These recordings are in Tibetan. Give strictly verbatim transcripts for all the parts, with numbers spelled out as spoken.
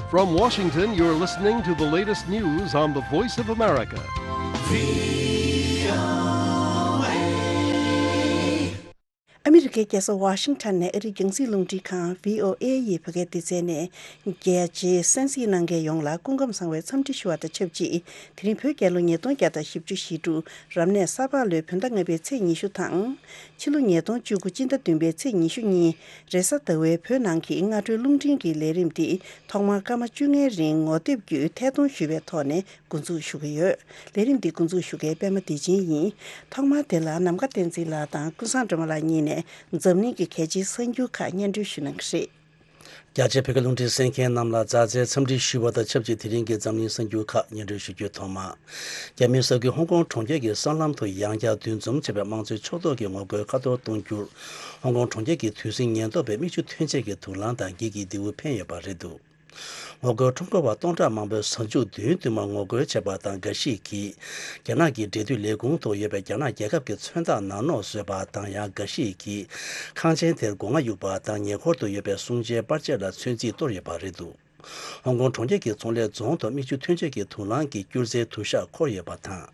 From Washington, you're listening to the latest news on the Voice of America. ཨ་མི་རི་ཀའི་རྒྱལ་ས་ཝ་ཤིང་ཊོན་ནས་ཨ་རིའི་རྒྱང་སྲིང་རླུང་འཕྲིན་ཁང་བྷི་ཨོ་ཨེ་ཡི་བོད་སྐད་སྡེ་ཚན་ནས་རྒྱལ་སྤྱིའི་གསན་གཟིགས་གནང་མཁན་ཡོངས་ལ་སྐུ་ཁམས་བཟང་བའི་འཚམས་འདྲི་ཞུ་བ་དང་ཆབས་ཅིག་དེ་རིང་བོད་རྒྱལ་ལོ་ཉིས་སྟོང་བརྒྱ་དང་བཞི་བཅུ་ཞེ་དྲུག་རབ་གནས་ས་ཕག་ལོའི་བོད་ཟླ་ལྔ་པའི་ཚེས་ཉི་ཤུ་དང་། ཕྱི་ལོ་ཉིས་སྟོང་བཅུ་དགུ་སྤྱི་ཟླ་བདུན་པའི་ཚེས་ཉི་ཤུ་གཉིས་རེས་གཟའ་ཟླ་བའི་བོད་ནང་གི་སྔ་དྲོའི་རླུང་འཕྲིན་གྱི་ལས་རིམ་འདི་ཐོག་མར་སྐར་མ་བཅོ་ལྔའི་རིང་ངོ་དེབ་བརྒྱུད་ཐད་གཏོང་ཞུས་པའི་ཐོག་ནས་འགོ་འཛུགས་ཞུ་གི་ཡོད། ལས་རིམ་འདི་འགོ་འཛུགས་ཞུ་མཁན་པད་མ་བདེ་ཆེན་ཡིན། ཐོག་མར་དེ་ལ་ནམ་མཁའ་བསྟན་འཛིན་ལགས་དང་ཀུན་བཟང་སྒྲོལ་མ་ལགས་གཉིས་ནས་འཛམ་གླིང་གི་གལ་ཆེའི་གསར་འགྱུར་ཁག་སྙན་སྒྲོན་ཞུ་གནང་གི་རེད། རྒྱ་ཆེའི་བོད་སྐད་རླུང་འཕྲིན་གསན་མཁན་རྣམས་ལ་མཛའ་བརྩེའི་འཚམས་འདྲི་ཞུ་བ་དང་ཆབས་ཅིག་དེ་རིང་གི་འཛམ་གླིང་གསར་འགྱུར་ཁག་སྙན་སྒྲོན་ཞུ་རྒྱུའི་ཐོག་མར། རྒྱ་མིའི་གསར་འགྱུར་ཧོང་ཀོང་གྲོང་ཁྱེར་གྱི་གསར་ལམ་དུ་ཡང་བསྐྱར་འདུ་འཛོམས་བྱས་པའི་དམངས་གཙོའི་ཕྱོགས་གཏོགས་ཀྱི་ངོ་རྒོལ་ཁ་ཐོར་གཏོང་རྒྱུར། ཧོང་ཀོང་གྲོང་ཁྱེར་གྱི་དུས་ཟིང་ཉེན་རྟོག་པས་མིག་ཆུ་ཐོན་ཆས་ཀྱི་དུག་རླངས་དང་འགྱིག་གིས་རྡེའུ་འཕེན་ཡོད་པ་རེད་འདུག་ངོ་རྒོལ་ཁྲོམ་སྐོར་བ་སྟོང་ཕྲག་མང་པོས་གཟའ་མཇུག་བདུན་བདུན་མར་ངོ་རྒོལ་བྱས་པ་དང་། འགའ་ཞིག་གིས་རྒྱ་ནག་གི་འབྲེལ་མཐུད་ལས་ཁུངས་ཐོག་ཡོད་པའི་རྒྱ་ནག་རྒྱལ་ཁབ་ཀྱི་མཚོན་རྟགས་ནག་ནོག་བཟོས་པ་དང་། ཡང་འགའ་ཞིག་གིས་ཁང་ཆེན་དེར་སྒོ་ང་གཡུགས་པ་དང་། ཉེ་འཁོར་དུ་ཡོད་པའི་སྲུང་བྱའི་པར་ཆས་ལ་ཚོན་རྩིས་གཏོར་ཡོད་པ་རེད་འདུག་ཧོང་ཀོང་གྲོང་ཁྱེར་གྱི་ཚོང་ལས་རྫོང་དུ་མིག་ཆུ་ཐོན་ཆས་ཀྱི་དུག་རླངས་ཀྱིས་སྐྱུར་རྩྭའི་དུ་ཞགས་འཁོར་ཡོད་པ་དང་།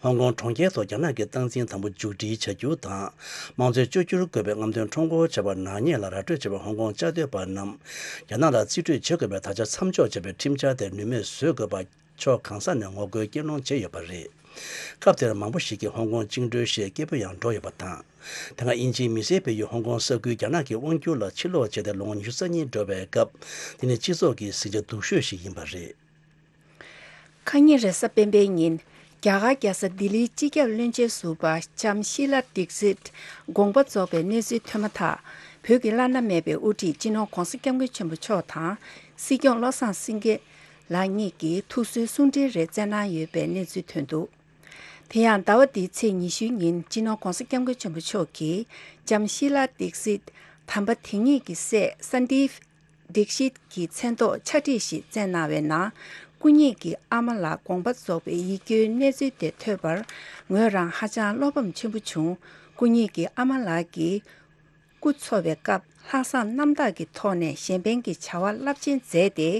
ཧོང་ཀོང་གྲོང་ཁྱེར་ཐོག་རྒྱ་ནག་གི་སྟངས་འཛིན་དམ་པོ་མཇུག་སྒྲིལ་བྱ་རྒྱུ་དང་། དམངས་གཙོའི་བཅོས་བསྒྱུར་དགོས་པའི་རྔམ་སྟོན་ཁྲོམ་སྐོར་བྱ་བར་ནག་ཉེས་ལ་ར་སྤྲོད་བྱས་པའི་ཧོང་ཀོང་བཅའ་སྡོད་པ་རྣམས་རྒྱ་ནག་ལ་རྩིས་སྤྲོད་བྱེད་དགོས་པའི་དག་ཆ་མཚམས་འཇོག་བྱས་པའི་ཁྲིམས་འཆར་དེ་ནུས་མེད་བཟོ་དགོས་པ། ཕྱོགས་གང་ས་ནས་ངོ་རྒོལ་སྐད་ལོང་བྱས་ཡོད་པ་རེད། སྐབས་དེར་མང་པོ་ཞིག་གིས་ཧོང་ཀོང་བཅིངས་འགྲོལ་ཞེས་སྐད་འབོད་ཡང་སྒྲོག་ཡོད་པ་དང་། དེ་སྔ་དབྱིན་ཇིའི་མི་སེར་སྤེལ་ཡུལ་ཧོང་ཀོང་ས་ཁུལ་རྒྱ་ནག་གི་དབང་སྒྱུར་ལ་ཕྱིར་ལོག་བྱས་ཏེ་ལོ་ངོ་ཉི་ཤུ་རྩ་གཉིས་འགྲོ་བའི་སྐབས། དེ་ནི་སྤྱི་ཚོགས་ཀྱི་ཟིང་ཆ་སྡུག་ཤོས་ཤིག་ཡིན་པ་རེད། ཁ་ཉིན་རེས་གཟའ་སྤེན་པའི་ཉིན། རྒྱ་གར་རྒྱལ་ས་ལྡི་ལིའི་སྤྱི་ཁྱབ་བློན་ཆེན་ཟུར་པ་ལྕམ་ཤི་ལ་ཌིག་སིད་དགོངས་པ་རྫོགས་པའི་གནས་ཚུལ་ཐོན་མ་ཐག་བོད་ཀྱི་བླ་ན་མེད་པའི་དབུ་ཁྲིད་སྤྱི་ནོར་༧གོང་ས་༧སྐྱབས་མགོན་ཆེན་པོ་མཆོག་དང་། སྲིད་སྐྱོང་བློ་བཟང་སེང་གེ་ལགས་གཉིས་ཀྱིས་ཐུགས་གསོའི་གསུང་འཕྲིན་རེ་བསྩལ་གནང་ཡོད་པའི་གནས་ཚུལ་ཐོན་འདུག་དེ་ཡང་ཟླ་བ་འདིའི་ཚེས་ཉི་ཤུའི་ཉིན་སྤྱི་ནོར་༧གོང་ས་༧སྐྱབས་མགོན་ཆེན་པོ་མཆོག་གིས་ལྕམ་ཤི་ལ་ཌིག་སིད་དམ་པ་དེ་ཉིད་ཀྱི་སྲས་སན་དིབ་ཌིག་ཤིད་ཀྱི་མཚན་ཐོག་ཕྱག་བྲིས་ཤིག་བསྩལ་གནང་བའི་ནང་། སྐུ་ཉིད་ཀྱི་ཨ་མ་ལགས་དགོངས་པ་རྫོགས་པའི་ཡིད་སྐྱོའི་གནས་ཚུལ་དེ་ཐོས་པར་ངོས་རང་ཧ་ཅང་བློ་ཕམ་ཆེན་པོ་བྱུང་། སྐུ་ཉིད་ཀྱི་ཨ་མ་ལགས་ཀྱིས་སྐུ་འཚོ་བའི་སྐབས་ལྷག་བསམ་རྣམ་དག་གི་ཐོག་ནས་གཞན་ཕན་གྱི་བྱ་བ་རླབས་ཆེན་མཛད་དེ།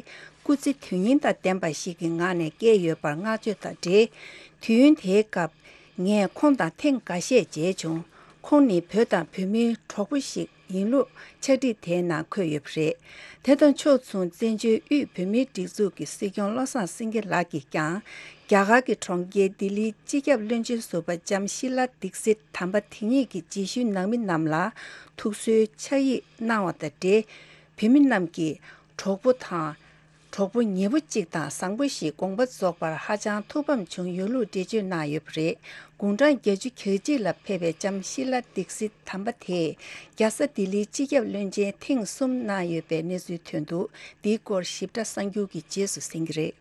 སྐུ་ཚེ་དུས་ཡུན་དང་ལྡན་པ་ཞིག་གི་ངང་ནས་བསྐྱལ་ཡོད་པར་བསྔགས་བརྗོད་དང་འབྲེལ། དུས་ཡུན་དེའི་སྐབས་ངས་ཁོང་དང་ཐེངས་འགའ་ཤས་མཇལ་བྱུང་། ཁོང་ནི་བོད་དང་བོད་མིའི་གྲོགས་པོ་ཞིག་ཡིན་ལུགས་ཕྱག་བྲིས་དེའི་ནང་འཁོད་ཡོད་པ་རེད། དེ་དང་ཕྱོགས་མཚུངས་བཙན་བྱོལ་དབུས་བོད་མིའི་སྒྲིག་འཛུགས་ཀྱི་སྲིད་སྐྱོང་བློ་བཟང་སེང་གེ་ལགས་ཀྱིས་ཀྱང་རྒྱ་གར་གྱི་གྲོང་ཁྱེར་ལྡི་ལིའི་སྤྱི་ཁྱབ་བློན་ཆེན་ཟུར་པ་ལྕམ་ཤི་ལ་ཌིག་སིད་དམ་པ་དེ་ཉིད་ཀྱི་རྗེས་ཤུལ་ནང་མི་རྣམས་ལ་ཐུགས་གསོའི་ཕྱག་ཡིག་གནང་བ་དང་འབྲེལ། བོད་མི་རྣམས་ཀྱིས་གྲོགས་པོ་དང་། གྲོགས་པོ་ཉེ་པོ་གཅིག་དང་བཟང་པོ་ཞིག་དགོངས་པ་རྫོགས་པར་ཧ་ཅང་ཐུགས་ཕམ་བྱུང་ཡོད་ལུགས་འགྲེལ་བརྗོད་གནང་ཡོད་པ་རེད། དགུང་གྲངས་བརྒྱད་ཅུ་གྱ་གཅིག་ལ་ཕེབས་པའི་ལྕམ་ཤི་ལ་ཌིག་སིད་དམ་པ་དེས་རྒྱལ་ས་ལྡི་ལིའི་སྤྱི་ཁྱབ་བློན་ཆེན་ཐེངས་གསུམ་གནང་ཡོད་པའི་གནས་ཚུལ་ཐོན་འདུག་འདིའི་སྐོར་ཞིབ་ཕྲ་གསར་འགྱུར་གྱི་རྗེས་སུ་གསན་གྱི་རེད།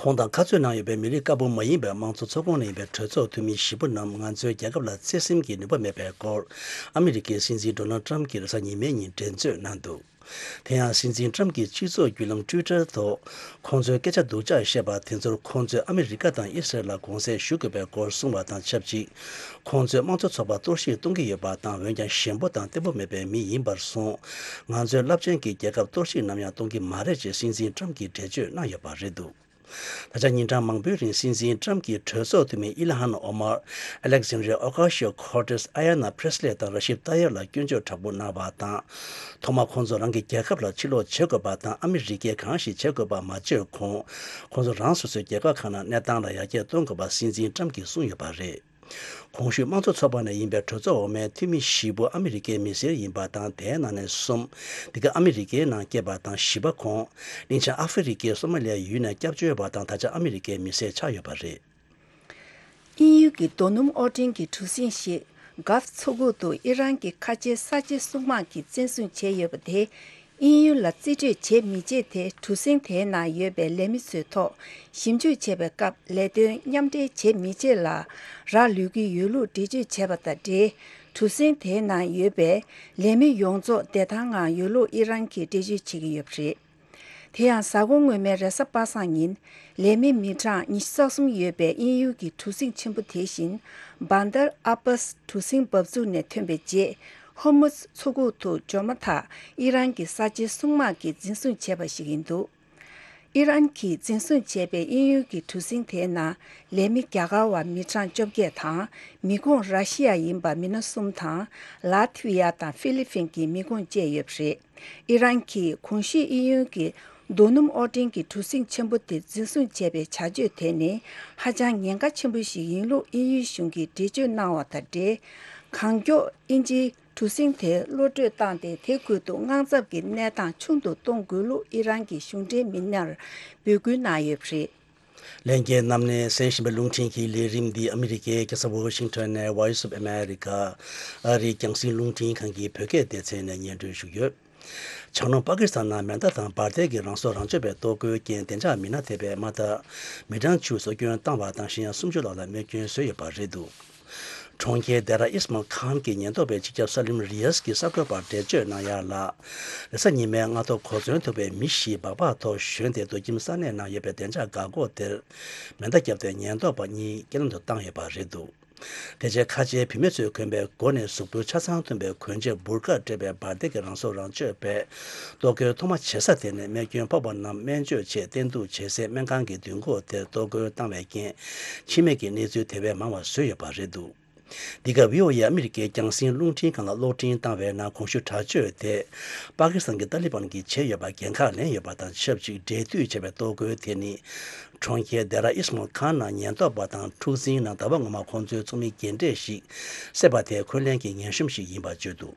ཁོང་དང་ཁ་རྩོད་གནང་ཡོད་པའི་མི་རིགས་དཀར་པོ་མ་ཡིན་པའི་དམངས་གཙོ་ཚོགས་ཁོངས་ནས་ཡིན་པའི་གྲོས་ཚོགས་འཐུས་མི་བཞི་པོ་རྣམས་ང་ཚོའི་རྒྱལ་ཁབ་ལ་བརྩེ་སེམས་ཀྱི་ནུས་པ་མེད་པའི་སྐོར། ཨ་མི་རི་ཀའི་སྲིད་འཛིན་ཌོ་ནལ་ཊམ་གྱིས་རེས་གཟའ་ཉི་མའི་ཉིན་འགྲན་རྩོད་གནང་འདུག་དེ་ཡང་སྲིད་འཛིན་ཊམ་གྱི་སྤྱི་ཚོགས་བརྒྱུད་ལམ་ཊུའི་ཊར་ཐོག་ཁོང་ཚོའི་སྐད་ཆ་སྡུག་ཅག་བཤད་པ་དེ་ཚོར་ཁོང་ཚོས་ཨ་མི་རི་ཀ་དང་ཨི་སི་རལ་ལ་དགོངས་སེལ་ཞུ་དགོས་པའི་སྐོར་གསུངས་པ་དང་ཆབས་ཅིག་ཁོང་ཚོས་དམངས་གཙོ་ཚོགས་པ་གཏོར་བཤིག་གཏོང་གི་ཡོད་པ་དང་། འོན་ཀྱང་ཞན་པོ་དང་བརྟན་པོ་མེད་པའི་མི་ཡིན་པར་སོང་། ང་ཚོའི་རླབས་ཆེན་གྱི་རྒྱལ་ཁབ་གཏོར་བཤིག་ནམ་ཡང་གཏོང་གི་མ་རེད་ཅེས་སྲིད་འཛིན་ཊམ་གྱིས་འགྲེལ་བརྗོད་གནང་ཡོད་པ་རེད་འདུག་ད་ཆ་ཉིན་གྲངས་མང་པོའི་རིང་སྲིད་འཛིན་ཊམ་གྱིས་གྲོས་ཚོགས་འཐུས་མི་ཨི་ལ་ཧན་ཨོ་མར། ཨ་ལེག་ཟན་ཌི་རི་ཡ་ཨོ་ཀ་ཤི་ཡོ་ཁོར་ཏེས། ཨ་ཡ་ན་པྲེ་སི་ལེ་དང་ར་ཤིབ་ཏཱ་ཡར་ལ་སྐྱོན་བརྗོད་དྲག་པོ་གནང་བ་དང་། ཐོག་མར་ཁོང་ཚོ་རང་གི་རྒྱལ་ཁབ་ལ་ཕྱིར་ལོག་བྱེད་དགོས་པ་དང་། ཨ་མི་རི་ཀས་གང་ཞིག་བྱེད་དགོས་པ་མ་བྱས་གོང་། ཁོང་ཚོ་རང་སོ་སོའི་རྒྱལ་ཁབ་ཁག་ནང་གནས་སྟངས་ལ་ཡར་རྒྱས་གཏོང་དགོས་པ་སྲིད་འཛིན་ཊམ་གྱིས་གསུངས་ཡོད་པ་རེད། གོང་ཞུས་དམངས་གཙོ་ཚོགས་པ་ནས་ཡིན་པའི་གྲོས་ཚོགས་འོག་མའི་འཐུས་མི་བཞི་པོ་ཨ་མི་རི་ཀའི་མི་སེར་ཡིན་པ་དང་། དེའི་ནང་ནས་གསུམ་འདི་ག་ཨ་མི་རི་ཀའི་ནང་སྐྱེས་པ་དང་། བཞི་པ་ཁོང་གླིང་ཆེན་ཨ་ཧྥེ་རི་ཀའི་སོ་མ་ལི་ཡའི་ཡུལ་ནས་སྐྱབས་བཅོལ་བ་དང་། ད་ཆ་ཨ་མི་རི་ཀའི་མི་སེར་ཆགས་ཡོད་པ་རེད། དབྱིན་ཡུལ་གྱི་རྡོ་སྣུམ་དབོར་འདྲེན་གྱི་གྲུ་གཟིངས་ཤིག་གྷལ་ཕ་མཚོ་ཁུག་ཏུ་ཨི་རན་གྱི་ཁ་ཆེའི་གསར་བརྗེ་སྲུང་དམག་གིས་བཙན་བཟུང་བྱས་ཡོད་པ་དེ། དབྱིན་ཡུལ་ལ་རྩིས་སྤྲོད་བྱེད་མི་བྱེད་དེ་གྲུ་གཟིངས་དེའི་ནང་ཡོད་པའི་ལས་མི་ཚོའི་ཐོག་ཞིབ་འཇུག་བྱེད་པའི་སྐབས་ལས་དོན་མཉམ་འབྲེལ་བྱེད་མི་བྱེད་ལ་རག་ལུས་ཀྱི་ཡོད་ལུགས་འགྲེལ་བརྗོད་བྱས་པ་དང་འབྲེལ། གྲུ་གཟིངས་དེའི་ནང་ཡོད་པའི་ལས་མི་ཡོངས་རྫོགས་བདེ་ཐང་ངང་ཡོད་ལུགས་ཨི་རན་གྱིས་འགྲེལ་བརྗོད་བྱེད་ཀྱི་ཡོད་པ་རེད། དེ་ཡང་གཟའ་འཁོར་སྔོན་མའི་རེས་གཟའ་པ་སངས་ཉིན། ལས་མི་མི་གྲངས་ཉི་ཤུ་རྩ་གསུམ་ཡོད་པའི་དབྱིན་ཡུལ་གྱི་གྲུ་གཟིངས་ཆེན་པོ་དེ་བཞིན། བཱན་དར་ཨ་བཱས་གྲུ་གཟིངས་འབབ་ཚུགས་ནས་ཐོན་པའི་རྗེས། ཧོར་མུཛ་མཚོ་ཁུག་ཏུ་འབྱོར་མ་ཐག་ཨི་རན་གྱི་གསར་བརྗེ་སྲུང་དམག་གིས་འཛིན་བཟུང་བྱས་པ་ཞིག་ཡིན་འདུག་ཨི་རན་གྱིས་འཛིན་བཟུང་བྱས་པའི་དབྱིན་ཡུལ་གྱི་གྲུ་གཟིངས་དེའི་ནང་ལས་མི་རྒྱ་གར་བ་མི་གྲངས་བཅོ་བརྒྱད་དང་། མི་ཁོངས་ར་ཤི་ཡ་ཡིན་པ་མི་སྣ་གསུམ་དང་། ལ་ཐི་ཝི་ཡ་དང་ཧྥི་ལི་ཕིན་གྱི་མི་ཁོངས་བཅས་ཡོད་པ་རེད། ཨི་རན་གྱིས་གོང་ཞུས་དབྱིན་ཡུལ་གྱི་རྡོ་སྣུམ་དབོར་འདྲེན་གྱི་གྲུ་གཟིངས་ཆེན་པོ་དེ་འཛིན་བཟུང་བྱས་པའི་བྱ་སྤྱོད་དེ་ནི་ཧ་ཅང་ཉེན་ཁ་ཆེན་པོ་ཞིག་ཡིན་ལུགས་དབྱིན་ཡུལ་གཞུང་གིས་འགྲེལ་བརྗོད་གནང་བ་དང་འབྲེལ། གང་མགྱོགས་དབྱིན་ཇིའི་གྲུ་གཟིངས་དེ་གློད་གྲོལ་བཏང་སྟེ། དེ་ཁུལ་དུ་དངངས་འཚབ་ཀྱི་གནས་སྟངས་ཆུང་དུ་གཏོང་དགོས་ལུགས་ཨི་རན་གྱི་གཞུང་འབྲེལ་མི་སྣར་འབོད་སྐུལ་གནང་ཡོད་པ་རེད། ལྷན་རྒྱས་རྣམས་ནས་གསན་བཞིན་པའི་རླུང་འཕྲིན་གྱི་ལས་རིམ་འདི་ཨ་མི་རི་ཀའི་རྒྱལ་ས་ཝ་ཤིང་ཊོན་ནས་Voice of America ཨ་རིའི་རྒྱང་སྲིང་རླུང་འཕྲིན་ཁང་གི་བོད་སྐད་སྡེ་ཚན་ནས་སྙན་སྒྲོན་ཞུས་ཡོད། བྱང་ནུབ་པ་ཀི་སི་ཐན་ནང་མེ་མདའ་དང་འབར་མདེལ་གྱི་རང་སྲོག་རང་གཅོད་པའི་གཏོར་རྒོལ་རྐྱེན་བདེ་འཇགས་མི་སྣ་ཐེ་བའི་མ་མཐའ་མི་གྲངས་བཅུ་སྲོག་སྐྱོན་བཏང་བ་དང་། གཞན་ཡང་སུམ་ཅུ་ལྷག་ལ་རྨས་སྐྱོན་བཟོས་ཡོད་པ་རེད་འདུག། གྲོང་ཁྱེར་དེ་ར་ཨིས་མལ་ཁཱན་གྱི་ཉེན་རྟོག་པས་སྤྱི་ཁྱབ་གསར་ལམ་རི་ཡས་ཀྱི་གསར་འགོད་པར་འགྲེལ་བརྗོད་གནང་ཡག་ལ། རེས་གཟའ་ཉི་མའི་སྔ་དྲོ་གོ་མཚོན་ཐུག་པའི་མི་བཞི་སྦག་སྦག་ཐོག་ཞོན་ཏེ་རྡོ་ཁྱིམ་ས་གནས་ནང་ཡོད་པའི་བདེ་འཇགས་འགག་སྒོ་དེར་མེ་མདའ་བརྒྱབ་སྟེ་ཉེན་རྟོག་པ་གཉིས་རྐྱེན་ལམ་དུ་བཏང་ཡོད་པ་རེད་འདུག། དེ་རྗེས་ཁ་ཆེའི་བུད་མེད་ཚོས་གོན་པའི་མགོ་ནས་གཟུགས་པོའི་ཆ་ཚང་ཐོན་པའི་གོན་ཆས་འབུར་ཁ་སྤྲས་པའི་འབར་མདེལ་གྱི་རང་སྲོག་རང་གཅོད་པས་གཏོར་རྒོལ་ཐོག་མ་བྱེད་ས་དེ་ནས་རྨས་སྐྱོན་ཕོག་པ་རྣམས་སྨན་བཅོས་ཆེད་བསྟེན་གཏུག་བྱེད་སའི་སྨན་ཁང་གི་མདུན་སྒོ་དེར་གཏོར་རྒོལ་བཏང་བའི་རྐྱེན་འཆི་རྨས་ཀྱི་གནས་ཚུལ་དེ་བས་མང་བ་བཟོས་ཡོད་པ་རེད་འདུག། འདི་ག་བྷི་ཨོ་ཨེ་ཨ་མི་རི་ཀའི་རྒྱང་སྲིང་རླུང་འཕྲིན་ཁང་ལ་གློག་འཕྲིན་བཏང་བའི་ནང་གོང་ཞུས་དྲག་སྤྱོད་དེ་པ་ཀི་སི་ཐན་གྱི་ཏཱ་ལི་བན་གྱིས་བྱས་ཡོད་པར་འགན་ཁག་ལེན་ཡོད་པ་དང་ཆབས་ཅིག་འབྲེལ་མཐུད་བྱས་པའི་གཏོར་རྒོལ་དེ་ནི། གྲོང་ཁྱེར་དེ་ར་ཨིས་མལ་ཁཱན་ནང་ཉེན་རྟོག་པ་དང་འཁྲུག་འཛིང་ནང་ཟླ་བ་སྔོན་མ་ཁོང་ཚོའི་ཚོགས་མི་རྒན་གྲས་ཤིག་བསད་པ་དེ་འཁོན་ལན་གྱི་ངན་གཤོམ་ཞིག་ཡིན་པར་བརྗོད་འདུག།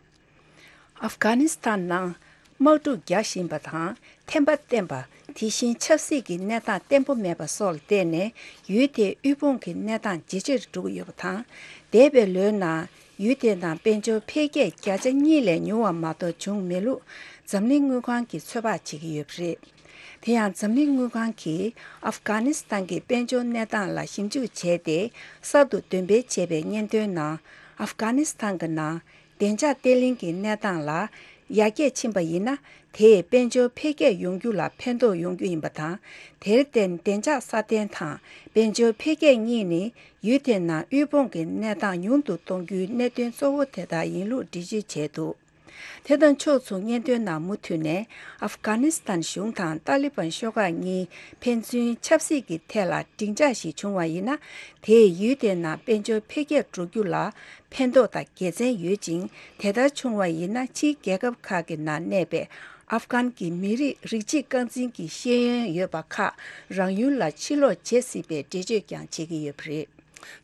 ཨབ་གྷ་ནི་སི་ཐན་ནང་དམག་འཁྲུག་རྒྱག་བཞིན་པ་དང་། འཐེན་པ་བསྟེན་པ། དེ་བཞིན་ཆབ་སྲིད་ཀྱི་གནས་སྟངས་བརྟན་པོ་མེད་པ་སོགས་ལ་བརྟེན་ནས། ཡུལ་དེའི་དབུལ་ཕོངས་ཀྱི་གནས་སྟངས་ཇེ་ཆེར་འགྲོ་གི་ཡོད་པ་དང་། འདས་པའི་ལོའི་ནང་ཡུལ་དེའི་ནང་དཔལ་འབྱོར་འཕེལ་རྒྱས་བརྒྱ་ཆ་གཉིས་ལས་ཉུང་བ་མ་གཏོགས་བྱུང་མེད་ལུགས་འཛམ་གླིང་དངུལ་ཁང་གིས་ཚོད་དཔག་བྱེད་ཀྱི་ཡོད་པ་རེད། དེ་ཡང་འཛམ་གླིང་དངུལ་ཁང་གིས་ཨབ་གྷ་ནི་སི་ཐན་གྱི་དཔལ་འབྱོར་གནས་སྟངས་ལ་ཞིབ་འཇུག་བྱས་ཏེ། གསར་དུ་འདོན་སྤེལ་བྱས་པའི་སྙན་ཐོའི་ནང་། ཨབ་གྷ་ནི་སི་ཐན་གྱི་ནང་བདེ་འཇགས་བརྟན་ལྷིང་གི་གནས་སྟངས་ལ་ཡར་རྒྱས་ཕྱིན་པ་ཡིན་ན། དེས་དཔལ་འབྱོར་འཕེལ་རྒྱས་ཡོང་རྒྱུ་ལ་ཕན་ཐོགས་ཡོང་རྒྱུ་ཡིན་པ་དང་། དེར་བརྟེན་བདེ་འཇགས་སྲ་བརྟན་དང་དཔལ་འབྱོར་འཕེལ་རྒྱས་གཉིས་ནི་ཡུལ་དེའི་ནང་དབུལ་ཕོངས་ཀྱི་གནས་སྟངས་ཉུང་དུ་གཏོང་རྒྱུའི་གནད་དོན་གཙོ་བོ་དེ་དག་ཡིན་ལུགས་འགྲེལ་བརྗོད་བྱས་འདུག། དེ་དང་ཕྱོགས་མཚུངས་སྙན་ཐོའི་ནང་མུ་མཐུད་ནས། ཨབ་གྷ་ནི་སི་ཐན་གཞུང་དང་ཏཱ་ལི་བན་ཤོག་ཁག་གཉིས་ཕན་ཚུན་ཆབ་སྲིད་ཀྱི་ཐད་ལ་འགྲིག་འཇགས་ཤིག་བྱུང་བ་ཡིན་ན། དེས་ཡུལ་དེའི་ནང་དཔལ་འབྱོར་འཕེལ་རྒྱས་འགྲོ་རྒྱུ་ལ་ཕན་ཐོགས་དང་དགེ་མཚན་ཡོད་ཅིང་། དེ་ལྟར་བྱུང་བ་ཡིན་ན། ཕྱིའི་རྒྱལ་ཁབ་ཁག་གི་ནང་གནས་པའི་ཨབ་གྷན་གྱི་མི་རིགས་རིགས་གཅིག་རྐང་འཛིན་གྱི་ཤེས་ཡོན་ཡོད་པ་ཁག་རང་ཡུལ་ལ་ཕྱིར་ལོག་བྱེད་སྲིད་པའི་འགྲེལ་བརྗོད་ཀྱང་བྱེད་ཀྱི་ཡོད་པ་རེད།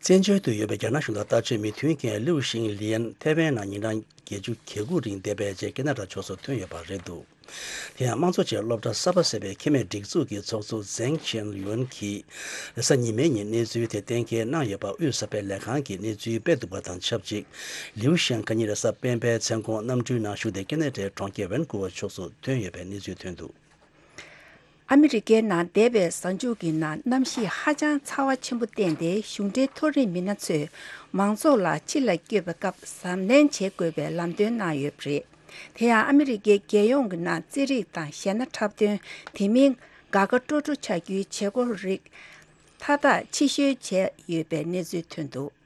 བཙན་བྱོལ་དུ་ཡོད་པའི་རྒྱ་ནག་གཞུང་དང་ལྟ་སྤྱོད་མི་མཐུན་རྐྱེན་ལིའུ་ཤིང་ལིན་ཐེ་ཝན་ནང་ཉིན་གྲངས་བརྒྱད་ཅུ་གྱ་དགུ་རིང་བསྡད་པའི་རྗེས་ཁེ་ན་ཌ་ཕྱོགས་སུ་ཐོན་ཡོད་པ་རེད་འདུག། དེ་ཡང་དམངས་གཙོ་ཅན་སློབ་གྲྭ་གསར་པ་ཟེར་བའི་ཁེ་མེད་སྒྲིག་འཛུགས་ཀྱི་ཚོགས་གཙོ་ཛེང་ཆན་ཡོན་གྱིས་རེས་གཟའ་ཉི་མའི་ཉིན་གནས་ཚུལ་དེ་གཏན་འཁེལ་གནང་ཡོད་པ་དབུས་གསར་སྤེལ་ལས་ཁང་གིས་གནས་ཚུལ་སྤེལ་འདུག་པ་དང་ཆབས་ཅིག། ལིའུ་ཤན་ཁ་ཉིན་རེས་གཟའ་སྤེན་པའི་མཚན་གུང་གནམ་གྲུའི་ནང་ཞུགས་ཏེ་ཁེ་ན་ཌའི་གྲོང་ཁྱེར་ཝན་ཀུ་ཝར་ཕྱོགས་སུ་ཐོན་ཡོད་པའི་གནས་ཚུལ་ཐོན་འདུག། ཨ་མི་རི་ཀའི་ནང་འདས་པའི་གཟའ་མཇུག་གི་ནང་གནམ་གཤིས་ཧ་ཅང་ཚ་བ་ཆེན་པོ་བསྟན་ཏེ། གཞུང་འབྲེལ་མཐོ་རིམ་མི་སྣ་ཚོས་མང་ཚོགས་ལ་ཕྱི་ལ་སྐྱོད་པའི་སྐབས་གཟབ་ནན་བྱེད་དགོས་པའི་ལམ་སྟོན་གནང་ཡོད་པ་རེད། དེ་ཡང་ཨ་མི་རི་ཀའི་རྒྱལ་ཡོངས་ཀྱི་ནང་རྩེད་རིགས་དང་གཞས་སྣ་འཁྲབ་སྟོན། དེ་མིན་དགའ་དགའ་སྤྲོ་སྤྲོ་ཆགས་རྒྱུའི་བྱེད་སྒོ་རིགས་མཐའ་དག་ཕྱིར་བཤོལ་བྱས་ཡོད་པའི་གནས་ཚུལ་ཐོན་འདུག།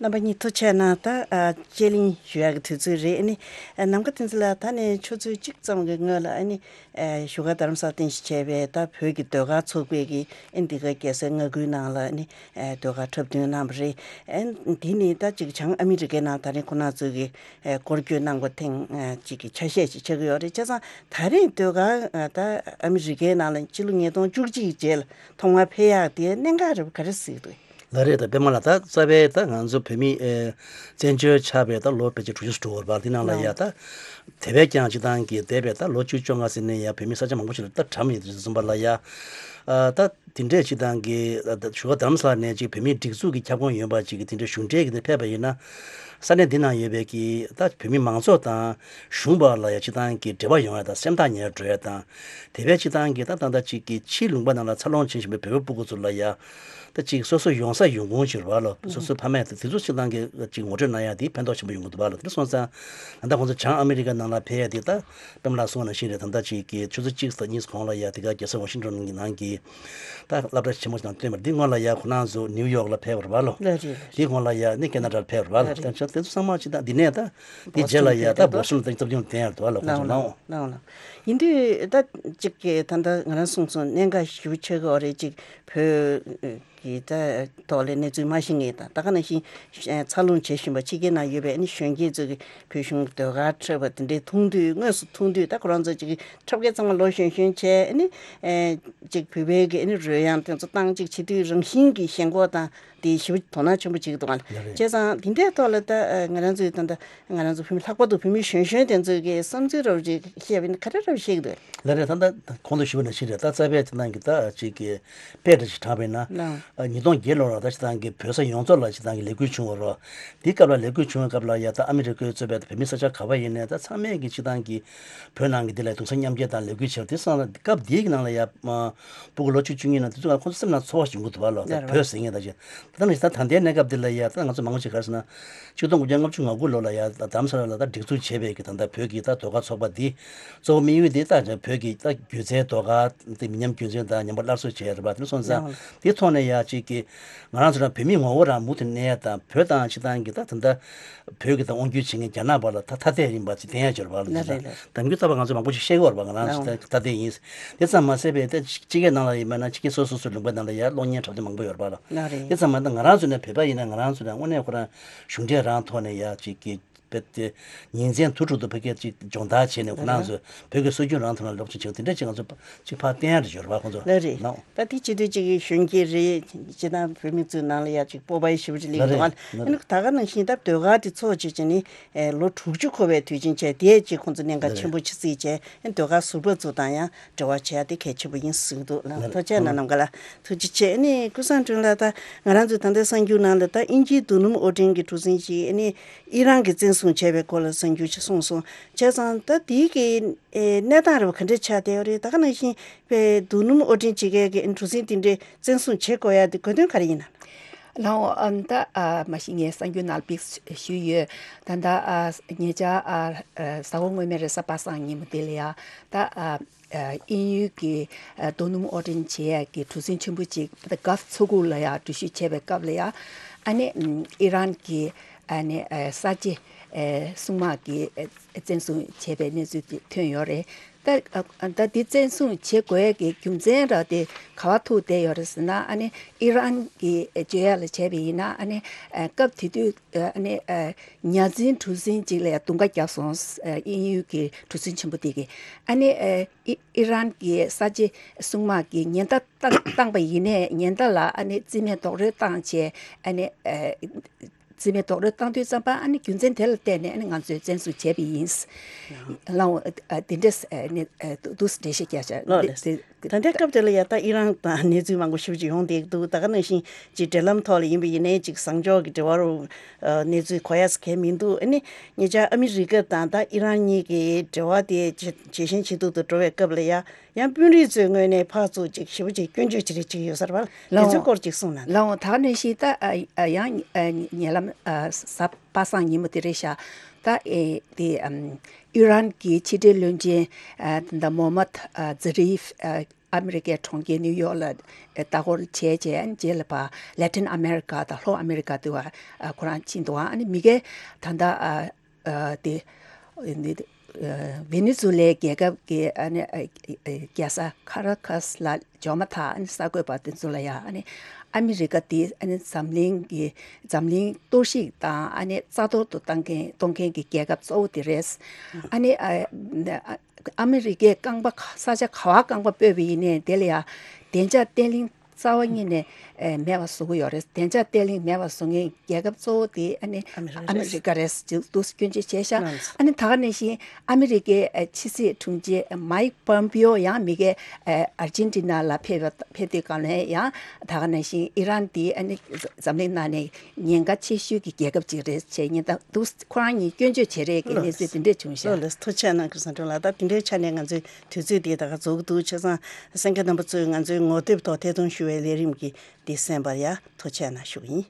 རྣམ་པ་གཉིས་ཐུགས་རྗེ་གནང་། ད་ཨ་དཔྱད་གླེང་ཞུ་ཡག་གི་དུས་ཚོད་རེད། ཨ་ནི་ཨ་ནམ་མཁའ་བསྟན་འཛིན་ལགས། ད་ནས་ཆུ་ཚོད་གཅིག་ཙམ་གྱི་སྔོན་ལ་ཨ་ནི་ཨ་བཞུགས་སྒར་རྡ་རམ་ས་ལ་རྟེན་གཞི་བྱས་པའི་ད་བོད་ཀྱི་ཟློས་གར་ཚོགས་པས་ཀྱི་ཨ་ནི་འདི་ག་རྒྱལ་སའི་མངའ་ཁུལ་ནང་ལ་ཨ་ནི་ཨ་ཟློས་གར་འཁྲབ་སྟོན་གནང་བ་རེད། ཨ་འདི་ནི་ད་ཅིག་བྱང་ཨ་མི་རི་ཀའི་ནང་ད་རེས་ཁོང་རྣམ་ཚོས་ཀྱི་ཨ་སྐོར་སྐྱོད་གནང་བ་ཐེངས་ཨ་གཅིག་གི་ཆ་ཤས་ཤིག་ཆགས་ཀྱི་ཡོད་རེད། བྱས་ཙང་ད་རེས་ཟློས་གར་ཨ་ད་ཨ་མི་རི་ཀའི་ནང་ལ་ཕྱི་ལོ་ཉིས་སྟོང་བཅུ་གཅིག་རྗེས་ལ་ཐོག་མར་ཕེབས་ཡག་དེ་གནད་འགག་རེད་པ། ག་རེ་གཟིགས་འདུག། ལགས་རེད། ད་པད་མ་ལགས། ད་རྩ་བའི་ད་ང་ཚོ་བོད་མི་ཨེ་བཙན་བྱོལ་ཆགས་པའི་ད་ལོ་ཕལ་ཆེར་དྲུག་ཅུ་འགྲོ་བར་འདི་ནང་ལ་ཡ་ད་དེ་བས་ཀྱང་སྤྱི་བཏང་གི་འདས་པའི་ད་ལོ་བཅུ་བཅོ་ལྔ་ཟིན་ནས་ཡ་བོད་མི་ས་ཆ་མང་པོ་ཞིག་ལ་ད་གྲམ་ཡོད་དུས་ཙམ་པ་ལ་ཡ་ཨ་ད་དེ་འདྲས་སྤྱི་བཏང་གི་ད་བཞུགས་སྒར་རྡ་རམ་ས་ལ་ནས་ཅིག་བོད་མིའི་སྒྲིག་འཛུགས་ཀྱི་ཁྱབ་ཁོངས་ཡོད་པ་ཅིག་གི་དེ་འདྲས་གཞུང་འབྲེལ་གྱི་དེ་ཕེབས་པ་ཡིན་ན། ས་གནས་འདི་ནང་ཡོད་པའི་གི་ད་བོད་མི་མང་ཚོགས་དང་གཞུང་བར་ལ་ཡ་སྤྱི་བཏང་གི་འབྲེལ་བ་ཡོང་ཡ་དང་སེམས་ཐག་ཉེ་རུ་འགྲོ་ཡ་དང་། དེ་བས་སྤྱི་བཏང་གི་ད་ད་ལྟ་ཅིག་གི་ཕྱིའི་ལུང་པ་ནང་ལ་འཚར་ལོངས་བྱེད་བཞིན་པའི་བོད་པ་སྤུ་གུ་ཚོ་ལ་ཡ་ད་ཅིག་སོ་སོ་ཡོང་ས་ཡོང་ཁུངས་ཅིག་རེད་པ་ལོ། སོ་སོའི་ཕ་མས་དེ་ཚོ་སྤྱི་བཏང་གི་ཅིག་ངོ་སྤྲོད་གནང་ཡ་དེ་ཕན་ཐོགས་ཆེན་པོ་ཡོང་གི་འདུག་པ་ལོ། དེ་སོང་ཙང་ད་ལྟ་ཁོང་ཚོ་བྱང་ཨ་མི་རི་ཀ་ནང་ལ་ཕེབས་ཡ་དེ་ད་པད་མ་ལགས་གསུངས་པ་ནང་བཞིན་རེད། ད་ལྟ་ཅིག་གི་ཆུ་ཚོད་གཅིག་དང་གཉིས་གོང་ལ་ཡ་དེ་ག་རྒྱལ་ས་ཝ་ཤིང་ཊོན་གྱི་ནང་གི་ད་སློབ་གྲྭ་ཆེན་མོ་ཞིག་དང་བསྟུན་པར་འདི་སྔོན་ལ་ཡ་ཁོ་རང་ཚོ་ནིའུ་ཡོག་ལ་ཕེབས་པ་རེད་པ་ལོ། ལགས་རེད། འདི་སྔོན་ལ་ཡ་ནི་ཁེ་ན་ཌར་ཕེབས་པ་རེད་པ་ལོ། ལགས་རེད། ད་ཆ་དེ་ཚོ་ཚང་མ་ཅིག་ད་འདི་ནས་ད་འདི་རྗེས་ལ་ཡ་ད་བོ་སི་ཊོན་ལ་ད་སློབ་སྦྱོང་བསྟན་ཡ་འདུག་པ་ལོ། ཁོང་ཚོ་ནའོ། ལའོ་ལའོ། ཡིན་དུས་ད་ཅིག་གི་ད་ལྟ་ང་རང་གསུངས་སོང་གནད་འགག་ཞེ་པོ་ཆགས་ཀྱི་ཡོད་རེད། ཅིག་བོད་ཀྱི་ད་ཐོག་ལ་གནས་ཚུལ་མ་ཤེས་མཁན་དང་ད་ག་ནང་བཞིན་འཚར་ལོངས་བྱེད་བཞིན་པ་ཕྱི་རྒྱལ་ནང་ཡོད་པའི་ཨ་ནི་གཞོན་སྐྱེས་ཚོ་གི་བོད་གཞུང་གི་ཟློས་གར་འཁྲབ་པ་དེ་འདྲའི་མཐོང་དུས་དངོས་སུ་མཐོང་དུས་ད་ཁོ་རང་ཚོ་ཅིག་འཁྲབ་མཁན་ཚང་མ་ལོ་གཞོན་གཞོན་བྱས་ཨ་ནི་ཅིག་བོད་པའི་གི་ཨ་ནི་རོལ་དབྱངས་དེ་ཚོ་བཏང་ཅིག་བྱེད་དུས་རང་བཞིན་གྱི་ཞེན་ཁོག་དང་དེ་ཞེ་པོ་དོ་སྣང་ཆེན་པོ་བྱེད་ཀྱི་འདུག་ག་ལ་རེད། བྱས་ཙང་དེ་འདྲའི་ཐོག་ལ་ད་ང་རང་ཚོའི་ད་ལྟ་ང་རང་ཚོ་བོད་མི་ལྷག་པར་དུ་བོད་མི་གཞོན་གཞོན་དེ་ཚོའི་གི་བསམ་ཚུལ་རབ་ཅིག་བཤད་པ་ཡིན་ན་ག་འདྲ་རབ་བཤད་ཀྱི་འདུག་ལགས་རེད། ད་ལྟ་གོང་དུ་ཞུས་པ་ནང་བཞིན་རེད། ད་རྩ་བའི་སྤྱི་བཏང་གི་ད་ཅིག་གི་དཔེ་འདྲ་ཞིག་དྲངས་པ་ཡིན་ན། ལགས། ཉིས་སྟོང་བརྒྱད་ལོར་ད་སྤྱི་བཏང་གི་བོད་ས་ཡོངས་རྫོགས་ལ་སྤྱི་བཏང་གི་ལས་འགུལ་བྱུང་བ་རོ། དེའི་སྐབས་ལ་ལས་འགུལ་བྱུང་བའི་སྐབས་ལ་ཡ་ད་ཨ་མི་རི་ཀའི་གཙོས་པའི་བོད་མི་ས་ཆ་ག་པར་ཡིན་ནའི་ད་ཚང་མས་ཀྱི་སྤྱི་བཏང་གི་བོད་ནང་གི་འདི་ལ་གདུང་སེམས་མཉམ་སྐྱེད་དང་ལས་འགུལ་བྱས་པ་དེ་སོང་ཙང་སྐབས་དེའི་གི་ནང་ལ་ཡ་སྤུ་གུ་ལོ་བཅུ་བཅུ་གཉིས་ནང་དེ་ཚོ་ལ་ཁོང་ཚོ་སེམས་ནང་ཚོར་བ་ཞིག་ཡོང་གི་འདུག་པ་ལོ། ད་ལགས་རེད། བོད་ཟེར་མཁན་ད་ཅི། ད་ནི་ད་ད་ལྟའི་གནས་སྐབས་འདི་ལ་ཡ་ད་ང་ཚོ་མང་པོ་ཅིག་ག་རེ་ཟེར་ན། ཆིག་སྟོང་དགུ་བརྒྱ་ལྔ་བཅུ་ང་དགུ་ལོ་ལ་ཡ་ད་རྡ་རམ་ས་ལ་ལ་ད་སྒྲིག་འཛུགས་བྱས་པའི་གི་ད་ལྟ་བོད་ཀྱི་ད་ཟློས་གར་ཚོགས་པ་འདི་གཙོ་བོ་དམིགས་ཡུལ་འདི་ད་བོད་ཀྱི་ད་སྒྱུ་རྩལ་ཟློས་གར་འདི་མི་ཉམས་རྒྱུན་འཛིན་དང་ཉམས་པ་སླར་གསོ་བྱས་རེད་པ། དེ་སོང་ཙང་ལགས། དེ་ཐོག་ནས་ཡ་ཅིག་གི་ང་རང་ཚོ་རང་བོད་མི་ངོ་བོ་རང་མུ་མཐུད་གནས་ཡ་དང་བོད་དང་སྤྱི་བཏང་གི་ད་ད་ལྟ་བོད་ཀྱི་ད་དབང་སྒྱུར་བྱེད་མཁན་རྒྱ་ནག་བར་ལ་ད་ཐ་དད་ཡིན་པ་ཅིག་བསྟན་ཡ་ཅིག་ཡོད་རེད་པ། ལགས་རེད་ལགས། ད་གི་ད་བར་ང་ཚོ་མང་པོ་ཞིག་བཤད་ཀྱི་ཡོད་རེད་པ། ང་རང་ཚོ་ད་ཐ་དད་ཡིན། དེ་ཙམ་མ་ཟད་པའི་ད་སྤྱི་སྐད་ནང་ལ་ཡིན་པ་ན་སྤྱི་སྐད་སོ་སོ་སོའི་ལུང་པའི་ནང་ལ་ཡ་གློག་བརྙན་འཁྲབ་སྟོན་མང་པོ་ཡོད་རེད་པ་ལ། ལགས་རེད། དེ་ཙམ་མ་ད་ང་རང་ཚོ་ནས་བོད་པ་ཡིན་ན་ང་རང་ཚོ་ནས་དངོས་གནས་ཁོ་རང་གཞུང་འབྲེལ་རང་ཐོག་ནས་ཡ་ཅིག་གི་བོད་དེ་ཉིན་མཚན་དུས་དྲུག་ཏུ་ཕ་གིར་ཅིག་སྦྱོང་བརྡར་བྱས་ནས་ཁོ་རང་ཚོས་བོད་ཀྱི་སྲོལ་རྒྱུན་རང་ཐོག་ལ་སློབ་སྦྱོང་བྱེད་དེ་འདྲ་ཅིག་ང་ཚོ་ཅིག་ཕར་བསྟན་ཡ་རེ་ཡོད་རེད་པ་ཁོང་ཚོ། ལགས་རེད། ནའོ། ད་དེ་བྱེད་དུས་ཅིག་གཞོན་སྐྱེས་རེད། སྤྱིར་བཏང་བོད་མི་ཚོའི་ནང་ལ་ཡ་ཅིག་སྤོབས་པ་ཞེ་པོ་ཅིག་སླེབས་ཀྱི་འདུག་པ། ལགས་རེད། ཨ་ནི་ད་ག་ནང་བཞིན་ད་ཟློས་གར་དེ་ཚོགས་བྱེད་ཀྱི་ནི་ལོ་དྲུག་ཅུ་འཁོར་བའི་དུས་ཆེན་བྱས་དེ་ཅིག་ཁོང་ཚོ་གནད་འགག་ཆེན་པོ་ཆེ་བརྩིས་བྱས་ཨ་ནི་ཟློས་གར་ཟུར་པ་ཚོ་དང་ཡང་འབྲེལ་བ་བྱས་ཏེ་གལ་ཆེན་པོ་ཡིན་གསུངས་འདུག་ལགས། ཐུགས་རྗེ་ཆེ་གནང་ནམ་མཁའ་ལགས། ཐུགས་རྗེ་ཆེ། ཨ་ནི་ཀུན་བཟང་སྒྲོན་ལགས། ད་ང་རང་ཚོའི་ད་ལྟའི་གསར་འགྱུར་ནང་ལ་ད་དབྱིན་ཇིའི་རྡོ་སྣུམ་དབོར་འདྲེན་གྱི་གྲུ་གཟིངས་ཤིག་ཨ་ནི་ཨི་རན་གྱིས་བཙན་བཟུང་བྱས་པའི་སྐོར་ལ་གསར་འགྱུར་ཞིག་གསུངས་སོང་། བྱས་ཙང་ད་དེའི་གི་གནས་སྟངས་རེ་བ་ག་འདྲ་ཆགས་བསྡད་ཡོད་རེད། ད་ག་ནང་བཞིན་པའི་རྡོ་སྣུམ་དབོར་འདྲེན་བྱེད་མཁན་གྱི་གྲུ་གཟིངས་དེ་འདྲའི་བཙན་བཟུང་བྱེད་དགོས་ཡ་དེ་དགོས་དོན་ག་རེ་ཡིན་ན། ལའོ། ཨ་ནི་ད་ཨ་མ་གཞི་ངས་གསར་འགྱུར་ནང་ལ་ཕིགས་ཞུས་ཡོད། ད་ལྟ་ཨ་ཉེ་ཆར་ཨ་ཨ་གཟའ་འཁོར་སྔོན་མའི་རེས་གཟའ་པ་སངས་ཉིན་མོ་དེ་ལ་ཡ་ད་ཨ་ཨ་དབྱིན་ཡུལ་གྱི་ཨ་རྡོ་སྣུམ་དབོར་འདྲེན་བྱེད་ཡ་གི་གྲུ་གཟིངས་ཆེན་པོ་ཅིག་ད་གྷལ་ཕ་མཚོ་ཁུག་ལ་ཡ་འགྲུལ་བཞུད་བྱས་པའི་སྐབས་ལ་ཡ་ཨ་ནི་ཨམ་ཨི་རན་གྱི་ཨ་ནི་ཨ་གསར་བརྗེ་ཨ་སྲུང་དམག་གིས་ཨ་བཙན་བཟུང་བྱས་པའི་གནས་ཚུལ་དེ་ཐོན་ཡོད་རེད། ད་ཨ་ད་འདི་བཙན་བཟུང་བྱེད་དགོས་ཀྱི་རྒྱུ་མཚན་ར་དེ་ག་བ་ཐུག་བསྡད་ཡོད་རེད་ཟེར་ན། ཨ་ནི་ཨི་རན་གྱི་བརྗོད་ཡ་ལ་བྱས་པ་ཡིན་ན་ཨ་ནི་ཨ་སྐབས་དེ་དུས་ཨ་ནི་ཨ་ཉ་འཛིན་གྲུ་གཟིངས་གཅིག་ལ་ཡ་རྡུང་ཁ་བརྒྱབ་སོང་། ཨ་དབྱིན་ཡུལ་གྱི་གྲུ་གཟིངས་ཆེན་པོ་དེ་གིས་ཨ་ནི་ཨ་ཨི་ཨི་རན་གྱི་གསར་བརྗེ་སྲུང་དམག་གིས་ཉེན་བརྡ་བཏང་བཏང་པ་ཡིན་ནའི་ཉེན་བརྡ་ལ་ཨ་ནི་རྩིས་མེད་རྡོག་རོལ་བཏང་བྱས་ཨ་ནི་ཨ། རྩིས་མེད་རྡོག་རོལ་བཏང་དུས་ཙམ་པ་ཨ་ནི་རྒྱུ་མཚན་དེ་ལ་བརྟེན་ནས་ཨ་ནི་ང་ཚོས་བཙན་བཟུང་བྱས་པ་ཡིན། ལའོ། ཨ་དེ་འདྲས་ཨ་ནི་ཨ་འདུག་འགྲེལ་བཤད་རྒྱག་བྱ་ལགས་ལགས། ད་ལྟའི་སྐབས་དེ་ལ་ཡ་ད་ཨི་རན་དང་གནས་ཚུལ་མང་པོ་ཞེ་པོ་ཅིག་ཡོང་བསྡད་འདུག་ད་ག་ནང་བཞིན་ཅིག་འབྲེལ་ལམ་ཐོག་ལ་ཡིན་པ་ཡིན་ནའི་ཅིག་བཟང་ཕྱོགས་ཀྱི་འབྲེལ་བ་རུ་ཨ་གནས་ཚུལ་གོ་ཡ་ས་གལ་མི་འདུག་ཨ་ནི་ཉེ་ཆར་ཨ་མི་རི་ཀ་དང་ད་ཨི་རན་གཉིས་ཀྱི་འབྲེལ་བ་དེ་ཇེ་ཇེ་ཞན་ཇེ་སྡུག་ཏུ་འགྲོ་བའི་སྐབས་ལ་ཡ། ཡང་དཔོན་རིགས་ཚོའི་ངོས་ནས་ཕར་ཚུར་ཅིག་ཞེ་པོ་ཅིག་སྐྱོན་བརྗོད་བྱེད་རེས་ཅིག་ཡོད་ས་རེད་པ། ལགས་འོང་། དེ་ཚོའི་སྐོར་ཅིག་གསུངས་ན། ལགས་འོང་། ད་ག་ནང་བཞིན་ད་ཨ་ཨ་ཡང་ཨ་ཉེ་ལམ་ཨ་གཟའ་པ་སངས་ཉིན་མོ་དེ་རེད་ཤག་ད་ཨེ་དེ་ཨམ་ཨི་རན་གྱི་ཕྱི་འབྲེལ་བློན་ཆེན་ཨ་ད་ལྟ་མོ་མད་ཨ་ཛ་རིབ་ཨ་ཨ་མི་རི་ཀའི་གྲོང་ཁྱེར་ནིའུ་ཡོག་ལ་ཨ་ལྟ་སྐོར་བྱས་རྗེས་རྗེས་ལ་ཕར་ལེ་ཊིན་ཨ་མེ་རི་ཀ་དང་ལྷོ་ཨ་མེ་རི་ཀ་དུ་བ་ཨ་ཁོ་རང་ཕྱིན་འདུག་ཨ་ནི་མི་སྒེར་ད་ལྟ་ཨ། ཨ་དེ་ཨ་ནི་ཨ་ཝེ་ནེ་ཛུ་ལའི་རྒྱལ་ཁབ་ཀྱི་ཨ་ནི་ཨ་ཨ་རྒྱལ་ས་ཁ་ར་ཁཱས་ལ་འབྱོར་མ་ཐག་ཨ་ནི་གསར་འགོད་པ་དེ་ཚོ་ལ་ཡང་ཨ་ནི་ཨ་མི་རི་ཀ་དེ་ཨ་ནི་འཛམ་གླིང་གི་འཛམ་གླིང་གཏོར་བཤིག་དང་ཨ་ནི་རྩ་གཏོར་དུ་བཏང་མཁན་གཏོང་མཁན་གྱི་རྒྱལ་ཁབ་གཙོ་བོ་དེ་རེད། ཨ་ནི་ཨ་ཨ་མི་རི་ཀའི་རྐང་པ་ས་ཆ་ག་བ་རྐང་པ་སྤོས་པ་ཡིན་ནའི་དེ་ལ་ཡང་བདེ་འཇགས་བརྟན་ལྷིང་རྩ་བ་ཉིད་ནས་ཨེ་མེད་པ་བཟོ་གི་ཡོད་རེད། བདེ་འཇགས་བརྟན་ལྷིང་མེད་པ་བཟོ་མཁན་རྒྱལ་ཁབ་གཙོ་བོ་དེ་ཨ་ནི་ཨ་མི་རི་ཀ་ཨ་མི་རི་ཀ་རེད་ཟེར་འདུག་སྐྱོན་བརྗོད་བྱས་ཤག་ཨ་ནི་ད་ག་ནང་བཞིན་ཨ་མི་རི་ཀའི་ཨེ་ཕྱི་སྲིད་དྲུང་ཆེ་མའིག་པོམ་པིའོ་ཡང་མི་སྒེར་ཨེ་ཨར་ཇེན་ཊི་ན་ལ་ཕེབས་པ་ཕེབས་དུས་སྒང་ལ་ཡང་ད་ག་ནང་བཞིན་ཨི་རན་དེ་ཨ་ནི་འཛམ་གླིང་ནང་ནས་ཉེན་ཁ་ཆེ་ཤོས་ཀྱི་རྒྱལ་ཁབ་ཅིག་རེད་ཅེས་ཉེན་བརྡ་འདུག་ཁོ་རང་གཉིས་སྐྱོན་བརྗོད་བྱེད་རེས་ཀྱི་གནས་ཚུལ་དེ་འདྲས་བྱུང་ཤག་ལགས་ལགས། ཐུགས་རྗེ་གནང་ཀུན་བཟང་སྒྲོལ་ལགས། ད་དེ་འདྲའི་ཆ་ནས་ང་ཚོའི་དུས་ཚོད་འདི་ད་ག་རྫོགས་ཀྱི་འདུག་བྱས་ཙང་གསན་མཁན་རྣམ་པ་ཚོས་ང་ཚོའི་ངོ་དེབ་ཐོག་ཐད་གཏོང་ཞུ་བའི་ལས་རིམ་གྱི་འདི་གསན་པར་ཡ་ཐུགས་རྗེ་གནང་ཞུ་གི་ཡིན།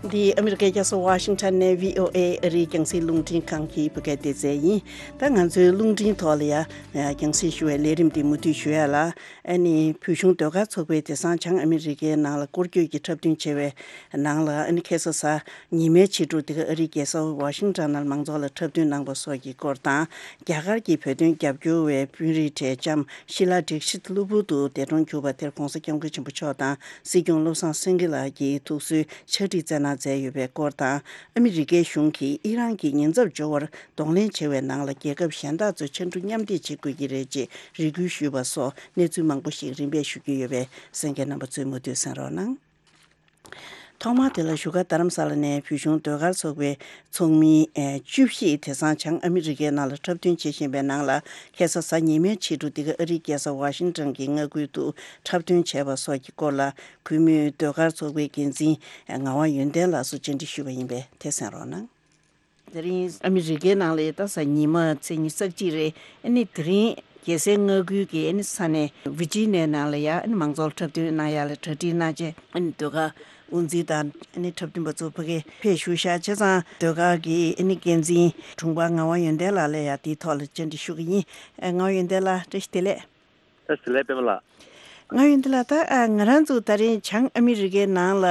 འདི་ཨ་མི་རི་ཀའི་རྒྱལ་ས་ཝ་ཤིང་ཊོན་ནས་བྷི་ཨོ་ཨེ་ཨ་རིའི་རྒྱང་སྲིང་རླུང་འཕྲིན་ཁང་གི་བོད་སྐད་སྡེ་ཚན་ཡིན། ད་ང་ཚོའི་རླུང་འཕྲིན་ཐོག་ལ་ཡ་རྒྱང་སྲིང་ཞུ་བའི་ལས་རིམ་འདི་མུ་མཐུད་ཞུ་ཡ་ལ། ཨ་ནི་བོད་གཞུང་ཟློས་གར་ཚོགས་པས་དེང་སང་བྱང་ཨ་མི་རི་ཀའི་ནང་ལ་སྐོར་སྐྱོད་ཀྱི་འཁྲབ་སྟོན་བྱས་པའི་ནང་ལ། ཨ་ནི་ཁ་སང་གཟའ་ཉི་མའི་ཕྱི་དྲོ་འདི་ག་ཨ་རིའི་རྒྱལ་ས་ཝ་ཤིང་ཊོན་ནང་མང་ཚོགས་ལ་འཁྲབ་སྟོན་གནང་པ་སོགས་ཀྱི་སྐོར་དང་། རྒྱ་གར་གྱི་བོད་དོན་རྒྱབ་སྐྱོར་བའི་དཔོན་རིགས་གྲས་ལྕམ་ཤི་ལ་དྲེག་ཤིད་གློ་བུར་དུ་འདས་གྲོངས་གྱུར་པ་དེར་༧གོང་ས་༧སྐྱབས་མགོན་ཆེན་པོ་མཆོག་དང་སྲིད་སྐྱོང་བློ་བཟང་སེང་གེ་ལགས་ཀྱིས་ཐུགས་གསོའི་ཕྱག་བྲིས་བསྩལ་གནང་མཛད་ཡོད་པའི་སྐོར་དང་། ཨ་མི་རི་ཀའི་གཞུང་གིས་ཨི་རན་གྱི་ཉེན་ཚབས་སྦྱོར་བར་གདོང་ལེན་བྱེད་པའི་ནང་ལ་རྒྱལ་ཁབ་གཞན་དག་ཚོས་ཕྱར་གྲུ་མཉམ་འདེགས་བྱེད་དགོས་ཀྱི་རེད་ཅེས་རེ་སྐུལ་ཞུས་པ་སོགས་གནས་ཚུལ་མང་པོ་ཞིག་རིམ་པས་ཞུ་རྒྱུ་ཡོད་པས་གསན་མཁན་རྣམ་པ་ཚོས་མུ་མཐུད་གསན་རོགས་གནང་། ཐོག་མར་དེ་ལ་བཞུགས་སྒར་རྡ་རམ་ས་ལ་ནས་བོད་གཞུང་ཟློས་གར་ཚོགས་པའི་ཚོགས་མི་ཨེ་བཅུ་བཞི་དེང་སང་བྱང་ཨ་མི་རི་ཀའི་ནང་ལ་འཁྲབ་སྟོན་བྱེད་བཞིན་པའི་ནང་ལ། ཁ་སང་གཟའ་ཉི་མའི་ཕྱི་དྲོ་འདི་ག་ཨ་རིའི་རྒྱལ་ས་ཝ་ཤིང་ཊོན་གྱི་མངའ་ཁུལ་དུ་འཁྲབ་སྟོན་བྱས་པ་སོགས་ཀྱི་སྐོར་ལ། གུས་མོས་ཟློས་གར་ཚོགས་པའི་འགན་འཛིན་ངག་དབང་ཡོན་ཏན་ལགས་སུ་བཅར་འདྲི་ཞུས་པ་ཡིན་པས་དེ་གསན་རོགས་གནང་། དེ་རིང་ཨ་མི་རི་ཀའི་ནང་ལ་ད་གཟའ་ཉི་མ་ཚེས་ཉི་ཤུ་རྩ་གཅིག་རེད། ཨ་ནི་དེ་རིང་རྒྱལ་སའི་མངའ་ཁུལ་གྱི་ཨ་ནི་ས་གནས་ཝི་ཇི་ནའི་ནང་ལ་ཡ་ཨ་ནི་མང་ཚོགས་འཁྲབ་སྟོན་གནང་ཡ་ལ་གྲ་སྒྲིག་གནང་བྱས། ཨ་ནི་ཟློས་གར་དབུ་འཛིན་དང་ཨ་ནི་འཁྲབ་སྟོན་པ་ཚོ་ཕ་གིར་ཕེབས་བཞུགས་ཤག་བྱས་ཙང་ཟློས་གར་གྱི་ཨ་ནི་འགན་འཛིན་དྲུང་འཕར་ངག་དབང་ཡོན་ཏན་ལགས་ལ་ཡ་དེའི་ཐོག་ལ་བཅར་འདྲི་ཞུ་གི་ཡིན། ཨ་ངག་དབང་ཡོན་ཏན་ལགས་བཀྲ་ཤིས་བདེ་ལེགས། ཨ་ཟི་ལེ་པད་མ་ལགས། ང་ཡོན་ཏན་ལགས། ད་ཨ་ང་རང་ཚོ་ད་རིང་བྱང་ཨ་མི་རི་ཀའི་ནང་ལ་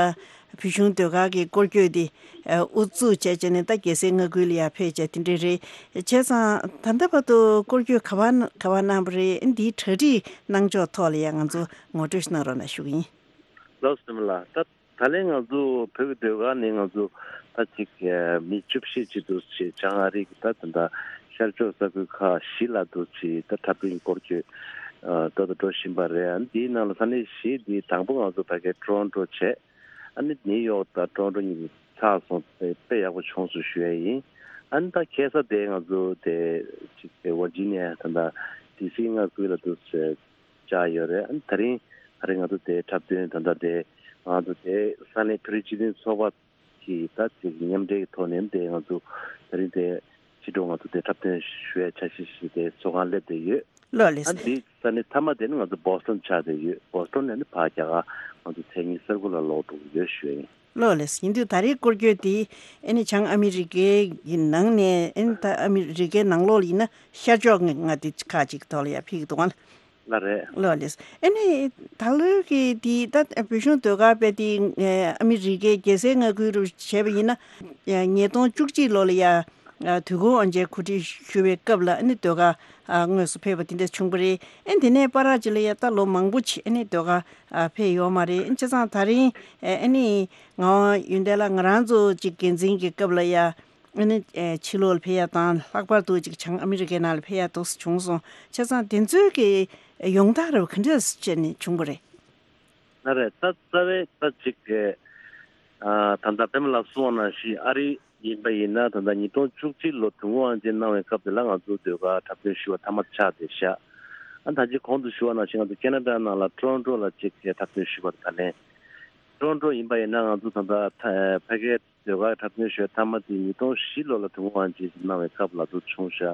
བོད་གཞུང་ཟློས་གར་གྱི་སྐོར་སྐྱོད་འདི་ཨ་དབུ་འཛུགས་བྱས་བྱས་ནས་ད་རྒྱལ་སའི་མངའ་ཁུལ་ལ་ཡར་ཕེབས་བྱས་དེ་འདྲ་རེད། བྱས་ཙང་ད་ལྟ་བར་དུ་སྐོར་སྐྱོད་ག་པར་ག་པར་གནང་བ་རེད། འདིའི་གྲ་སྒྲིག་གནང་ཕྱོགས་ཐོག་ལ་ཡང་ང་ཚོ་ངོ་སྤྲོད་ཞིག་གནང་རོགས་གནང་ཞུ་གི་ཡིན། ལགས་སོ། པད་མ་ལགས། ད་ད་ལན་ང་ཚོ་བོད་ཀྱི་ཟློས་གར་ནི་ང་ཚོ་ད་ཅིག་མི་བཅུ་བཞི་ཅིག་འདུག་ཅེས་བྱང་ཨ་རི་གི་ད་ད་ལྟ་ཤར་ཕྱོགས་ས་ཁུལ་ཁག་བཞི་ལ་འདུག་ཅེས་ད་འཁྲབ་སྟོན་སྐོར་སྐྱོད་ཨ་ད་ད་འགྲོ་བཞིན་པ་རེད། ཨ་ནི་དེའི་ནང་ལ་ས་གནས་བཞི་དེ་དང་པོ་ང་ཚོ་ཕ་གའི་ཀྲོན་ཀྲོ་བྱས། ཨ་ནི་ནིའུ་ཡོག་དང་ཀྲོན་ཀྲོ་གཉིས་ཚར་སོང་། དཔེ་དཔེ་ཡག་པོ་བྱུང་སོང་ཞུ་ཡ་ཡིན། ཨ་ནི་ད་ཁ་སང་དེ་ང་ཚོ་དེ་ཅིག་དེ་ཝར་ཇི་ནི་ཡ་ད་ད་ཌི་སི་མངའ་ཁུལ་ལ་འདུག་ཅེས་བཅར་ཡོད་རེད། ཨ་ནི་ད་རིང་ད་རིང་ང་ཚོ་དེ་འཁྲབ་སྟོན་ད་ལྟ་དེ་ང་ཚོ་དེ་ས་གནས་བོད་རིགས་སྤྱི་མཐུན་ཚོགས་པ་གི་ད་ཅིག་མཉམ་འབྲེལ་གྱི་ཐོག་ནས་དེ་ང་ཚོ་ད་རིང་དེ་ཕྱི་དྲོ་ང་ཚོ་དེ་འཁྲབ་སྟོན་ཞུ་ཡ་འཆར་གཞི་ཞིག་དེ་ཚོགས་ཁང་སླེབས་བསྡད་ཡོད། ལགས་ལགས། ཨ་ནི་དེ་ས་གནས་མཐའ་མ་དེ་ནི་ང་ཚོ་བོ་སི་ཊོན་ཆགས་བསྡད་ཡོད། བོ་སི་ཊོན་ནས་ནི་ཕར་རྒྱ་གར་ང་ཚོ་མཚན་ཉིད་གསར་འགོད་ལ་ལོག་འགྲོ་གི་ཡོད་ཞུ་ཡ་ཡིན། ལགས་ལགས། ཡིན་དུས་ད་རེས་སྐོར་སྐྱོད་དེ་ཨ་ནི་བྱང་ཨ་མི་རི་ཀའི་ནང་ནས་ཨ་ནི་ད་ཨ་མི་རི་ཀའི་ནང་ལོགས་ལ་ཡིན་ན་ཤར་ཕྱོགས་ལྔ་དེ་ཁག་ཅིག་ཐོག་ལ་ཡ་ཕེབས་ཀྱི་འདུག་ག་ལགས་རེད། ལགས་ལགས། ཨ་ནི་ད་ལོའི་གི་དེ་ད་བོད་གཞུང་ཟློས་གར་པས་དེ་ཨ་མི་རི་ཀའི་རྒྱལ་སའི་མངའ་ཁུལ་རུ་བྱས་པ་ཡིན་ན་ཉིས་སྟོང་བཅུ་གཅིག་ལོ་ལ་ཡ་དུས་འཁོར་དབང་ཆེན་གོ་སྒྲིག་ཞུ་བའི་སྐབས་ལ་ཨ་ནི་ཟློས་གར་དངོས་སུ་ཕེབས་པ་དེ་འདྲ་བྱུང་བ་རེད། ཨ་ནི་དེ་ནས་བར་ཅིག་ལ་ཡ་ད་ལོ་མང་པོ་ཅིག་ཨ་ནི་ཟློས་གར་ཕེབས་ཡོད་མ་རེད། བྱས་ཙང་ད་རིང་ཨ་ནི་ངག་དབང་ཡོན་ཏན་ལགས་ང་རང་ཚོ་ཅིག་འགན་འཛིན་གྱི་སྐབས་ལ་ཡ། ཨ་ནི་ཨེ་ཕྱི་ལོགས་ལ་ཕེབས་ཡ་དང་ལྷག་པར་དུ་ཅིག་བྱང་ཨ་མི་རི་ཀའི་ནང་ལ་ཕེབས་ཡ་ཏོག་ཙམ་བྱུང་སོང་། བྱས་ཙང་དེ་ཚོའི་གི་ཡོང་སྟངས་རབ་ག་འདྲ་བྱས་ནས་བྱུང་བ་རེད། ལགས་རེད། ད་རྩ་བའི་ད་ཅིག་གི་ཨ་ད་ལྟ་པད་མ་ལགས་གསུངས་པ་ནང་བཞིན་ཨ་རི་ཡིན་པ་ཡིན་ན་ད་ལྟ་ཉིས་སྟོང་བཅུ་གཅིག་ལོ་དུས་འཁོར་དབང་ཆེན་གནང་བའི་སྐབས་དེ་ལ་ང་ཚོ་ཟློས་གར་འཁྲབ་སྟོན་ཞུ་བ་མཐའ་མ་ཆགས་བསྡད་ཤག་ཨ་ད་ཅིག་གོང་དུ་ཞུ་བ་ནང་བཞིན་ང་ཚོ་ཁེ་ན་ཌ་ནང་ལ་ཊོ་རོན་ཊོ་ལ་ཅིག་གི་འཁྲབ་སྟོན་ཞུ་བར་ད་ལན་ཊོ་རོན་ཊོ་ཡིན་པ་ཡིན་ན་ང་ཚོ་ད་ལྟ་ཕ་གའི་ཟློས་གར་འཁྲབ་སྟོན་ཞུ་བའི་མཐའ་མ་དེ་ཉིས་སྟོང་བཞི་ལོ་ལ་དུས་འཁོར་དབང་ཆེན་ཞིག་གནང་བའི་སྐབས་ལ་དུ་བྱུང་ཤག་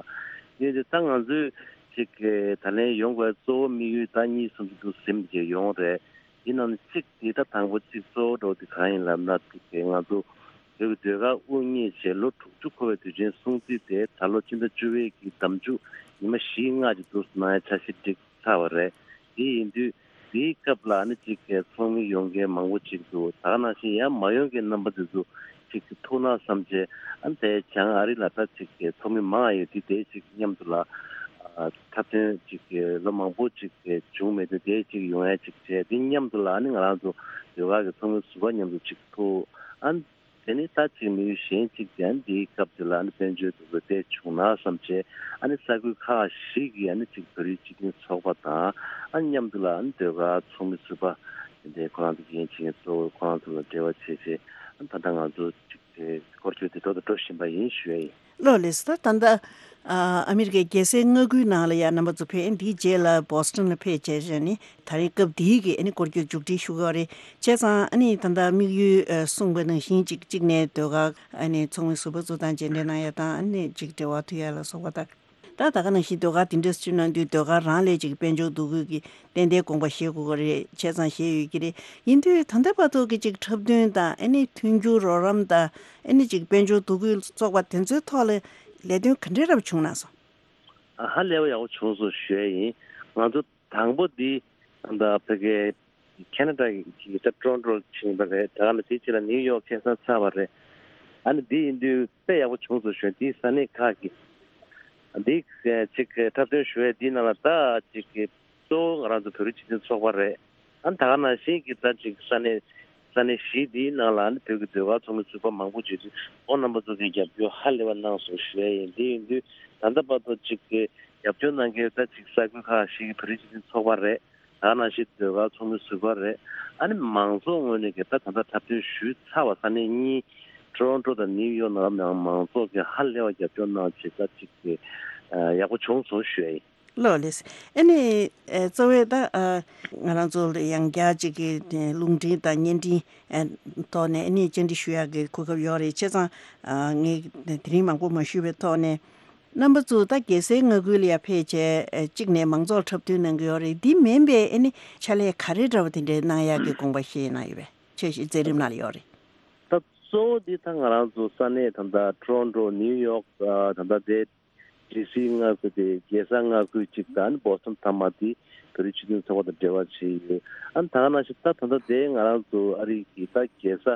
ཡིན་ཏེ་ད་ང་ཚོས་ཅིག་གི་ད་ལན་ཡོང་དགོས་གཙོ་བོ་དམིགས་ཡུལ་ད་གཉིས་གསུམ་ཅིག་ཏུ་ཟིན་གྱི་ཡོང་རེད། ཡིན་ནའང་གཅིག་དེ་ད་དང་པོ་གཅིག་གཙོ་བོ་འགྲོ་དེ་གང་ཡིན་ལབ་ན་ཅིག་གི་ང་ཚོ་བོད་ཀྱི་ཟློས་གར་དབུ་བརྙེས་བྱས་ལོ་དྲུག་ཅུ་འཁོར་བའི་དུས་ཆེན་སྲུང་བརྩི་དེ་ད་ལོ་ཕྱི་ཟླ་བཅུ་པའི་གི་ཟླ་མཇུག་ཉི་མ་བཞི་ལྔ་ཅིག་ཏུ་གནང་ཡ་འཆར་གཞི་བསྒྲིགས་ཚར་བ་རེད། དེ་ཡིན་དུས་དེའི་སྐབས་ལ་ནི་གཅིག་གི་ཚོགས་མི་ཡོང་མཁན་མང་པོ་ཅིག་འདུག་ད་ག་ནང་བཞིན་ཡང་མ་ཡོང་མཁན་རྣམ་པ་དེ་ཚོ་གཅིག་གི་ཐུགས་སྣང་བསམ་བྱས་ཨ་ནི་དེ་བྱང་ཨ་རི་ལ་ད་གཅིག་གི་ཚོགས་མི་མང་ཡོད་དུས་དེ་གཅིག་མཉམ་དུ་ལ་ཨ་འཁྲབ་སྟོན་གཅིག་གི་ལོ་མང་པོ་ཅིག་གི་བྱུང་མེད་དུས་དེ་གཅིག་ཡོང་ཡ་གཅིག་བྱས། དེ་མཉམ་དུ་ལ་ཨ་ནི་ང་རང་ཚོ་ཟློས་གར་གི་ཚོགས་མི་ཟུར་པ་མཉམ་དུ་གཅིག་ཐུག་ཨ་ནི། དེ་ནི་ད་ཅིག་དམིགས་ཡུལ་གཞན་གཅིག་ཀྱང་འདིའི་སྐབས་དེ་ལ་ནི་དཔལ་འབྱོར་དུ་བོད་དེ་བྱུང་ན་བསམ་བྱས་ཨ་ནི་ས་ཁུལ་ཁག་བཞི་གི་ཨ་ནི་ཅིག་བོད་རིགས་སྤྱི་མཐུན་ཚོགས་པ་དང་ཨ་ནི་མཉམ་དུ་ལ་ཨ་ནི་ཟློས་གར་ཚོགས་མི་ཟུར་པ་དེ་འདྲའི་ཁོ་རང་ཚོ་འགན་འཁྱེར་མཁན་གཙོ་བོ་ཁོ་རང་ཚོ་ལ་འབྲེལ་བ་བྱས་བྱས་ཨ་ནི་ད་ལྟ་ང་ཚོ་ཅིག་དེ་སྐོར་སྐྱོད་དེ་འགྲོ་དང་འགྲོ་བཞིན་པ་ཡིན་ཞུ་ཡ་ཡིན། ལགས་ལགས། ད་ད་ལྟ་ཨ་ཨ་མི་རི་ཀའི་རྒྱལ་སའི་མངའ་ཁུལ་ནང་ལ་ཡ་རྣམ་པ་ཚོ་ཕེབས། འདིའི་རྗེས་ལ་བོ་སི་ཊོན་ལ་ཕེབས་བྱས་བྱས་ནི་ད་རེས་སྐབས་འདིའི་གི་ཨ་ནི་སྐོར་སྐྱོད་མཇུག་སྒྲིལ་ཞུ་གི་ཡོད་རེད། བྱས་ཙང་ཨ་ནི་ད་ལྟ་དམིགས་ཡུལ་ཨ་གསུངས་པ་ནང་བཞིན་གཅིག་གཅིག་ནས་ཟློས་གར་ཨ་ནི་ཚོགས་མི་ཟུར་པ་ཚོ་དང་མཇལ་འཕྲད་གནང་ཡ་དང་ཨ་ནི་གཅིག་འབྲེལ་བ་མཐུད་ཡ་ལ་སོགས་པ་དང་ ད་ད་ག་ནང་བཞིན་ཟློས་གར་དེ་འདྲ་བྱུང་ན་དུས་ཟློས་གར་རང་ལས་ཅིག་དཔལ་འབྱོར་འདུ་འགོད་ཀྱི་ཏན་ཏན་དགོངས་པ་བཞེས་དགོས་ཀྱི་རེད། བྱས་ཙང་བཞེས་ཡོད་ཀྱི་རེད། ཡིན་དུས་ད་ལྟ་བར་དུ་གི་ཅིག་འཁྲབ་སྟོན་དང་ཨ་ནི་མཐུན་འགྱུར་རོགས་རམ་དང་ཨ་ནི་ཅིག་དཔལ་འབྱོར་འདུ་འགོད་ཚོགས་པ་དེ་ཚོའི་ཐོག་ལ་ལས་དོན་ག་འདྲའི་རབ་བྱུང་ན་སོང་། ཧ་ལས་པ་ཡག་པོ་བྱུང་སོང་ཞུ་ཡ་ཡིན། ང་ཚོ་དང་པོ་འདི་ད་ཕ་གི་ཁེ་ན་ཌ་གི་ད་ཊོ་རོན་ཊོ་ཕྱིན་པ་རེད། ད་ག་ནང་བཞིན་ཕྱི་ལ་ནིའུ་ཡོག་ཁ་སང་ཚར་བ་རེད། ཨ་ནི་འདི་ཡིན་དུས་དཔེ་ཡག་པོ་བྱུང་སོང་ཞུ་ཡ། འདིའི་ས་གནས་ཁག་གི་འདི་ཅིག་འཁྲབ་སྟོན་ཞུ་ཡ་འདིའི་ནང་ལ་ད་ཅིག་གི་གཙོ་བོ་ང་རང་ཚོ་བོད་རིགས་སྤྱི་མཐུན་ཚོགས་པ་རེད། ཨ་ནི་ད་ག་ནང་བཞིན་གྱི་ད་ཅིག་ས་གནས་ས་གནས་བཞི་འདིའི་ནང་ལ་ཨ་ནི་བོད་ཀྱི་ཟློས་གར་ཚོགས་མི་ཚོགས་པ་མང་པོ་བྱས་ཚུལ་ཁོང་རྣམ་པ་ཚོ་གིས་རྒྱབ་སྐྱོར་ཧ་ལས་པ་གནང་སོང་ཞུ་ཡ་ཡིན། འདི་ཡིན་དུས་ད་ལྟ་བར་དུ་ཅིག་གི་རྒྱབ་སྐྱོར་གནང་མཁན་ད་ཅིག་ས་ཁུལ་ཁག་བཞི་གི་བོད་རིགས་སྤྱི་མཐུན་ཚོགས་པ་རེད། ད་ག་ནང་བཞིན་ཟློས་གར་ཚོགས་མི་ཟུར་པ་རེད། ཨ་ནི་མང་ཚོགས་ངོས་ནས་གི་ད་ད་ལྟ་འཁྲབ་སྟོན་ཞུས་ཚར་བ་ས་གནས་གཉིས་ཊོ་རོན་ཊོ་དང་ནིའུ་ཡོག་ནང་ལ་མང་ཚོགས་ཀྱིས་ཧ་ལས་པ་རྒྱབ་སྐྱོར་གནང་བྱས་ད་ཅིག་གི་ཡག་པོ་བྱུང་སོང་ཞུ་ཡ་ཡིན། ལགས་ལགས། ཨ་ནི་ཨ་གཙོ་བོ་ད་ཨ་ང་རང་ཚོ་ལ་ཡང་བསྐྱར་ཅིག་གི་རླུང་འཕྲིན་དང་བརྙན་འཕྲིན་ཨ་ཐོག་ནས་ཨ་ནི་བཅར་འདྲི་ཞུ་ཡག་གི་གོ་སྐབས་ཡོད་རེད། བྱས་ཙང་ཨ་ངས་དེ་རིང་མང་པོ་མ་ཞུས་པའི་ཐོག་ནས་རྣམ་པ་ཚོ་ད་རྒྱལ་སའི་མངའ་ཁུལ་ལ་ཡར་ཕེབས་བྱས་ཨ་གཅིག་ནས་མང་ཚོགས་འཁྲབ་སྟོན་གནང་གི་ཡོད་རེད། འདི་མིན་པའི་ཨ་ནི་ཕྱག་ལས་ག་རེ་འདྲ་བ་དེ་འདྲའི་གནང་ཡག་གི་དགོངས་པ་བཞེས་གནང་ཡོད་པས། ཆོས་ཞིག་མཛད་རིམ་ནང་ལ་ཡོད་རེད། ད་གཙོ་བོ་འདི་ད་ང་རང་ཚོ་ས་གནས་ད་ལྟ་ཊོ་རོན་ཊོ་ནིའུ་ཡོག་ད་ལྟ་དེ་ཌི་སི་མངའ་ཁུལ་དེ་རྒྱལ་ས་མངའ་ཁུལ་གཅིག་དང་ཨ་ནི་བོ་སི་ཊོན་མཐའ་མ་དེ་བོད་རིགས་སྤྱི་མཐུན་ཚོགས་པ་དང་འབྲེལ་བ་བྱས་ཡོད། ཨ་ནི་ད་ག་ནང་བཞིན་ད་ད་ལྟ་དེ་ང་རང་ཚོ་ཨ་རི་གི་ད་རྒྱལ་ས་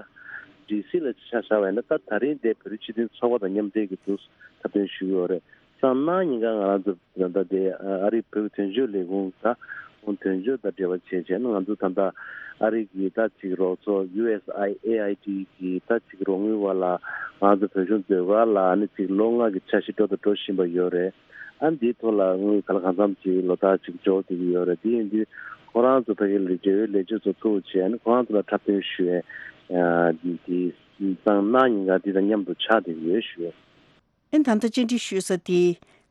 ཌི་སི་ལ་ཆ་བཞག་པ་ཡིན་ན་ད་ད་རིང་དེ་བོད་རིགས་སྤྱི་མཐུན་ཚོགས་པ་དང་མཉམ་འབྲེལ་གྱི་འདུག་འཁྲབ་སྟོན་ཞུ་གི་ཡོད་རེད། སང་གནངས་ཉིན་ཀ་ང་རང་ཚོ་ད་ལྟ་དེ་ཨ་རིའི་བོད་ཀྱི་དོན་གཅོད་ལས་ཁུངས་ད་ཁོང་དོན་གཅོད་དང་འབྲེལ་བ་བྱས་བྱས་ན་ང་ཚོ་ད་ལྟ་ཨ་རི་གི་ད་ཅིག་རོགས་ཚོགས་ཡུ་ཨེས་ཨའི་ཨེ་ཨའི་ཌི་གི་ད་ཅིག་རོགས་དངུལ་བ་ལ་ང་ཚོ་བོད་གཞུང་ཟློས་གར་ལ་ཨ་ནི་ཅིག་ལོ་ལྔ་གི་འཆར་གཞི་འགྲོ་དང་འགྲོ་བཞིན་པ་ཡོད་རེད། ཨ་ནི་འདིའི་ཐོག་ལ་དངུལ་ག་ལ་གང་འཚམ་ཅིག་ལོ་ལྟར་ཅིག་འབྱོར་བསྡད་ཀྱི་ཡོད་རེད། དེ་ཡིན་དུས་ཁོ་རང་ཚོ་ཕ་གི་ལ་འབྲེལ་ཡོད་ལས་བྱེད་ཚོ་ཐུག་བྱས་ཨ་ནི་ཁོ་རང་ཚོ་ལ་འཁྲབ་སྟོན་ཞུ་ཡས་ཨ་འདི་སང་གནངས་ཉིན་ཀ་འདི་དང་མཉམ་དུ་ཆགས་བསྡད་ཀྱི་ཡོད་ཞུ་ཡས། ཨེ་ད་ལྟ་བཅར་འདྲི་ཞུ་ས་དེ་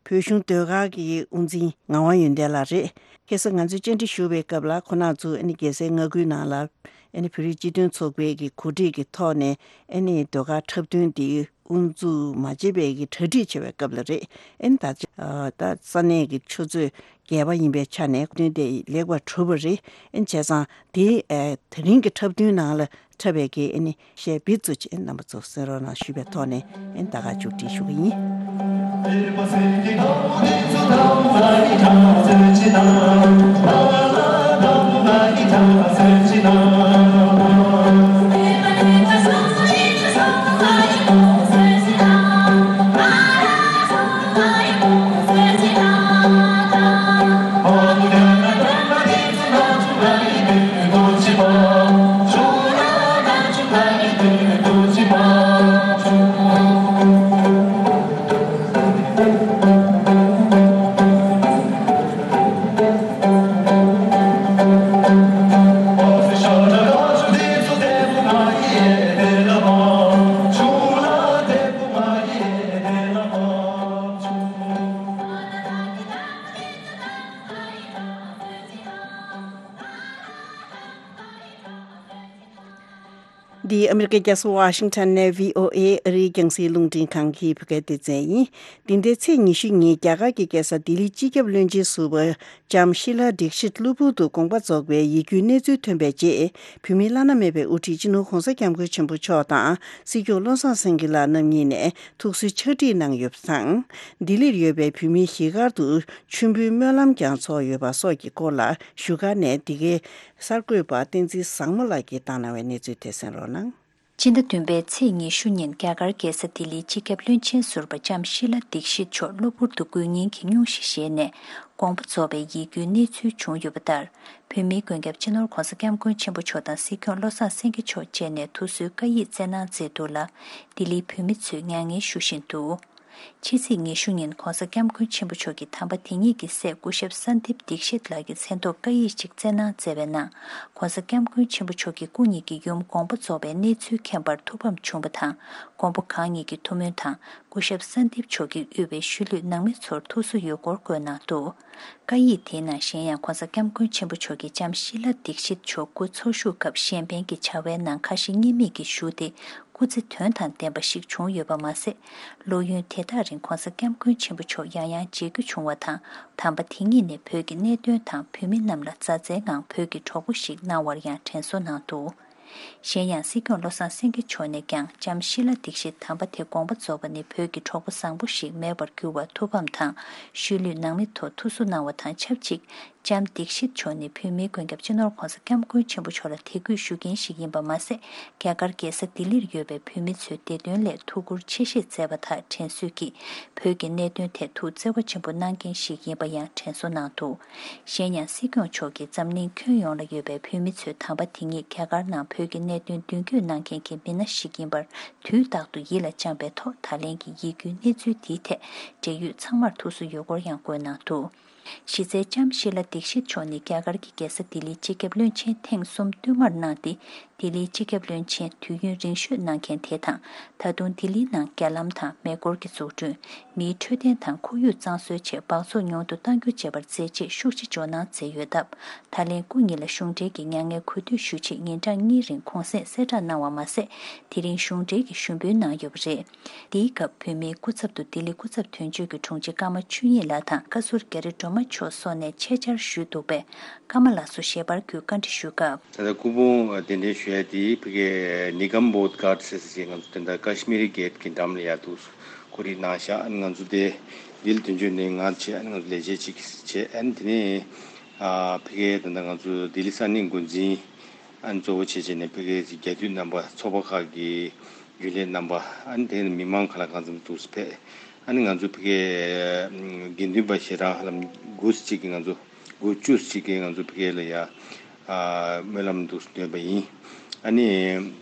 བོད་གཞུང་ཟློས་གར་གྱི་དབུ་འཛིན་ངག་དབང་ཡོན་ཏན་ལགས་རེད། ཁ་སང་ང་ཚོས་བཅར་འདྲི་ཞུ་བའི་སྐབས་ལ་ཁོང་རྣམ་ཚོ་ཨ་ནི་རྒྱལ་སའི་མངའ་ཁུལ་ནང་ལ་ཨ་ནི་བོད་རིགས་སྤྱི་མཐུན་ཚོགས་པའི་གི་གོ་སྒྲིག་གི་ཐོག་ནས་ཨ་ནི་ཟློས་གར་འཁྲབ་སྟོན་དེ་དབུ་འཛུགས་མ་བྱས་པའི་གི་གྲ་སྒྲིག་བྱེད་པའི་སྐབས་ལ་རེད། ཨ་ནི་ད་ད་ས་གནས་ཀྱི་ཆུ་ཚོད་བརྒྱད་པ་ཡིན་པའི་ཆ་ནས་འཁྲབ་སྟོན་དེ་ལེགས་པར་གྲུབ་པ་རེད། ཨ་ནི་བྱས་ཙང་དེ་ཨ་དེ་རིང་གི་འཁྲབ་སྟོན་ནང་ལ་འཁྲབ་པའི་གི་ཨ་ནི་གཞས་བི་ཛུ་ཅན་རྣམ་པ་ཚོ་གསན་རོགས་གནང་ཞུས་པའི་ཐོག་ནས་ཨ་ནི་ད་ག་མཇུག་སྒྲིལ་ཞུ་གི་ཡིན། འདི་ཨ་མི་རི་ཀའི་རྒྱལ་ས་ཝ་ཤིང་ཊོན་ནས་བྷི་ཨོ་ཨེ་ཨ་རིའི་རྒྱང་སྲིང་རླུང་འཕྲིན་ཁང་གི་བོད་སྐད་སྡེ་ཚན་ཡིན། འདི་ཟླའི་ཚེས་ཉི་ཤུ་ཉིན་རྒྱ་གར་གྱི་རྒྱལ་ས་ལྡི་ལིའི་སྤྱི་ཁྱབ་བློན་ཆེན་ཟུར་པ་ལྕམ་ཤི་ལ་དིག་ཤིད་གློ་བུར་དུ་དགོངས་པ་རྫོགས་པའི་ཡིད་སྐྱོའི་གནས་ཚུལ་ཐོན་པའི་རྗེས། བོད་མིའི་བླ་ན་མེད་པའི་དབུ་ཁྲིད་སྤྱི་ནོར་༧གོང་ས་༧སྐྱབས་མགོན་ཆེན་པོ་མཆོག་དང་སྲིད་སྐྱོང་བློ་བཟང་སེང་གེ་ལགས་རྣམ་གཉིས་ནས་ཐུགས་གསོའི་ཕྱག་བྲིས་གནང་ཡོད་པ་དང་། ལྡི་ལིར་ཡོད་པའི་བོད་མིའི་གཞིས་སྒར་དུ་མཆོད་འབུལ་སྨོན་ལམ་ཀྱང་ཚོགས་ཡོད་པ་སོགས་ཀྱི་སྐོར་ལ་བཞུགས་སྒར་ནས་འདི་གའི་གསར་འགོད་པ་བསྟན་འཛིན་བཟང་མོ་ལགས་ཀྱིས་བཏང་གནང་བའི་གནས་ཚུལ་དེ་གསན་རོགས་གནང་། སྤྱི་ཟླ་བདུན་པའི་ཚེས་ཉི་ཤུ་ཉིན་རྒྱ་གར་རྒྱལ་ས་ལྡི་ལིའི་སྤྱི་ཁྱབ་བློན་ཆེན་ཟུར་པ་ལྕམ་ཤི་ལ་དིག་ཤིད་མཆོག་གློ་བུར་དུ་འགོས་ངན་གྱི་སྙུང་གཞི་བཞེས་ནས་དགོངས་པ་རྫོགས་པའི་ཡིད་སྐྱོའི་གནས་ཚུལ་བྱུང་ཡོད་པ་ལྟར། བོད་མིའི་མགོན་སྐྱབས་སྤྱི་ནོར་༧གོང་ས་༧སྐྱབས་མགོན་ཆེན་པོ་མཆོག་དང་སྲིད་སྐྱོང་བློ་བཟང་སེང་གེ་མཆོག་བཅས་ནས་ཐུགས་གསོའི་བཀའ་ཡིག་བསྩལ་གནང་མཛད་འདུག་ལ། ལྡི་ལིའི་བོད་མི་ཚོས་མྱ་ངན་ཞུ་བཞིན་འདུག་ཕྱི་ཚེས་ཉི་ཤུ་ཉིན་༧གོང་ས་༧སྐྱབས་མགོན་ཆེན་པོ་མཆོག་གི་དམ་པ་དེ་ཉིད་ཀྱི་སྲས་སྐུ་ཞབས་ས་འདིབ་དིག་ཤིད་ལགས་ཀྱི་མཚན་ཐོག་བཀའ་ཡིག་ཅིག་བསྩལ་གནང་མཛད་པའི་ནང་༧གོང་ས་༧སྐྱབས་མགོན་ཆེན་པོ་མཆོག་གི་སྐུ་ཉིད་ཀྱི་ཡུམ་དགོངས་པ་རྫོགས་པའི་གནས་ཚུལ་མཁྱེན་པར་ཐུགས་ཕམ་བྱུང་བ་དང་། མགོན་པོ་གང་ཉིད་ཀྱི་ཐུགས་སྨོན་དང་སྐུ་ཞབས་ས་འདིབ་མཆོག་གིས་དབུས་པའི་ཤུལ་ལུས་ནང་མི་ཚོར་ཐུགས་གསོ་ཡོད་སྐོར་བཀོད་གནང་འདུག་བཀའ་ཡིག་དེའི་ནང་གཞན་ཡང་༧གོང་ས་༧སྐྱབས་མགོན་ཆེན་པོ་མཆོག་གིས་ལྕམ་ཤི་ལ་དིག་ཤིད་མཆོག་སྐུ་འཚོ་བཞུགས་སྐབས་གཞན་ཕན་གྱི་བྱ་བའི་ནང་ཁ་ཞེ་གཉིས་མེད་ཀྱིས་ཞུགས་ཏེ། སྐུ་ཚེ་དོན་དང་ལྡན་པ་ཞིག་བྱུང་ཡོད་པ་མ་ཟད། ལོ་ཡུན་དེ་དག་རིང་གོང་ས་སྐྱབས་མགོན་ཆེན་པོ་མཆོག་ཡང་ཡང་མཇལ་རྒྱུ་བྱུང་བ་དང་། དམ་པ་དེ་ཉིད་ནས་བོད་ཀྱི་གནད་དོན་དང་བོད་མི་རྣམས་ལ་མཛའ་བརྩེའི་ངང་བོད་ཀྱི་གྲོགས་པོ་ཞིག་གནང་བར་ཡང་དྲན་གསོ་གནང་འདུག་གཞན་ཡང་སྲིད་སྐྱོང་བློ་བཟང་སེང་གེ་མཆོག་ནས་ཀྱང་ལྕམ་ཤི་ལ་དིག་ཤིད་དམ་པ་དེ་དགོངས་པ་རྫོགས་པ་ནི་བོད་ཀྱི་གྲོགས་པོ་བཟང་པོ་ཞིག་མེད་པར་གྱུར་བར་ཐུགས་ཕམ་དང་། ཤུལ་ལུས་ནང་མི་ཐོག་ཐུགས་གསོ་གནང་བ་དང་ཆབས་ཅིག་ལྕམ་དིག་ཤིད་མཆོག་ནི་བོད་མིའི་མགོན་སྐྱབས་སྤྱི་ནོར་གོང་ས་སྐྱབས་མགོན་ཆེན་པོ་མཆོག་ལ་དད་གུས་ཞུ་མཁན་ཞིག་ཡིན་པ་མ་ཟད། རྒྱ་གར་རྒྱལ་ས་ལྡི་ལིར་ཡོད་པའི་བོད་མི་ཚོའི་བདེ་དོན་སླད་ཐུགས་ཁུར་ཆེ་བཞེས་མཛད་པ་དག་དྲན་གསོས་ཀྱིས། བོད་ཀྱི་གནད་དོན་ཐད་ཐུགས་བརྩེ་བ་ཆེན་པོ་གནང་མཁན་ཞིག་ཡིན་པ་ཡང་དྲན་གསོ་གནང་འདུག་གཞན་ཡང་སྲིད་སྐྱོང་མཆོག་གིས་འཛམ་གླིང་ཁྱོན་ཡོངས་ལ་ཡོད་པའི་བོད་མི་ཚོའི་དམ་པ་དེ་ཉིད་རྒྱ་གར་ནང་བོད་ཀྱི་གནད་དོན་མདུན་སྐྱོད་གནང་མཁན་གྱི་མི་སྣ་ཞིག་ཡིན་པར་དུས་རྟག་ཏུ་ཡིད་ལ་བཅངས་པའི་ཐོག་ད་ལན་གྱི་ཡིད་སྐྱོའི་གནས་ཚུལ་འདིའི་ཐད་འབྲེལ་ཡོད་ཚང་མར་ཐུགས་གསོ་ཡོད་སྐོར་ཡང་བཀོད་གནང་འདུག་གཞི་རྩའི་ལྕམ་ཤི་ལ་དིག་ཤིད་མཆོག་ནི་རྒྱ་གར་གྱི་རྒྱལ་ས་ལྡི་ལིའི་སྤྱི་ཁྱབ་བློན་ཆེན་ཐེངས་གསུམ་བསྟུད་མར་གནང་སྟེ། ལྡི་ལིའི་སྤྱི་ཁྱབ་བློན་ཆེན་དུས་ཡུན་རིང་ཤོས་གནང་མཁན་དེ་དང་། ད་དུང་ལྡི་ལིའི་ནང་རྒྱ་ལམ་དང་མེ་འཁོར་གྱི་འཛུགས་སྐྲུན། མིའི་འཕྲོད་བསྟེན་དང་ཁོར་ཡུག་གཙང་བཟོའི་ཆེད་འབག་བཙོག་ཉུང་དུ་གཏང་རྒྱུ་བཅས་པར་མཛད་རྗེས་ཤུགས་ཆེ་འཇོག་གནང་མཛད་ཡོད་སྟབས། ད་ལན་སྐུ་ཉིད་ལ་གཞུང་འབྲེལ་གྱི་མྱ་ངན་གུས་འདུད་ཞུ་ཆེད་ཉིན་གྲངས་གཉིས་རིང་གུང་སེང་གསལ་བསྒྲགས་གནང་བ་མ་ཟད། དེ་རིང་གཞུང་འབྲེལ་གྱི་ཞུ་འབུལ་གནང་ཡོད་པ་རེད། འདིའི་སྐབས་བོད་མིའི་སྐུ་ཚབ་ཏུ་ལྡི་ལི་སྐུ་ཚབ་དོན་གཅོད་ཀྱི་དྲུང་ཆེ་ཀརྨ་ཆོས་དབྱིངས་ལགས་དང་བཀའ་ཟུར་རྒྱ་རི་སྒྲོལ་མ་མཆོག་སོགས་ནས་ཆེད་བཅར་ཞུས་འདུག་པས། ཀརྨ་ལགས་སུ་ཞལ་པར་བརྒྱུད་བཀའ་འདྲི་ཞུས་སྐབས། ད་ལྟ་སྐུ་ཕུང་གདན་འདྲེན་ཞུ་ཡ་དེ་ཕ་གི་ནི་གམ་བོད་གྷར་ཟེར་ཟེར་ང་ཚོ་དེ་འདྲ་ཀ་ཤི་མིར་གེ་ཊི་གི་འགྲམ་ལ་ཡ་འདུག་གོ་རིག་གནང་ཤག་ཨ་ནི་ང་ཚོ་དེ་ལྡི་ལི་དོན་གཅོད་ནས་ང་བྱས། ཨ་ནི་ང་ཚོ་ལས་བྱེད་ཅིག་བྱས། ཨ་ནི་དེ་ནས་ཨ་ཕ་གི་དེ་འདྲ་ང་ཚོ་ལྡི་ལི་ས་གནས་འགོ་འཛིན། ཨ་ནི་གཙོ་བོ་བྱས་བྱས་ནས་ཕ་གིའི་རྒྱ་མདུད་རྣམ་པ། ཚོགས་པ་ཁག་གི་རྒྱུན་ལས་རྣམ་པ། ཨ་ནི་དེ་ནས་མི་མང་ག་ལ་གང་འཚམ་འདུག་སེ་ཕེབས། ཨ་ནི་ང་ཚོ་ཕ་གིའི་དགེ་འདུན་པ་ཞེ་དྲག་ཧ་ལམ་དགུ་ཙམ་ཅིག་གིས་ང་ཚོ། དགུ་བཅུ་ཙམ་ཅིག་གིས་ང་ཚོ་ཕ་གི་ལ་ཡ་ཨ་སྨོན་ལམ་འདུག་སེ་འདོན་པ་ཡིན། ཨ་ནི་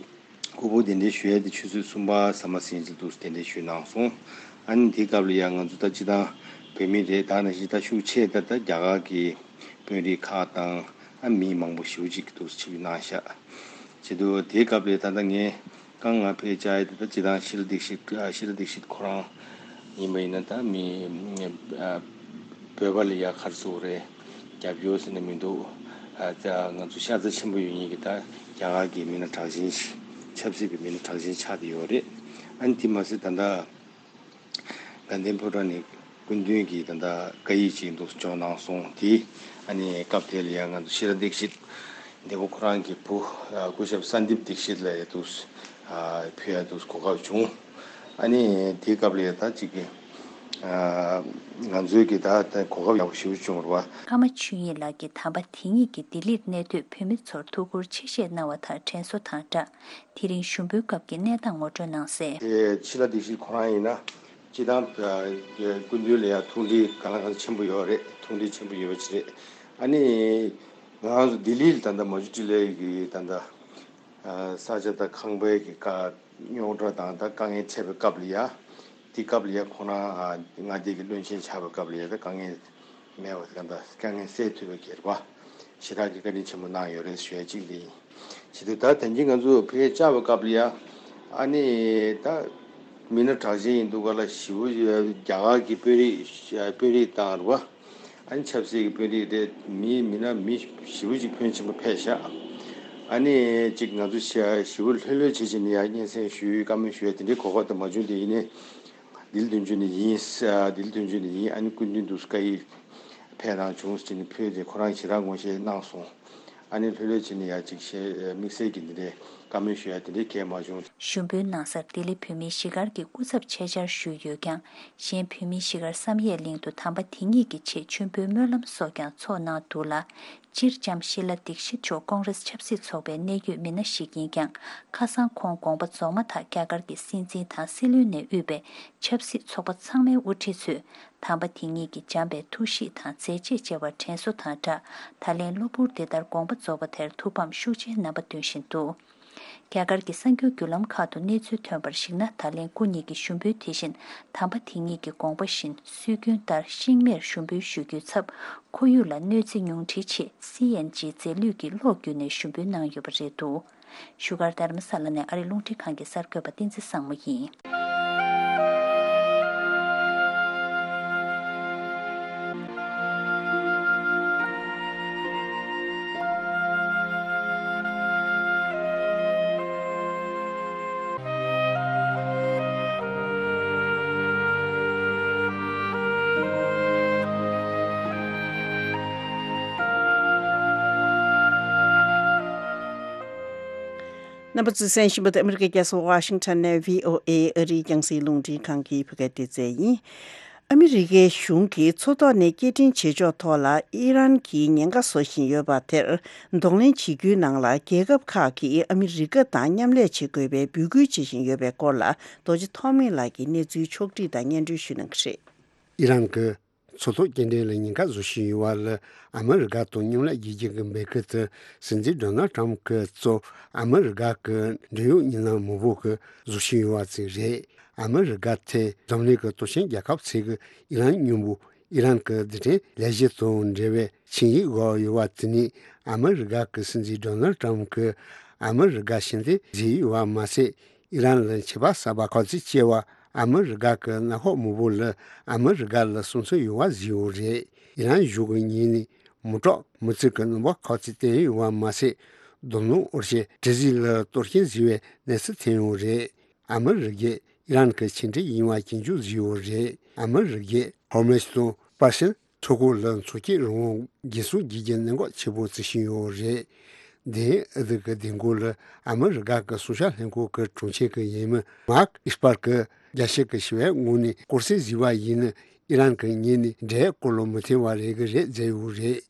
སྐུ་ཕུང་གདན་འདྲེན་ཞུ་ཡ་དེ་ཆུ་ཚོད་གསུམ་པ་ཟ་མ་ཟིན་ཙམ་འདུག་སེ་གདན་འདྲེན་ཞུས་གནང་སོང་། ཨ་ནི་དེའི་སྐབས་ལ་ཡ་ང་ཚོ་ད་སྤྱིར་བཏང་བོད་མི་རེད། ད་ནང་བཞིན་ད་ཤུགས་ཆེ་ད་ད་རྒྱ་གར་གྱི་དཔོན་རིགས་ཁག་དང་། ཨ་མི་མང་པོ་ཞེ་པོ་ཅིག་འདུག་སེ་ཆིབས་བསྒྱུར་གནང་ཤག་བྱེད་དུས་དེའི་སྐབས་ལ་ད་ལྟ་ངས་རྐང་ང་ཕེབས་བཅར་ཡ་དེ་ད་སྤྱིར་བཏང་ཤི་ལ་དིག་ཤིད། ཨ་ཤི་ལ་དིག་ཤིད་ཁོ་རང་ཡིན་པ་ཡིན་ན་ད་མི་ཨ་བོད་པ་ལ་ཡ་ག་རེ་ཟེར་དགོས་རེད། རྒྱབ་སྐྱོར་ཟེར་ན་མི་འདུག་ཨ་ད་ང་ཚོ་ཤ་ཚ་ཆེན་པོ་ཡོད་མཁན་གྱི་ད་རྒྱ་གར་གྱི་མི་སྣ་གྲགས་ཅན་ཞིག་ཆབ་སྲིད་པའི་མི་སྣ་གྲགས་ཅན་ཆགས་བསྡད་ཡོད་རེད། ཨ་ནི་དེ་མ་ཟད་ད་ལྟ་དགའ་ལྡན་ཕོ་བྲང་ནས་སྐུ་མདུན་གྱིས་ད་ལྟ་བཀའ་ཡིག་ཅིག་འདུག་སེ་འབྱོར་གནང་སོང་། དེ་ཨ་ནི་སྐབས་དེ་ལ་ཡང་ང་ཚོ་ཤི་ལ་དིག་ཤིད་འདས་པོ་ཁོ་རང་གི་བུ་ཨ་སྐུ་ཞབས་སན་དིབ་དིག་ཤིད་ལ་ཡ་འདུག་སེ་ཨ་ཕུལ་ཡ་འདུག་སེ་གོ་སྐབས་བྱུང་། ཨ་ནི་དེའི་སྐབས་ལ་ཡ་ད་ཅིག་གི་ཨ་ང་ཚོའི་གི་ད་ད་གོ་སྐབས་ཡག་པོ་ཞེ་པོ་བྱུང་བ་རེད་པ། ཀརྨ་ཆོས་དབྱིངས་ལགས་ཀྱིས་དམ་པ་དེ་ཉིད་ཀྱིས་ལྡི་ལིར་གནས་སྡོད་བོད་མི་ཚོར་ཐུགས་ཁུར་ཆེ་བཞེས་གནང་བ་དང་དྲན་གསོ་དང་སྦྲགས། དེ་རིང་ཞུ་འབུལ་སྐབས་ཀྱི་གནས་སྟངས་ངོ་སྤྲོད་གནང་གསལ། དེ་ཕྱི་ལ་སྡིག་ཤིག་ཁོ་རང་ཡིན་ན་སྤྱི་བཏང་སྐུ་མདུན་ལ་ཡང་ཐུགས་འདྲིས་གང་ལ་གང་ཆེན་པོ་ཡོད་རེད། ཐུགས་འདྲིས་ཆེན་པོ་ཡོད་པ་ཅིག་རེད། ཨ་ནི་ང་རང་ཚོ་ལྡི་ལི་ལ་ད་ལྟ་མ་ཇུ་ཊི་ལའི་གི་ད་ལྟ་ས་ཆ་དང་ཁང་པའི་གི་དཀའ་རྙོག་དྲ་དང་ད་དཀའ་ངལ་འཕྲད་པའི་སྐབས་ལ་ཡ། དེ་སྐབས་ལ་ཡ་ཁོ་རང་མངའ་སྡེ་གི་བློན་ཆེན་ཆགས་པའི་སྐབས་ལ་ཡ་ད་དཀའ་ངལ། མེད་པ་དེ་ག་འདྲ་དཀའ་ངལ་སེལ་ཐུབ་པའི་གི་རེད་པ། ཞེ་དྲག་གི་བཀའ་དྲིན་ཆེན་པོ་གནང་ཡོད་རེད་ཞུ་ཡ་གཅིག་འདི་ཡིན། བྱེད་དུས་ད་དེང་གི་ང་ཚོ་ཕ་གིར་བཅར་བའི་སྐབས་ལ་ཡ། ཨ་ནི་ད་མི་སྣ་གྲགས་ཅན་ཡིན་འདུག་ག་ལ་ཞེ་པོ་རྒྱ་གར་གྱི་དཔོན་རིགས་དཔོན་རིགས་དང་རེད་པ། ཨ་ནི་ཆབ་སྲིད་ཀྱི་དཔོན་རིགས་རེད། མི་མི་སྣ་མི་ཞེ་པོ་ཅིག་ཕོན་ཆེན་པོ་ཕེབས་ཤག་ཨ་ནི་གཅིག་ང་ཚོ་ཞེ་པོ་ལྷོད་ལྷོད་བྱེད་བྱེད་ནས་ཡ་སྙན་སེང་ཞུ་བཀའ་མོལ་ཞུ་ཡ་དེ་འདྲའི་གོ་སྐབས་དེ་མ་བྱུང་། དེ་ཡིན་ནའི། ལྡི་ལི་དོན་གཅོད་ནས་ཡིན། ལྡི་ལི་དོན་གཅོད་ནས་ཡིན། ཨ་ནི་སྐུ་མདུན་དུ་བཀའ་ཡིག་ཕེབས་གནང་བྱུང་ཟེར་ནས་ཕུལ་ཏེ་ཁོ་རང་ཞེ་དྲག་ངོ་ཤེས་གནང་སོང་། ཨ་ནི་ལྷོད་ལྷོད་བྱས་ནས་ཡ་ཅིག་བཤད་དམིགས་བསལ་གྱི་འདི་འདྲའི་བཀའ་མོལ་ཞུ་ཡ་དེ་འདྲའི་གལ་མ་བྱུང་། ཞུ་འབུལ་གནང་སར་ལྡི་ལི་བོད་མིའི་གཞིས་སྒར་གྱི་སྐུ་ཚབ་ཆེད་བཅར་ཞུས་ཡོད་ཀྱང་། གཞན་བོད་མིའི་གཞིས་སྒར་བསམ་ཡས་གླིང་དུ་དམ་པ་དེ་ཉིད་ཀྱི་ཆེད་མཆོད་འབུལ་སྨོན་ལམ་སོགས་ཀྱང་ཚོགས་གནང་འདུག་ལ། སྤྱིར་ལྕམ་ཤི་ལ་དིག་ཤིད་མཆོག་ཀོང་རེས་ཆབ་སྲིད་ཚོགས་པའི་གནད་ཡོད་མི་སྣ་ཞིག་ཡིན་ཀྱང་། ཁ་སང་ཁོང་དགོངས་པ་རྫོགས་མ་ཐག་རྒྱ་གར་གྱི་སྲིད་འཛིན་དང་སྲིད་བློན་ནས་དབུས་པའི་ཆབ་སྲིད་ཚོགས་པ་ཚང་མའི་དབུ་ཁྲིད་ཚོས་དམ་པ་དེ་ཉིད་ཀྱི་བྱམས་པའི་ཐུགས་གཤིས་དང་མཛད་རྗེས་བཅས་པར་དྲན་གསོ་དང་སྦྲགས། ད་ལན་གློ་བུར་འདི་ལྟར་དགོངས་པ་རྫོགས་པ་དེར་ཐུགས་ཕམ་ཤུགས་ཆེའི་རྣམ་པ་སྟོན་བཞིན་འདུག་རྒྱ་གར་གྱི་གསར་འགྱུར་བརྒྱུད་ལམ་ཁག་ཏུ་གནས་ཚུལ་ཐོན་པར་གཞིགས་ན། ད་ལན་སྐུ་ཉིད་ཀྱི་ཞུ་འབུལ་དེ་བཞིན་དམ་པ་དེ་ཉིད་ཀྱི་དགོངས་པ་བཞིན་སྲོལ་རྒྱུན་ལྟར་ཤིང་མེར་ཞུ་འབུལ་ཞུ་རྒྱུའི་ཚབ། ཁོར་ཡུག་ལ་གནོད་འཚེ་ཉུང་འཕྲིའི་ཆེད་སི་ཨེན་ཇི་རྫས་ལུད་ཀྱི་གློག་བརྒྱུད་ནས་ཞུ་འབུལ་གནང་ཡོད་པ་རེད་འདུག་བཞུགས་སྒར་རྡ་རམ་ས་ལ་ནས་ཨ་རི་རླུང་འཕྲིན་ཁང་གི་གསར་འགོད་པ་བསྟན་འཛིན་བཟང་མོ་ཡིན། རྣམ་པ་ཚོས་གསན་བཞིན་པ་དེ་ཨ་མི་རི་ཀའི་རྒྱལ་ས་ཝ་ཤིང་ཊོན་ནས་བྷི་ཨོ་ཨེ་ཨ་རིའི་རྒྱང་སྲིང་རླུང་འཕྲིན་ཁང་གི་བོད་སྐད་སྡེ་ཚན་ཡིན། ཨ་མི་རི་ཀའི་གཞུང་གིས་མཚོ་ཐོག་ནས་སྐྱེལ་འདྲེན་བྱེད་ཕྱོགས་ཐོག་ལ་ཨི་རན་གྱིས་ཉེན་ཁ་བཟོ་བཞིན་ཡོད་པ་དེར་གདོང་ལེན་བྱེད་རྒྱུའི་ནང་ལ་རྒྱལ་ཁབ་ཁག་གིས་ཨ་མི་རི་ཀ་དང་མཉམ་ལས་བྱེད་དགོས་པའི་འབོད་སྐུལ་བྱེད་བཞིན་ཡོད་པའི་སྐོར་ལ་རྡོ་རྗེ་ཐོགས་མེད་ལགས་ཀྱིས་གནས་ཚུལ་ཕྱོགས་བསྒྲིགས་དང་སྙན་སྒྲོན་ཞུ་གནང་གི་རེད། ཨི་རན་གྱིས་མཚོ་ཐོག་སྐྱེལ་འདྲེན་ལ་ཉེན་ཁ་བཟོ་བཞིན་ཡོད་པ་ལ་ཨ་མི་རི་ཀ་དང་མཉམ་ལས་རྒྱག་རྒྱུ་གི་འབོད་སྐུལ་དེ་སྲིད་འཛིན་ཌོ་ནལ་ཊམ་གྱིས་གཙོས་ཨ་མི་རི་ཀ་གི་འབྲེལ་ཡོད་མི་སྣ་མང་པོ་གིས་བཟོ་བཞིན་ཡོད་པ་ཅིག་རེད། ཨ་མི་རི་ཀ་དེ་འཛམ་གླིང་གི་སྟོབས་ཆེན་རྒྱལ་ཁབ་ཚོ་གི་ཨི་རན་མཉམ་པོ་ཨི་རན་གྱི་རྡུལ་ཕྲན་ལས་གཞི་དང་འབྲེལ་བའི་ཆིངས་ཡིག་འོག་ཡོད་པ་དེ་ནི་ཨ་མི་རི་ཀ་གི་སྲིད་འཛིན་ཌོ་ནལ་ཊམ་གྱིས་ཨ་མི་རི་ཀ་ཕྱིར་འཐེན་བཟོས་ཡོད་པ་མ་ཟད། ཨི་རན་ལ་ཆད་པ་གསར་པ་ག་ཚོད་བཅད་པ་ཨ་མི་རི་ཀ་གི་མངའ་ཁོངས་མང་པོ་ལ་ཨ་མི་རི་ཀ་ལ་སྲུང་བརྩི་ཡོད་པ་བཟོས་ཡོད་རེད། ཨི་རན་གཞུང་གི་ངོས་ནས་མི་དྲག་མི་གཙང་གི་རྣམ་པ་ག་ཚོད་བསྟན་ཡོད་པ་མ་ཟད། རྡོ་སྣུམ་འོར་ཞེན་དྲི་ཟིན་ལ་གཏོར་སྐྱོན་བཟོས་པའི་གནས་ཚུལ་ཐོན་ཡོད་རེད། ཨ་མི་རི་ཀས་ཨི་རན་གྱི་ཕྱིར་འཐེན་ཡིན་པ་སྐྱོན་བརྗོད་བཟོས་ཡོད་རེད། ཨ་མི་རི་ཀས་ཧོར་མུ་ཛ་དང་པར་ཤིན་མཚོ་ཁུག་ལ་མཚོ་སྐྱོད་རང་དབང་འགན་སྲུང་བྱེད་རྒྱུ་གནད་འགག་ཆེ་པོ་བརྩི་བཞིན་ཡོད་རེད། དེ་ཡང་ཨ་རི་གི་མདུན་སྐོར་ལ་ཨ་མི་རི་ཀ་གི་སྲུང་སྐྱོབ་ལྷན་ཁང་གི་དྲུང་ཆེ་གི་འོས་མི་མཱརྐ་ཨིས་པར་གྱིས་རྒྱལ་སྤྱི་གི་ཞི་བའི་ངོས་ནས་སྐོར་སེལ་བཟོས་པ་ཡིན་ན་ཨི་རན་གྱི་ངོས་ནས་འབྲེལ་བའི་སྐོར་ལ་མོས་མཐུན་པ་རེད་གི་རེད་བརྗོད་ཡོད་རེད།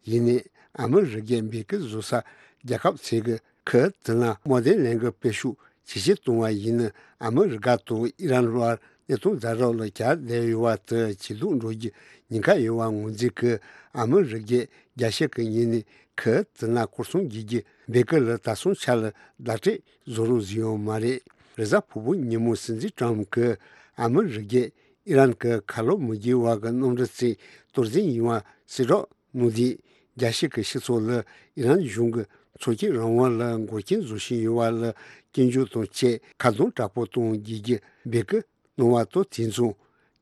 ཡིན་ནའི་ཨ་མི་རི་ཀས་འབོད་སྐུལ་བཟོ་ས་རྒྱལ་ཁབ་ཚོ་གིས་ཁུ་དེ་ན་དམག་དོན་ལས་འགུལ་སྤེལ་ཤུགས་ཇེ་ཆེར་གཏོང་བ་ཡིན་ན་ཨ་མི་རི་ཀ་དང་ཨི་རན་བར་གནས་སྟངས་ཛ་དྲག་ལ་གྱར་བསྡད་ཡོད་པ་དེ་ཇེ་སྡུག་འགྲོ་རྒྱུ་ཉེན་ཁ་ཡོད་པ་ངོས་འཛིན་གྱིས་ཨ་མི་རི་ཀས་རྒྱལ་སྤྱི་གི་ངོས་ནས་ཁུ་དེ་ན་སྐོར་སྲུང་བྱེད་རྒྱུའི་འབོད་སྐུལ་ལ་ད་སོང་ཆ་ལ་བརྡ་སྤྲོད་བཟོ་རོགས་བཟོས་ཡོད་མ་རེད། རེས་གཟའ་ཕུར་བུ་ཉིན་མོ་སྲིད་འཛིན་ཊམ་གྱིས་ཨ་མི་རི་ཀས་ཨི་རན་གྱི་ཁ་ལོ་མི་བསྒྱུར་བ་གི་གནམ་གྲུ་ཚོའི་གཏོར་འཛིན་ཡིན་པ་གསལ་བསྒྲགས་གནང་དུས། རྒྱལ་སྤྱི་གི་སྤྱི་ཚོགས་ལ་ཨི་རན་གཞུང་གིས་མཚོ་སྐྱོད་རང་དབང་ལ་འགོག་རྐྱེན་བཟོ་བཞིན་ཡོད་པ་ལ་སྐྱོན་བརྗོད་དང་བཅས་ཁ་རྡུང་དྲག་པོ་གཏོང་བགྱིད་ཀྱི་འབོད་སྐུལ་གནང་བ་དང་དེ་མཚུངས།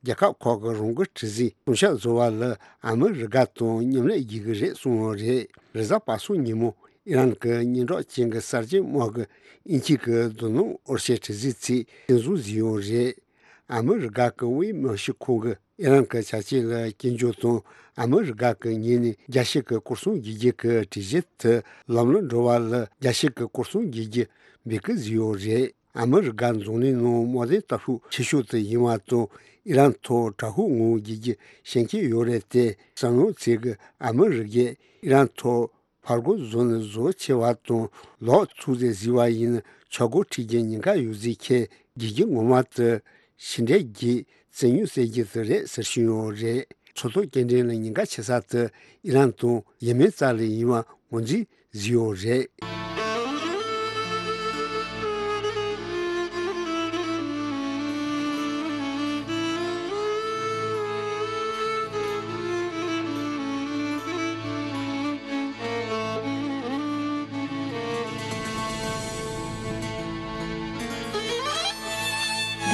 རྒྱལ་ཁབ་ཁག་གིས་རང་གི་གྲུ་གཟིངས་སྲུང་སྐྱོབ་བཟོ་བ་ལ་ཨ་མི་རི་ཀ་དང་མཉམ་ལས་བགྱིད་ཀྱི་རེད་གསུངས་ཡོད་རེད། རེས་གཟའ་པ་སངས་ཉིན་མོ་ཨི་རན་གྱི་སྙན་གྲགས་ཅན་གྱི་གསར་བརྗེའི་དམག་གི་དབྱིན་ཇི་གི་རྡོ་སྣུམ་འོར་ཞེན་གྲུ་གཟིངས་ཚོས་བཙན་བཟུང་བཟོས་ཡོད་རེད། ཨ་མི་རི་ཀ་གི་དབུས་མི་ཤི་ཁོང་གིས་ཨི་རན་གྱི་བྱ་སྤྱོད་ལ་སྐྱོན་བརྗོད་དང་ཨ་མི་རི་ཀ་གི་ངོས་ནས་རྒྱལ་སྤྱི་གི་སྐོར་སྲུང་བགྱིད་རྒྱུ་གི་གྲོས་གཞི་དེ་ལམ་ལྷོང་འགྲོ་བ་ལ་རྒྱལ་སྤྱི་གི་སྐོར་སྲུང་བགྱིད་རྒྱུ་འབོད་སྐུལ་བཟོས་ཡོད་རེད། ཨ་མི་རི་ཀ་འཛམ་གླིང་ནང་དམག་དོན་ལྟ་ཕྱོགས་ཆེ་ཤོས་དེ་ཡིན་པ་དང་ཨི་རན་ཐོག་དྲག་ཤུགས་ངང་བགྱིད་རྒྱུ་ཤེས་ཀྱི་ཡོད་རེད་དེ་བསམ་བློ་ཚིག་གི་ཨ་མི་རི་ཀས་ཨི་རན་ཐོག་ཕར་རྒོལ་བཟོ་ནས་བཟོ་ཆེ་བ་དང་ལོག་ཚུགས་རྗེས་བཟི་བ་ཡིན་ཆོག་སྒོ་ཁྲིད་རྒྱུ་ཉེན་ཁ་ཡོད་ཟེར་ཁྱེད་རྒྱལ་རྒྱུ་ངོ་མ་དུ་ཕྱི་འབྲེལ་གྱི་བཙན་གཡོལ་ཟེར་རྒྱུ་དེ་རེད་ཟེར་བཞིན་ཡོད་རེད། མཚོ་ཐོག་སྐྱེལ་འདྲེན་ལ་ཉེན་ཁ་ཆེ་ས་དེ་ཨི་རན་དང་ཡེ་མེན་རྩ་ལས་ཡིན་པ་ངོས་འཛིན་བཟོས་ཡོད་རེད།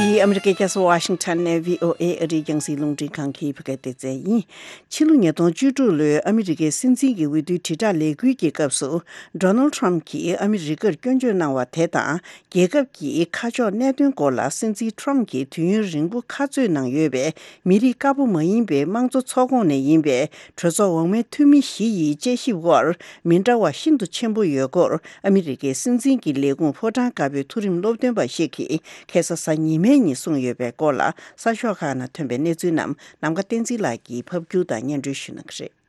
འདི་ཨ་མི་རི་ཀའི་རྒྱལ་ས་ཝ་ཤིང་ཊོན་ནས་བྷི་ཨོ་ཨེ་ཨ་རིའི་རྒྱང་སྲིང་རླུང་འཕྲིན་ཁང་གི་བོད་སྐད་སྡེ་ཚན་ཡིན། ཕྱི་ལོ་ཉིས་སྟོང་བཅུ་དྲུག་ལོའི་ཨ་མི་རི་ཀའི་སྲིད་འཛིན་གྱི་འོས་བསྡུའི་དྲིལ་བསྒྲགས་ལས་འགུལ་གྱི་སྐབས་སུ། ཌོ་ནལ་ཊམ་གྱིས་ཨ་མི་རི་ཀར་སྐྱོན་བརྗོད་གནང་བ་དེ་དང་། རྒྱལ་ཁབ་ཀྱི་ཁ་ཕྱོགས་གནད་དོན་སྐོར་ལ་སྲིད་འཛིན་ཊམ་གྱིས་དུས་ཡུན་རིང་པོ་ཁ་རྩོད་གནང་ཡོད་པའི་མི་རིགས་དཀར་པོ་མ་ཡིན་པའི་དམངས་གཙོ་ཚོགས་ཁོངས་ནས་ཡིན་པའི་གྲོས་ཚོགས་འོག་མའི་འཐུས་མི་བཞི་ཡི་དཔྱད་ཞིབ་དབར་མི་འདྲ་བ་ཤིན་ཏུ་ཆེན་པོ་ཡོད་སྐོར་ཨ་མི་རི་ཀའི་སྲིད་འཛིན་གྱི་ལས་ཁུངས་ཕོ་བྲང་དཀར་པོའི་མཐོ་རིམ་སློབ་སྟོན་པ་ཞིག་གིས་ཁ་སང་གཟའ་ཉི་མའི་ཉིན་གསུངས་ཡོད་པའི་སྐོར་ལ་གསར་ཤོག་ཁག་ནང་ཐོན་པའི་གནས་ཚུལ་རྣམས་ནམ་མཁའ་བསྟན་འཛིན་ལགས་ཀྱིས་ཕབ་སྒྱུར་དང་སྙན་སྒྲོན་ཞུ་གནང་གི་རེད།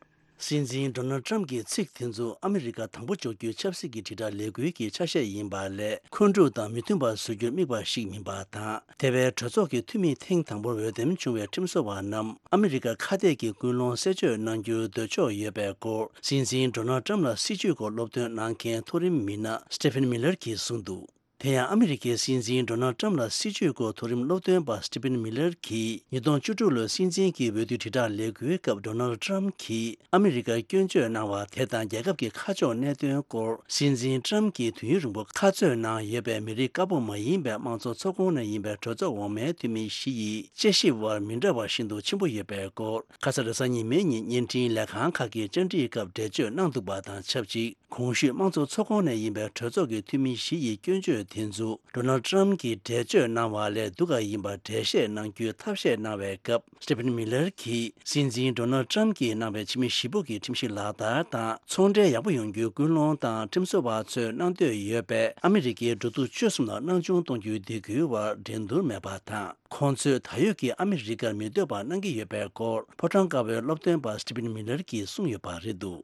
སྲིད་འཛིན་ཌོ་ནལ་ཊམ་གྱི་ཚིག་དེ་ཚོ་ཨ་མི་རི་ཀ་དང་པོ་འཇོག་རྒྱུའི་ཆབ་སྲིད་ཀྱི་དྲིལ་བསྒྲགས་ལས་འགུལ་གྱི་ཆ་ཤས་ཡིན་པ་ལས་འཁོན་འཁྲུག་དང་མི་མཐུན་པ་བཟོ་རྒྱུར་དམིགས་པ་ཞིག་མིན་པ་དང་། དེ་བས་གྲོས་ཚོགས་ཀྱི་འཐུས་མི་ཐེངས་དང་པོར་འོས་འདེམས་བྱུང་བའི་ཁྲིམས་བཟོ་བ་རྣམས་ཨ་མི་རི་ཀ་ཁ་གཏད་ཀྱི་ཀུན་སློང་གསལ་བརྗོད་གནང་རྒྱུར་འདོད་ཕྱོགས་ཡོད་པའི་སྐོར་སྲིད་འཛིན་ཌོ་ནལ་ཊམ་ལ་སྲིད་བྱུས་སྐོར་སློབ་སྟོན་གནང་མཁན་མཐོ་རིམ་མི་སྣ་སི་ཊི་ཕན་མི་ལར་གྱིས་གསུངས་འདུག་དེ་ཡང་ཨ་མི་རི་ཀའི་སྲིད་འཛིན་ཌོ་ནལ་ཊམ་ལ་སྲིད་བྱུས་སྐོར་མཐོ་རིམ་སློབ་སྟོན་པ་སི་ཊི་ཕན་མི་ལར་གྱིས་ཉིས་སྟོང་བཅུ་དྲུག་ལོའི་སྲིད་འཛིན་གྱི་འོས་བསྡུའི་དྲིལ་བསྒྲགས་ལས་འགུལ་སྐབས་ཌོ་ནལ་ཊམ་གྱིས་ཨ་མི་རི་ཀར་སྐྱོན་བརྗོད་གནང་བ་དེ་དང་རྒྱལ་ཁབ་ཀྱི་ཁ་ཕྱོགས་གནད་དོན་སྐོར་སྲིད་འཛིན་ཊམ་གྱིས་དུས་ཡུན་རིང་པོ་ཁ་རྩོད་གནང་ཡོད་པའི་མི་རིགས་དཀར་པོ་མ་ཡིན་པའི་དམངས་གཙོ་ཚོགས་ཁོངས་ནས་ཡིན་པའི་གྲོས་ཚོགས་འོག་མའི་འཐུས་མི་བཞི་ཡི་དཔྱད་ཞིབ་དབར་མི་འདྲ་བ་ཤིན་ཏུ་ཆེན་པོ་ཡོད་པའི་སྐོར་ཁ་ས་རེས་གཟའ་ཉི་མའི་ཉིན་བརྙན་འཕྲིན་ལས་ཁང་ཁག་གི་བཅར་འདྲིའི་སྐབས་འགྲེལ་བརྗོད་གནང་འདུག་པ་དང་ཆབས་ཅིག་གོང་ཞུས་དམངས་གཙོ་ཚོགས་ཁོངས་ནས་ཡིན་པའི་གྲོས་ཚོགས་ཀྱི་འཐུས་མི་བཞི་ཡི་སྐྱོན་བརྗོད་ དེ་ཚོ་ཌོ་ནལ་ཏྲམ་གྱིས་འགྲེལ་བརྗོད་གནང་བ་ལས་སྡུག་ག་ཡིན་པར་འགྲེལ་བཤད་གནང་རྒྱུའི་ཐབས་ཤེས་གནང་བའི་སྐབས། སི་ཊི་ཕན་མི་ལར་གྱིས་སྲིད་འཛིན་ཌོ་ནལ་ཏྲམ་གྱིས་གནང་བའི་ཕྱི་མི་བཞི་པོ་གི་ཁྲིམས་གཞི་ལག་བསྟར་དང་ཚོང་འབྲེལ་ཡག་པོ་ཡོང་རྒྱུའི་སྐུལ་སློང་དང་ཁྲིམས་བཟོ་བ་ཚོས་གནང་འདོད་ཡོད་པས་ཨ་མི་རི་ཀའི་འབྲུ་དུག་བཅུ་གསུམ་ལ་སྣང་ཆུང་གཏོང་རྒྱུའི་སྡིགས་སྐུལ་བར་འགྲན་བསྡུར་མེད་པ་དང་། ཁོང་ཚོས་ད་ཡོད་ཀྱི་ཨ་མི་རི་ཀར་མི་འདོད་པ་གནང་གི་ཡོད་པའི་སྐོར་ཕོ་བྲང་དཀར་པོའི་སློབ་སྟོན་པ་སི་ཊི་ཕན་མི་ལར་གྱིས་གསུངས་ཡོད་པ་རེད་འདུག་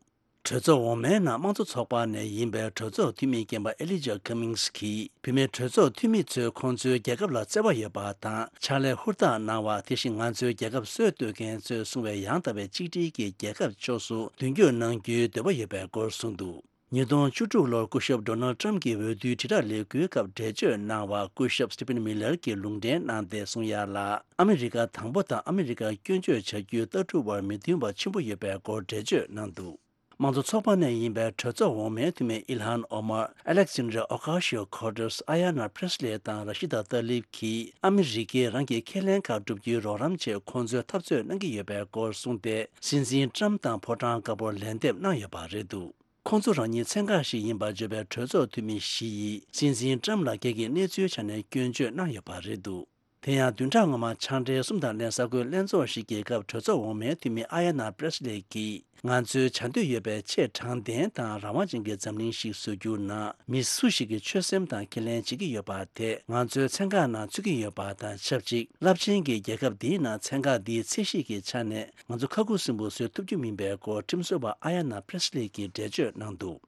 གྲོས་ཚོགས་འོག་མའི་ནང་དམངས་གཙོ་ཚོགས་པ་ནས་ཡིན་པའི་གྲོས་ཚོགས་འཐུས་མི་རྒན་པ་ཨེ་ལི་ཇ་ཁ་མིང་སི་གིས་བུད་མེད་གྲོས་ཚོགས་འཐུས་མི་ཚོས་ཁོང་ཚོའི་རྒྱལ་ཁབ་ལ་བརྩེ་བ་ཡོད་པ་དང་ཕྱག་ལས་ཧུར་ཐག་གནང་བ། དེ་བཞིན་ང་ཚོའི་རྒྱལ་ཁབ་སྲོལ་གཏོད་མཁན་ཚོས་གསུང་བའི་ཡང་དག་པའི་གཅིག་སྒྲིལ་གྱི་རྒྱལ་ཁབ་ཕྱོགས་སུ་མདུན་སྐྱོད་གནང་རྒྱུའི་འདོད་པ་ཡོད་པའི་སྐོར་གསུངས་འདུག་ཉིས་སྟོང་བཅུ་དྲུག་ལོར་སྐུ་ཞབས་ཌོ་ནལ་ཏྲམ་གྱིས་འོས་བསྡུའི་དྲིལ་བསྒྲགས་ལས་འགུལ་སྐབས་འགྲེལ་བརྗོད་གནང་བར་སྐུ་ཞབས་སི་ཊི་ཕན་མི་ལར་གྱིས་ལུང་འདྲེན་གནང་སྟེ་གསུངས་ཡ་ལ། ཨ་མི་རི་ཀ་དང་པོ་དང་ཨ་མི་རི་ཀར་སྐྱོན་བརྗོད་བྱ་རྒྱུའི་ལྟ་གྲུབ་བར་མི་མཐུན་པ་ཆེན་པོ་ཡོད་པའི་སྐོར་འགྲེལ་བརྗོད་གནང་འདུག་དམངས་གཙོ་ཚོགས་པ་ནས་ཡིན་པའི་གྲོས་ཚོགས་འོག་མའི་འཐུས་མི་ཨིལ་ཧན་ཨོ་མར། ཨ་ལེག་ཛན་ཌར་ཨོ་ཀ་ཤི་ཡོ་ཁོ་ཏར། ཨ་ཡ་ན་པྲེ་སི་ལེ་དང་ར་ཤི་ད་ཏཱ་ལིབ་ཀྱིས་ཨ་མི་རི་ཀས་རང་གི་ཁས་ལེན་ཁག་བསྒྲུབ་རྒྱུའི་རོགས་རམ་ཆེད་ཁོང་ཚོས་འཐབ་རྩོད་གནང་གི་ཡོད་པའི་སྐོར་གསུངས་ཏེ། སྲིད་འཛིན་ཏྲམ་དང་ཕོ་བྲང་དཀར་པོར་ལན་འདེབས་གནང་ཡོད་པ་རེད་འདུག་ཁོང་ཚོ་རང་ཉིད་ཚན་ཁག་ཞིག་ཡིན་པར་བརྗོད་པའི་གྲོས་ཚོགས་འཐུས་མི་བཞི་ཡིས་སྲིད་འཛིན་ཏྲམ་ལ་སྒེར་གྱི་གནས་ཚུལ་ཆ་ནས་སྐྱོན་བརྗོད་གནང་ཡོད་པ་རེད་འདུག་དེ་ཡང་བདུན་ཕྲག་སྔོན་མ་ཕྱག་འབྲེལ་གསུམ་དང་ལྷན་གསར་འགོད་ལྷན་ཚོགས་ཤིག་གི་སྐབས་གྲོས་ཚོགས་འོག་མའི་འཐུས་མི་ཨ་ཡ་ན་པྲེ་སི་ལེ་གིས། ང་ཚོའི་བྱ་འདོད་ཡོད་པའི་ཆེས་དྲང་བདེན་དང་རང་དབང་ཅན་གྱི་འཛམ་གླིང་ཞིག་བཟོ་རྒྱུ་ནང་མི་སུ་ཞིག་གི་ཆོད་སེམས་དང་ཁས་ལེན་བྱེད་ཀྱི་ཡོད་པ་དེ་ང་ཚོའི་ཚན་ཁག་ནང་ཚུད་ཀྱི་ཡོད་པ་དང་ཆབས་ཅིག་རླབས་ཆེན་གྱི་རྒྱལ་ཁབ་འདིའི་ནང་ཚན་ཁག་འདིའི་ཚད་གཞི་གི་ཆ་ནས་ང་ཚོ་ཁ་ཁུ་སིམ་པོ་བཟོ་ཐུབ་རྒྱུ་མིན་པའི་སྐོར་ཁྲིམས་བཟོ་བ་ཨ་ཡ་ན་པྲེ་སི་ལེ་གིས་འགྲེལ་བརྗོད་གནང་འདུག་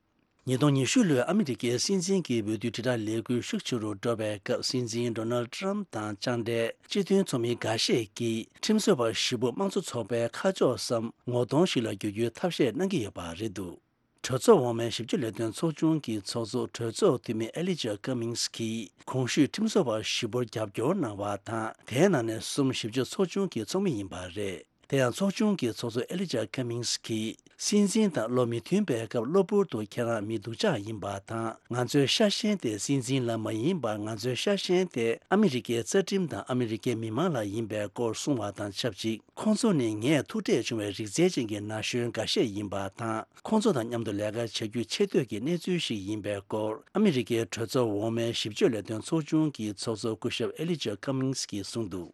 ཉིས་སྟོང་ཉི་ཤུ་ལོའི་ཨ་མི་རི་ཀའི་སྲིད་འཛིན་གྱི་འོས་བསྡུའི་དྲིལ་བསྒྲགས་ལས་འགུལ་ཤུགས་ཆེ་རུ་འགྲོ་བའི་སྐབས། སྲིད་འཛིན་ཌོ་ནལ་ཏྲམ་དང་ཅང་འབྲེལ་སྤྱི་མཐུན་ཚོགས་མི་འགའ་ཤས་ཀྱིས་ཁྲིམས་བཟོ་བ་བཞི་པོ་དམངས་གཙོ་ཚོགས་པའི་ཁ་ཕྱོགས་སམ་ངོ་གདོང་ཞིག་ལ་བསྒྱུར་རྒྱུའི་ཐབས་ཤེས་གནང་གི་ཡོད་པ་རེད་འདུག་གྲོས་ཚོགས་འོག་མའི་ཞིབ་དཔྱོད་ལས་དོན་ཚོགས་ཆུང་གི་ཚོགས་གཙོ་གྲོས་ཚོགས་འཐུས་མི་ཨེ་ལི་ཇ་ཁ་མིང་སི་གིས་གོང་ཞུས་ཁྲིམས་བཟོ་བ་བཞི་པོར་རྒྱབ་སྐྱོར་གནང་བ་དང་། དེའི་ནང་ནས་གསུམ་ཞིབ་དཔྱོད་ཚོགས་ཆུང་གི་ཚོགས་མི་ཡིན་པ་རེད། དེ་ཡང་ཚོགས་ཆུང་གི་ཚོགས་གཙོ་ཨེ་ལི་ཇ་ཁ་མིང་སི་གིས། སྲིད་འཛིན་དང་བློ་མི་མཐུན་པའི་སྐབས་གློ་བུར་དུ་ཁྱེད་རང་མི་སྡུག་ཅག་ཡིན་པ་དང་། ང་ཚོའི་ཤ་ཞེན་དེ་སྲིད་འཛིན་ལ་མ་ཡིན་པར། ང་ཚོའི་ཤ་ཞེན་དེ་ཨ་མི་རི་ཀའི་རྩ་ཁྲིམས་དང་ཨ་མི་རི་ཀའི་མི་མང་ལ་ཡིན་པའི་སྐོར་གསུངས་བ་དང་ཆབས་ཅིག་ཁོང་ཚོ་ནི་ངས་ཐུག་འཕྲད་བྱུང་བའི་རིགས་རྫས་ཅན་གྱི་ན་གཞོན་འགའ་ཤས་ཡིན་པ་དང་། ཁོང་ཚོ་དང་མཉམ་དུ་ལས་ཀ་བྱ་རྒྱུ་ཆེ་བསྟོད་ཀྱི་གནས་ཚུལ་ཞིག་ཡིན་པའི་སྐོར། ཨ་མི་རི་ཀའི་གྲོས་ཚོགས་འོག་མའི་ཞིབ་དཔྱོད་ལས་དོན་ཚོགས་ཆུང་གི་ཚོགས་གཙོ་སྐུ་ཞབས་ཨེ་ལི་ཇ་ཁ་མིང་སི་གིས་གསུངས་འདུག་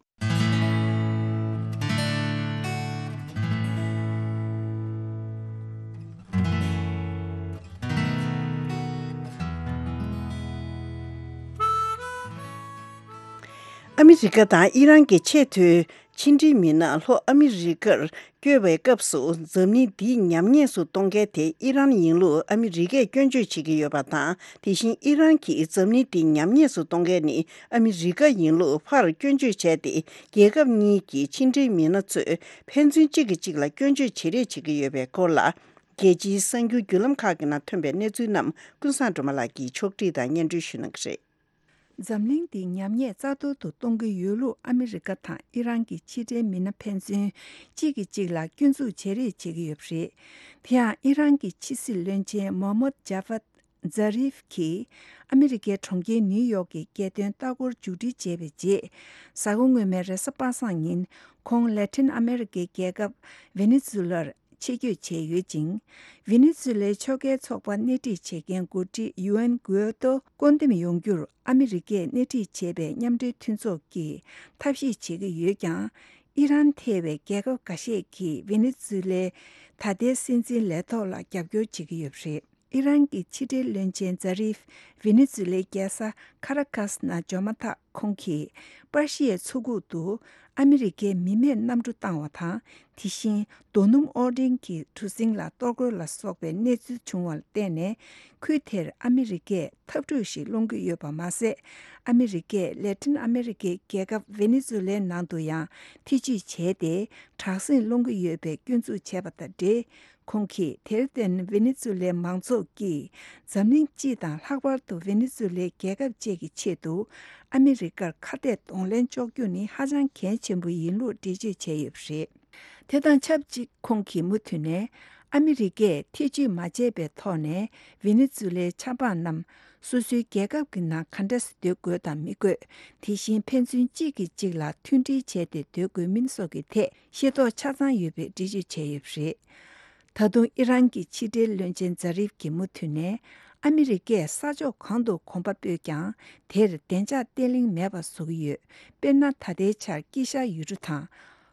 ཨ་མི་རི་ཀ་དང་ཨི་རན་གྱི་ཆེས་མཐོའི་ཕྱི་འབྲེལ་མི་སྣ་ལྷོ་ཨ་མི་རི་ཀར་བསྐྱོད་པའི་སྐབས་སུ། འཛམ་གླིང་འདི་ཉམས་ཉེས་སུ་གཏོང་མཁན་དེ་ཨི་རན་ཡིན་ལུགས་ཨ་མི་རི་ཀས་སྐྱོན་བརྗོད་བྱེད་ཀྱི་ཡོད་པ་དང་། དེ་བཞིན་ཨི་རན་གྱིས་འཛམ་གླིང་འདི་ཉམས་ཉེས་སུ་གཏོང་མཁན་ནི་ཨ་མི་རི་ཀ་ཡིན་ལུགས་ཕར་སྐྱོན་བརྗོད་བྱས་ཏེ། རྒྱལ་ཁབ་གཉིས་ཀྱི་ཕྱི་འབྲེལ་མི་སྣ་ཚོས་ཕན་ཚུན་གཅིག་གིས་གཅིག་ལ་སྐྱོན་བརྗོད་བྱེད་རེས་བྱེད་ཀྱི་ཡོད་པའི་སྐོར་ལ། རྒྱལ་སྤྱིའི་གསར་འགྱུར་བརྒྱུད་ལམ་ཁག་གི་ནང་ཐོན་པའི་གནས་ཚུལ་རྣམས་ཀུན་བཟང་སྒྲོལ་མ་ལགས་ཀྱིས་ཕྱོགས་བསྒྲིགས་དང་སྙན་སྒྲོན་ཞུ་གནང་གི་རེད། འཛམ་གླིང་འདི་ཉམས་ཉེས་རྩ་གཏོར་དུ་གཏོང་གི་ཡོད་ལུགས་ཨ་མི་རི་ཀ་དང་ཨི་རན་གྱི་ཕྱི་འབྲེལ་མི་སྣ་ཕན་ཚུན་གཅིག་གིས་གཅིག་ལ་སྐྱོན་འཛུགས་བྱེད་རེས་བྱེད་ཀྱི་ཡོད་པ་རེད། དེ་ཡང་ཨི་རན་གྱི་ཕྱི་སྲིད་བློན་ཆེན་མོ་མོད་ཇ་ཧྥད་ཛ་རིབ་ཀྱིས་ཨ་མི་རི་ཀའི་གྲོང་ཁྱེར་ནིའུ་ཡོག་གི་རྒྱལ་སྟོན་ལྟ་སྐོར་མཇུག་སྒྲིལ་བྱས་པའི་རྗེས། གཟའ་འཁོར་སྔོན་མའི་རེས་གཟའ་པ་སངས་ཉིན་ཁོང་ལེ་ཐིན་ཨ་མེ་རི་ཀའི་རྒྱལ་ཁབ་ཝེ་ནེ་ཛུ་ལར་ཆེད་བསྐྱོད་བྱས་ཡོད་ཅིང་། ཝེ་ནེ་ཛུ་ལའི་ཕྱོགས་འགལ་ཚོགས་པ་སྣེ་ཁྲིད་བྱེད་མཁན་འགོ་ཁྲིད་ཡུ་ཨན་གུའེ་ཏོ་བསྐོ་འདེམས་ཡོང་རྒྱུར་ཨ་མི་རི་ཀས་སྣེ་ཁྲིད་བྱས་པའི་མཉམ་འབྲེལ་མཐུན་ཚོགས་ཀྱིས་ཐབས་ཤེས་བྱེད་ཀྱི་ཡོད་ཀྱང་། ཨི་རན་ཐེ་བའི་རྒྱལ་ཁབ་འགའ་ཤས་ཀྱིས་ཝེ་ནེ་ཛུ་ལའི་ད་ལྟའི་སྲིད་འཛིན་ལས་ཐོག་ལ་རྒྱབ་སྐྱོར་བྱེད་ཀྱི་ཡོད་པ་རེད། ཨི་རན་གྱི་ཕྱི་འབྲེལ་བློན་ཆེན་ཛ་རིབ་ཝེ་ནེ་ཛུ་ལའི་རྒྱལ་ས་ཁ་ར་ཀཱས་ནང་འབྱོར་མ་ཐག་ཁོང་གིས་པར་ཤི་ཡའི་མཚོ་ཁུག་ཏུ་ཨ་མི་རི་ཀའི་མི་མེད་གནམ་གྲུ་བཏང་བ་དང་། དེ་བཞིན་རྡོ་སྣུམ་ཨོ་ཌེན་གྱི་གྲུ་གཟིངས་ལ་གཏོར་རྒོལ་ལ་སོགས་པའི་གནས་ཚུལ་བྱུང་བར་བརྟེན་ནས། ཁུལ་དེར་ཨ་མི་རི་ཀས་འཐབ་འཁྲུག་ཞིག་སློང་གི་ཡོད་པ་མ་ཟད། ཨ་མི་རི་ཀས་ལེ་ཐིན་ཨ་མེ་རི་ཀའི་རྒྱལ་ཁབ་ཝེ་ནེ་ཛུ་ལའི་ནང་དུ་ཡང་ཐེ་ཇུས་བྱས་ཏེ། དྲག་ཟིང་སློང་གི་ཡོད་པའི་སྐྱོན་འཛུགས་བྱས་པ་དང་འབྲེལ། ཁོང་གིས་དེར་བརྟེན་ཝེ་ནེ་ཛུ་ལའི་མང་ཚོགས་ཀྱིས་འཛམ་གླིང་སྤྱི་དང་ལྷག་པར་དུ་ཝེ་ནེ་ཛུ་ལའི་རྒྱལ་ཁབ་བཅས་ཀྱི་ཆེད་དུ་ཨ་མི་རི་ཀར་ཁ་གཏད་གདོང་ལེན་གཅོག་རྒྱུ་ནི་ཧ་ཅང་གལ་ཆེན་པོ་ཡིན་ལུགས་འགྲེལ་བརྗོད་བྱས་ཡོད་པ་རེད། དེ་དང་ཆབས་ཅིག་ཁོང་གིས་མུ་མཐུད་ནས་ཨ་མི་རི་ཀས་ཐེ་ཇུས་མ་བྱས་པའི་ཐོག་ནས་ཝེ་ནེ་ཛུ་ལའི་ཆབ་འབངས་རྣམས་སོ་སོའི་རྒྱལ་ཁབ་ཀྱི་ནང་ག་འདྲ་སེ་སྡོད་དགོས་དང་མི་དགོས། དེ་བཞིན་ཕན་ཚུན་གཅིག་གིས་གཅིག་ལ་མཐུན་སྒྲིལ་བྱས་ཏེ་སྡོད་དགོས་མིན་སོགས་ཀྱི་ཐད་ཤེས་རྟོགས་ཆ་ཚང་ཡོད་པའི་འགྲེལ་བརྗོད་བྱས་ཡོད་པ་རེད། ད་དུང་ཨི་རན་གྱི་ཕྱི་འབྲེལ་བློན་ཆེན་ཛ་རིབ་ཀྱིས་མུ་མཐུད་ནས། ཨ་མི་རི་ཀས་ས་ཕྱོགས་གང་དུ་གོམ་པ་སྤོས་ཀྱང་། དེར་བདེ་འཇགས་བརྟན་ལྷིང་མེད་པ་བཟོ་གི་ཡོད། དཔེར་ན། ད་ལྟའི་ཆར་དཀྱིལ་ཤར་ཡུལ་གྲུ་དང་།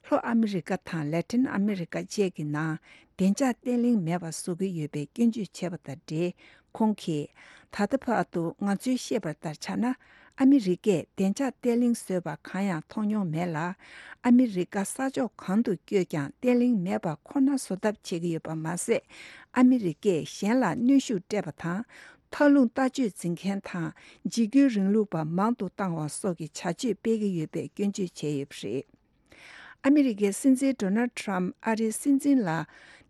ལྷོ་ཨ་མི་རི་ཀ་དང་ལེ་ཏིན་ཨ་མི་རི་ཀ་བཅས་ཀྱི་ནང་བདེ་འཇགས་བརྟན་ལྷིང་མེད་པ་བཟོ་གི་ཡོད་པའི་སྐྱོན་བརྗོད་བྱས་པ་དང་འབྲེལ། ཁོང་གིས། ད་ལྟ་བར་དུ་ང་ཚོས་ཤེས་པར་ལྟར་ཆ་ན། ཨ་མི་རི་ཀས་བདེ་འཇགས་བརྟན་ལྷིང་བཟོས་པ་གང་ཡང་མཐོང་མྱོང་མེད་ལ། ཨ་མི་རི་ཀ་ས་ཕྱོགས་གང་དུ་བསྐྱོད་ཀྱང་བརྟན་ལྷིང་མེད་པ་ཁོ་ན་བཟོ་ཐབས་བྱེད་ཀྱི་ཡོད་པ་མ་ཟད། ཨ་མི་རི་ཀས་གཞན་ལ་གནོན་ཤུགས་སྤྲད་པ་དང་། མཐའ་ལྷུང་ལྟ་སྤྱོད་འཛིན་མཁན་དང་། འཇིགས་སྐུལ་རིང་ལུགས་པ་མང་དུ་བཏང་བ་སོགས་ཀྱི་བྱ་སྤྱོད་སྤེལ་གྱི་ཡོད་པའི་སྐྱོན་བརྗོད་བྱས་ཡོད་པ་རེད། ཨ་མི་རི་ཀའི་སྲིད་འཛིན་ཌོ་ནལ་ཌི་ཊརམ་ཕི་ཨ་རིའི་སྲིད་འཛིན་ལ་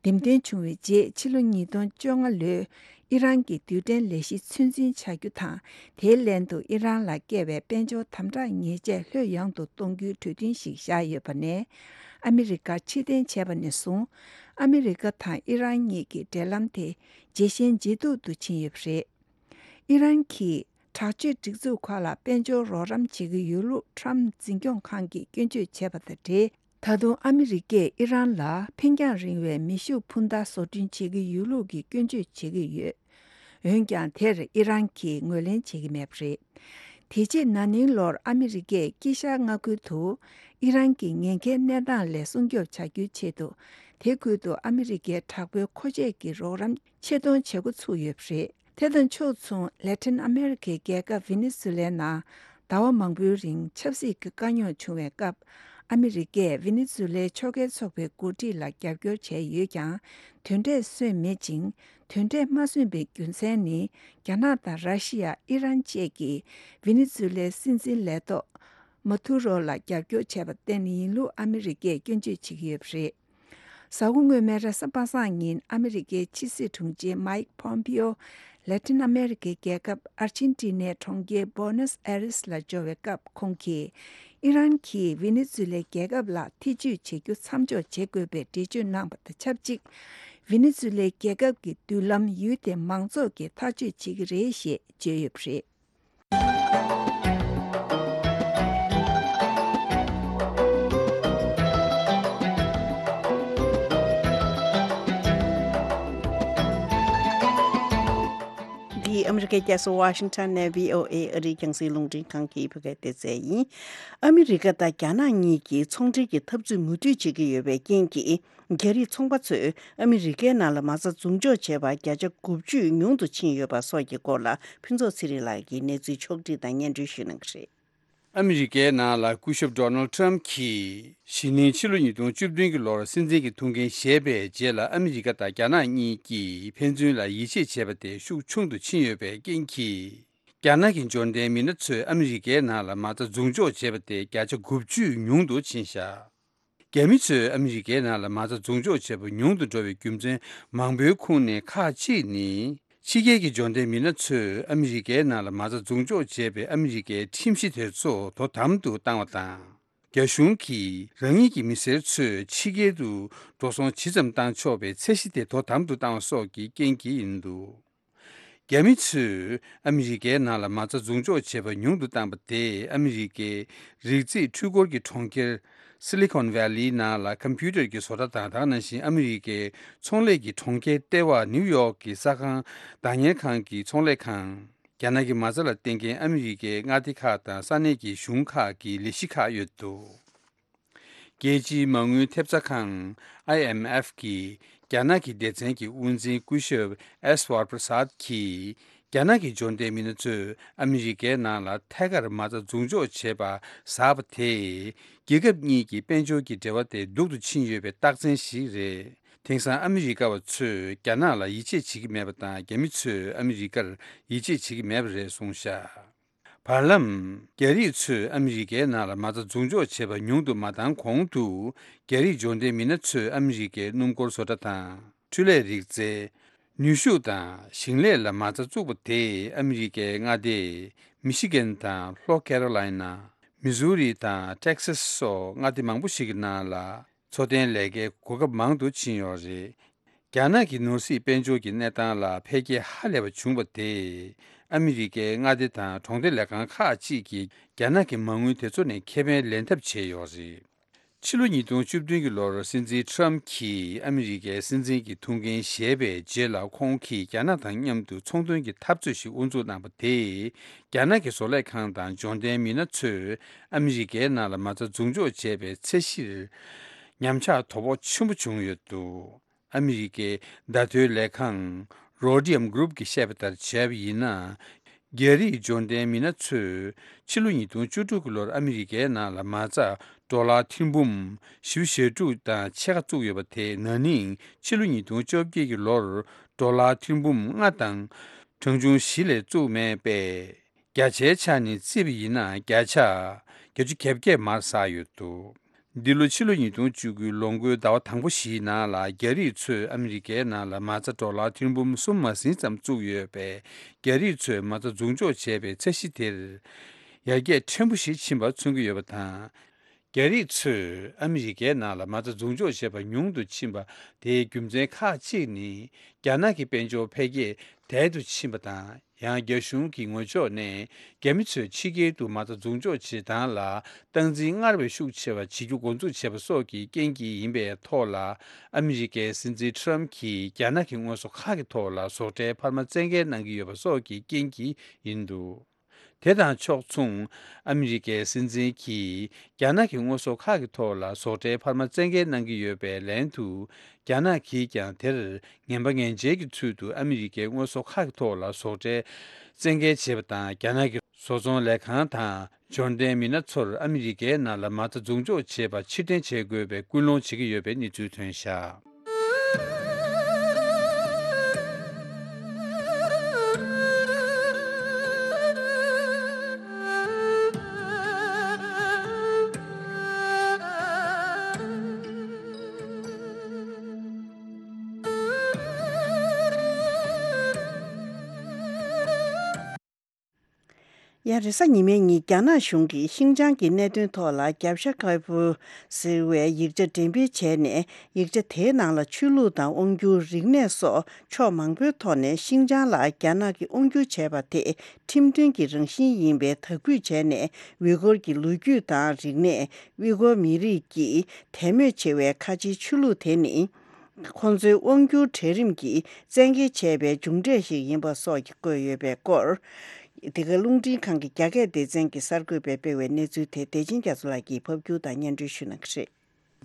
འདེམས་ཐོན་བྱུང་བའི་རྗེས། ཕྱི་ལོ་ཉིས་སྟོང་བཅོ་ལྔ་ལོའི་ཨི་རན་གྱི་རྡུལ་ཕྲན་ལས་གཞི་ཚོད་འཛིན་བྱ་རྒྱུ་དང་། དེའི་ལན་དུ་ཨི་རན་ལ་བཀལ་བའི་དཔལ་འབྱོར་དམ་དྲག་ཉེས་ཆད་ལྷོད་ཡངས་དུ་གཏོང་རྒྱུའི་གྲོས་མཐུན་ཞིག་བཞག་ཡོད་པ་ནས། ཨ་མི་རི་ཀ་ཕྱིར་འཐེན་བྱས་པ་ནས་བཟུང་། ཨ་མི་རི་ཀ་དང་ཨི་རན་གཉིས་ཀྱི་འབྲེལ་ལམ་དེ་ཇེ་ཞན་ཇེ་སྡུག་ཏུ་ཕྱིན་ཡོད་པ་རེད། ཨི་རན་གྱིས་དྲག་སྤྱོད་སྒྲིག་འཛུགས་ཁག་ལ་དཔལ་འབྱོར་རོགས་རམ་བྱེད་ཀྱི་ཡོད་ལུགས་ཊརམ་འཛིན་སྐྱོང་ཁང་གིས་སྐྱོན་བརྗོད་བྱས་པ་དང་འབྲེལ། ད་དུང་ཨ་མི་རི་ཀས་ཨི་རན་ལ་འཕེན་རྒྱང་རིང་བའི་མེ་ཤུགས་འཕུར་མདའ་བཟོ་སྐྲུན་བྱེད་ཀྱི་ཡོད་ལུགས་ཀྱི་སྐྱོན་བརྗོད་བྱེད་ཀྱི་ཡོད། འོན་ཀྱང་། དེར་ཨི་རན་གྱིས་ངོས་ལེན་བྱེད་ཀྱི་མེད་པ་རེད། དེ་རྗེས་ན་ནིང་ལོར་ཨ་མི་རི་ཀས་དཀྱིལ་ཤར་མངའ་ཁུལ་དུ་ཨི་རན་གྱི་ཉེན་ཁའི་གནས་སྟངས་ལས་སྲུང་སྐྱོབ་བྱ་རྒྱུའི་ཆེད་དུ། དེ་ཁུལ་དུ་ཨ་མི་རི་ཀའི་དྲག་པོའི་མཁོ་ཆས་ཀྱི་རོགས་རམ་ཆེད་གཏོང་བྱེད་འགོ་ཚུགས་ཡོད་པ་རེད། དེ་དང་ཕྱོགས་མཚུངས། ལེ་ཏིན་ཨ་མེ་རི་ཁའི་རྒྱལ་ཁབ་ཝེ་ནེ་ཛུ་ལའི་ནང་ཟླ་བ་མང་པོའི་རིང་ཆབ་སྲིད་ཀྱི་དཀའ་རྙོག་བྱུང་བའི་སྐབས། ཨ་མེ་རི་ཀས་ཝེ་ནེ་ཛུ་ལའི་ཕྱོགས་འགལ་ཚོགས་པའི་འགོ་ཁྲིད་ལ་རྒྱབ་སྐྱོར་བྱས་ཡོད་ཀྱང་། དེ་འདྲས་སོན་མེད་ཅིང་། དེ་འདྲས་མ་སོན་པའི་རྒྱུ་མཚན་ནི། རྒྱ་ནག་དང་ར་ཤི་ཡ། ཨི་རན་བཅས་ཀྱིས་ཝེ་ནེ་ཛུ་ལའི་སྲིད་འཛིན་ལས་ཐོག་མ་ཐུ་རོ་ལ་རྒྱབ་སྐྱོར་བྱས་པར་བརྟེན་ཡིན་ལུགས་ཨ་མེ་རི་ཀས་སྐྱོན་བརྗོད་བྱེད་ཀྱི་ཡོད་པ་རེད། གཟའ་འཁོར་སྔོན་མའི་རེས་གཟའ་པ་སངས་ཉིན་ཨ་མེ་རི་ཀའི་ཕྱི་སྲིད་དྲུང་ཆེ་མའིག་པོམ་པིའོ་ལེ་ཏིན་ཨ་མེ་རི་ཀའི་རྒྱལ་ཁབ་ཨར་ཅན་ཏི་ནའི་གྲོང་ཁྱེར་བྷོ་ནེས་ཨེ་རེས་ལ་འབྱོར་བའི་སྐབས། ཁོང་གིས་ཨི་རན་གྱིས་ཝེ་ནེ་ཛུ་ལའི་རྒྱལ་ཁབ་ལ་ཐེ་ཇུས་བྱེད་རྒྱུ་མཚམས་འཇོག་བྱེད་དགོས་པའི་འགྲེལ་བརྗོད་གནང་བ་དང་ཆབས་ཅིག་ཝེ་ནེ་ཛུ་ལའི་རྒྱལ་ཁབ་ཀྱི་མདུན་ལམ་ཡུལ་དེ་མང་ཚོགས་ཀྱིས་ཐག་གཅོད་བྱེད་ཀྱི་རེད་ཞེས་བརྗོད་ཡོད་པ་རེད། འདི་ཨ་མི་རི་ཀའི་རྒྱལ་ས་ཝ་ཤིང་ཊོན་ནས་བྷི་ཨོ་ཨེ་ཨ་རིའི་རྒྱང་སྲིང་རླུང་འཕྲིན་ཁང་གི་བོད་སྐད་སྡེ་ཚན་ཡིན། ཨ་མི་རི་ཀ་དང་རྒྱ་ནག་གཉིས་ཀྱིས་ཚོང་འབྲེལ་གྱི་འཐབ་རྩོད་མུ་མཐུད་བྱེད་ཀྱི་ཡོད་པའི་རྐྱེན་གྱིས། རྒྱ་རིགས་ཚོང་པ་ཚོས་ཨ་མི་རི་ཀའི་ནང་ལ་མ་རྩ་འཛུགས་འཇོག་བྱས་པ་བརྒྱ་ཆ་དགུ་བཅུ་ཉུང་དུ་ཕྱིན་ཡོད་པ་སོགས་ཀྱི་སྐོར་ལ་ཕུན་ཚོགས་ཚེ་རིང་ལགས་ཀྱིས་གནས་ཚུལ་ཕྱོགས་བསྒྲིགས་དང་སྙན་སྒྲོན་ཞུ་གནང་གི་རེད། ཨ་མི་རི་ཀའི་ནང་ལ་སྐུ་ཞབས་ཌོ་ནལ་ཊམ་གྱིས་གཞེས་ནིང་ཕྱི་ལོ་ཉིས་སྟོང་བཅུ་བདུན་གྱི་ལོར་སྲིད་འཛིན་གྱི་ཐུགས་འགན་བཞེས་པའི་རྗེས་ལ། ཨ་མི་རི་ཀ་དང་རྒྱ་ནག་གཉིས་ཀྱིས་ཕན་ཚུན་ལ་ཡིད་ཆེས་བྱེད་པ་དེ་ཤུགས་ཆུང་དུ་ཕྱིན་ཡོད་པའི་རྐྱེན་གྱིས། རྒྱ་ནག་གི་འབྱོར་ལྡན་མི་སྣ་ཚོས་ཨ་མི་རི་ཀའི་ནང་ལ་མ་རྩ་འཛུགས་འཇོག་བྱས་པ་དེ་བརྒྱ་ཆ་དགུ་བཅུ་ཉུང་དུ་ཕྱིན་བཞག་རྒྱ་མི་ཚོས་ཨ་མི་རི་ཀའི་ནང་ལ་མ་རྩ་འཛུགས་འཇོག་བྱེད་པ་ཉུང་དུ་འགྲོ་བའི་རྒྱུ་མཚན་མང་པོའི་ཁོངས་ནས་ཁག་ཅིག་ནི། ཕྱི་རྒྱལ་གྱི་འབྱོར་ལྡན་མི་སྣ་ཚོས་ཨ་མི་རི་ཀའི་ནང་ལ་མ་རྩ་འཛུགས་འཇོག་བྱས་པའི་ཨ་མི་རི་ཀའི་ཁྲིམས་གཞི་དེ་ཚོ་དོ་དམ་དུ་བཏང་བ་དང་། རྒྱ་གཞུང་གིས་རང་ཉིད་ཀྱི་མི་སེར་ཚོས་ཕྱི་རྒྱལ་དུ་འགྲོ་སོང་ཇི་ཙམ་བཏང་ཆོག་པའི་ཚད་གཞི་དེ་དོ་དམ་དུ་བཏང་བ་སོགས་ཀྱི་རྐྱེན་གྱིས་ཡིན་འདུག་རྒྱ་མི་ཚོས་ཨ་མི་རི་ཀའི་ནང་ལ་མ་རྩ་འཛུགས་འཇོག་བྱས་པ་ཉུང་དུ་བཏང་བ་དེས། ཨ་མི་རི་ཀའི་རིགས་རྫས་འཕྲུལ་འཁོར་གྱི་གྲོང་ཁྱེར་སི་ལི་ཀོན་ཝེ་ལི་ནང་ལ་ཀམ་པུ་ཊར་གྱི་བཟོ་གྲྭ་དང་། དེ་ནང་བཞིན་ཨ་མི་རི་ཀའི་ཚོང་ལས་ཀྱི་གྲོང་ཁྱེར་ལྟེ་བ་ནིའུ་ཡོག་གི་ས་ཁང་བདག་གཉེར་ཁང་གི་ཚོང་ལས་ཁང་། རྒྱ་ནག་གི་མ་རྩ་ལ་བརྟེན་མཁན་ཨ་མི་རི་ཀའི་མངའ་སྡེ་ཁག་དང་ས་གནས་ཀྱི་གཞུང་ཁག་གི་ལས་གཞི་ཁག་ཡོད་འདུག་རྒྱལ་སྤྱིའི་མ་དངུལ་ཐེབས་རྩ་ཁང་ཨའི་ཨེམ་ཨེཕ་གིས་རྒྱ་ནག་གི་སྡེ་ཚན་གྱི་དབུ་འཛིན་སྐུ་ཞབས་ཨེས་ཝར་པྲ་སཱད་ཀྱིས། རྒྱ་ནག་གི་འབྱོར་ལྡན་མི་སྣ་ཚོས་ཨ་མི་རི་ཀའི་ནང་ལ་ཐད་ཀར་མ་རྩ་འཛུགས་འཇོག་བྱེད་པ་ཟབ་པ་དེས། རྒྱལ་ཁབ་གཉིས་ཀྱི་དཔལ་འབྱོར་གྱི་འབྲེལ་བ་དེ་སྡུག་ཏུ་ཕྱིན་ཡོད་པའི་རྟགས་མཚན་ཞིག་རེད། དེང་སང་ཨ་མི་རི་ཀ་བ་ཚོས་རྒྱ་ནག་ལ་ཡིད་ཆེས་བྱེད་ཀྱི་མེད་པ་དང་། རྒྱ་མི་ཚོས་ཨ་མི་རི་ཀར་ཡིད་ཆེས་བྱེད་ཀྱི་མེད་པ་རེད་གསུངས་བཞག་བར་ལམ། རྒྱ་རིགས་ཚོས་ཨ་མི་རི་ཀའི་ནང་ལ་མ་རྩ་འཛུགས་འཇོག་བྱེད་པ་ཉུང་དུ་མ་བཏང་གོང་དུ། རྒྱ་རིགས་འབྱོར་ལྡན་མི་སྣ་ཚོས་ཨ་མི་རི་ཀའི་སྣུམ་འཁོར་བཟོ་གྲྭ་དང་། འཕྲུལ་ལས་རིག་རྩལ། ནུས་ཤུགས་དང་ཞིང་ལས་ལ་མ་རྩ་བཙུགས་པ་དེས། ཨ་མི་རི་ཀའི་མངའ་སྡེ་མི་ཤི་གན་དང་ལྷོ་ཁེ་རོ་ལའི་ན། མི་ཟུ་རི་དང་ཊེག་སཱས་སོགས་མངའ་སྡེ་མང་པོ་ཞིག་གི་ནང་ལ། འཚོ་རྟེན་ལས་ཀའི་གོ་སྐབས་མང་དུ་ཕྱིན་ཡོད་རེད། རྒྱ་ནག་གི་ནོར་སྲིད་དཔལ་འབྱོར་གྱི་གནས་སྟངས་ལ་འཕེལ་རྒྱས་ཧ་ལས་པ་བྱུང་བ་དེས། ཨ་མི་རི་ཀའི་མངའ་སྡེ་དང་གྲོང་སྡེ་ལས་ཁང་ཁག་ཅིག་གིས་རྒྱ་ནག་གི་མ་དངུལ་དེ་ཚོ་ནས་ཁེ་ཕན་ལེན་ཐབས་བྱས་ཡོད་རེད། ཕྱི་ལོ་ཉིས་སྟོང་བཅུ་བདུན་གྱི་ལོར་སྲིད་འཛིན་ཁྲམ་གྱིས་ཨ་མི་རི་ཀའི་སྲིད་འཛིན་གྱི་ཐུགས་འགན་བཞེས་པའི་རྗེས་ལ། ཁོང་གིས་རྒྱ་ནག་དང་མཉམ་དུ་ཚོང་དོན་གྱི་འཐབ་རྩོད་ཞིག་དབུ་འཛུགས་གནང་བ་དེས། རྒྱ་ནག་གི་བཟོ་ལས་ཁང་དང་འབྱོར་ལྡན་མི་སྣ་ཚོས་ཨ་མི་རི་ཀའི་ནང་ལ་མ་རྩ་འཛུགས་འཇོག་བྱས་པའི་ཚད་གཞིར་ཉམས་ཆག་དོ་ཕོག་ཆེན་པོ་བྱུང་ཡོད་འདུག་ཨ་མི་རི་ཀའི་བརྡ་ཐོའི་ལས་ཁང་Rhodium Group གིས་བཤད་པ་ལྟར་བྱས་པ་ཡིན་ན། རྒྱ་རིགས་འབྱོར་ལྡན་མི་སྣ་ཚོས་ཕྱི་ལོ་ཉིས་སྟོང་བཅུ་དྲུག་གི་ལོར་ཨ་མི་རི་ཀའི་ནང་ལ་མ་རྩ་ཌོ་ལར་ཐེར་འབུམ་བཞི་བཅུ་ཞེ་དྲུག་དང་ཕྱེད་ཀ་བཙུགས་ཡོད་པ་དེ། ན་ནིང་ཕྱི་ལོ་ཉིས་སྟོང་བཅོ་བརྒྱད་ཀྱི་ལོར་ཌོ་ལར་ཐེར་འབུམ་ལྔ་དང་གྲངས་ཆུང་བཞི་ལས་བཙུགས་མེད་པས། བརྒྱ་ཆའི་ཆ་ནས་བརྩིས་པ་ཡིན་ན། བརྒྱ་ཆ་བརྒྱད་ཅུ་གྱ་བརྒྱད་མར་ཟགས་ཡོད་འདུག་འདི་ལོ་ཕྱི་ལོ་ཉིས་སྟོང་བཅུ་དགུའི་ལོ་འགོའི་ཟླ་བ་དང་པོ་བཞིའི་ནང་ལ། རྒྱ་རིགས་ཚོས་ཨ་མི་རི་ཀའི་ནང་ལ་མ་རྩ་ཌོ་ལར་ཐེར་འབུམ་གསུམ་མ་ཟིན་ཙམ་བཙུགས་ཡོད་པས། རྒྱ་རིགས་ཚོས་མ་རྩ་འཛུགས་འཇོག་བྱས་པའི་ཚད་གཞི་དེར་ཡར་རྒྱས་ཕྲན་བུ་ཞིག་ཕྱིན་པ་མཚོན་གྱི་ཡོད་པ་དང་། རྒྱ་རིགས་ཚོས་ཨ་མི་རི་ཀའི་ནང་ལ་མ་རྩ་འཛུགས་འཇོག་བྱས་པ་ཉུང་དུ་ཕྱིན་པ་དེའི་རྒྱུ་མཚན་ཁག་ཅིག་ནི། རྒྱ་ནག་གི་དཔལ་འབྱོར་འཕེལ་རྒྱས་དལ་དུ་ཕྱིན་པ་དང་། ཡང་། རྒྱ་གཞུང་གི་ངོས་ཕྱོགས་ནས། རྒྱ་མི་ཚོས་ཕྱི་རྒྱལ་དུ་མ་རྩ་འཛུགས་འཇོག་བྱེད་སྟངས་ལ་སྟངས་འཛིན་སྔར་བས་ཤུགས་ཆེ་བ་བྱེད་རྒྱུ་འགོ་འཛུགས་བྱས་པ་སོགས་ཀྱི་རྐྱེན་གྱིས་ཡིན་པའི་ཐོག་ལ། ཨ་མི་རི་ཀའི་སྲིད་འཛིན་ཁྲམ་གྱིས་རྒྱ་ནག་གི་དངོས་ཟོག་ཁག་གི་ཐོག་ལ་ཟོག་ཁྲལ་འཕར་མ་བཙན་འགེལ་གནང་གི་ཡོད་པ་སོགས་ཀྱི་རྐྱེན་གྱིས་ཡིན་འདུག་དེ་དང་ཕྱོགས་མཚུངས། ཨ་མི་རི་ཀའི་སྲིད་འཛིན་གྱིས་རྒྱ་ནག་གི་དངོས་ཟོག་ཁག་གི་ཐོག་ལ་ཟོག་ཁྲལ་འཕར་མ་བཙན་འགེལ་གནང་གི་ཡོད་པའི་ལན་དུ། རྒྱ་ནག་གིས་ཀྱང་དེར་ངན་པ་ངན་འཇལ་གྱི་ཚུལ་དུ། ཨ་མི་རི་ཀའི་དངོས་ཟོག་ཁག་གི་ཐོག་ལ་ཟོག་ཁྲལ་བཙན་འགེལ་བྱས་པ་དང་། རྒྱ་ནག་གི་བཟོ་ཚོང་ལས་ཁང་དང་འབྱོར་ལྡན་མི་སྣ་ཚོར་ཨ་མི་རི་ཀའི་ནང་ལ་མ་རྩ་འཛུགས་འཇོག་བྱེད་པ་ཕྱིར་འཐེན་བྱེད་དགོས་པའི་སྐུལ་སློང་བྱེད་ཀྱི་ཡོད་པའི་གནས་ཚུལ་ཐོན་བཞག་ཡང་རེས་གཟའ་ཉི་མའི་ཉིན། རྒྱ་ནག་གཞུང་གིས་ཤིན་ཅང་གི་གནད་དོན་ཐོག་ལ་རྒྱབ་ཤ་ཁ་པོ་ཟེར་བའི་ཡིག་ཆ་འགྲེམས་སྤེལ་བྱས་ནས། ཡིག་ཆ་དེའི་ནང་ལ་ཆོས་ལུགས་དང་དབང་སྒྱུར། རིག་གནས་སོགས་ཕྱོགས་མང་པོའི་ཐོག་ནས་ཤིན་ཅང་ལ་རྒྱ་ནག་གིས་དབང་སྒྱུར་བྱས་པ་དེ་ཁྲིམས་མཐུན་གྱི་རང་བཞིན་ཡིན་པའི་དག་འབུལ་བྱས་ནས། ཝི་གོར་གྱི་ལོ་རྒྱུས་དང་རིག་གནས། ཝི་གོར་མི་རིགས་ཀྱིས་དད་མོས་བྱེད་པའི་ཁ་ཆེའི་ཆོས་ལུགས་དེ་ནི། ཁོང་ཚོའི་དབང་སྒྱུར་གྲལ་རིམ་གྱིས་བཙན་འགེལ་བྱས་པའི་མཇུག་འབྲས་ཤིག་ཡིན་པ་སོགས་ཀྱི་བཀོད་ཡོད་པའི་སྐོར། འདི་ག་རླུང་འཕྲིན་ཁང་གི་རྒྱ་སྐད་སྡེ་ཚན་གྱི་གསར་འགོད་པས་སྤེལ་བའི་གནས་ཚུལ་དེ། བདེ་ཆེན་རྒྱ་མཚོ་ལགས་ཀྱིས་ཕབ་སྒྱུར་དང་སྙན་སྒྲོན་ཞུ་གནང་གི་རེད།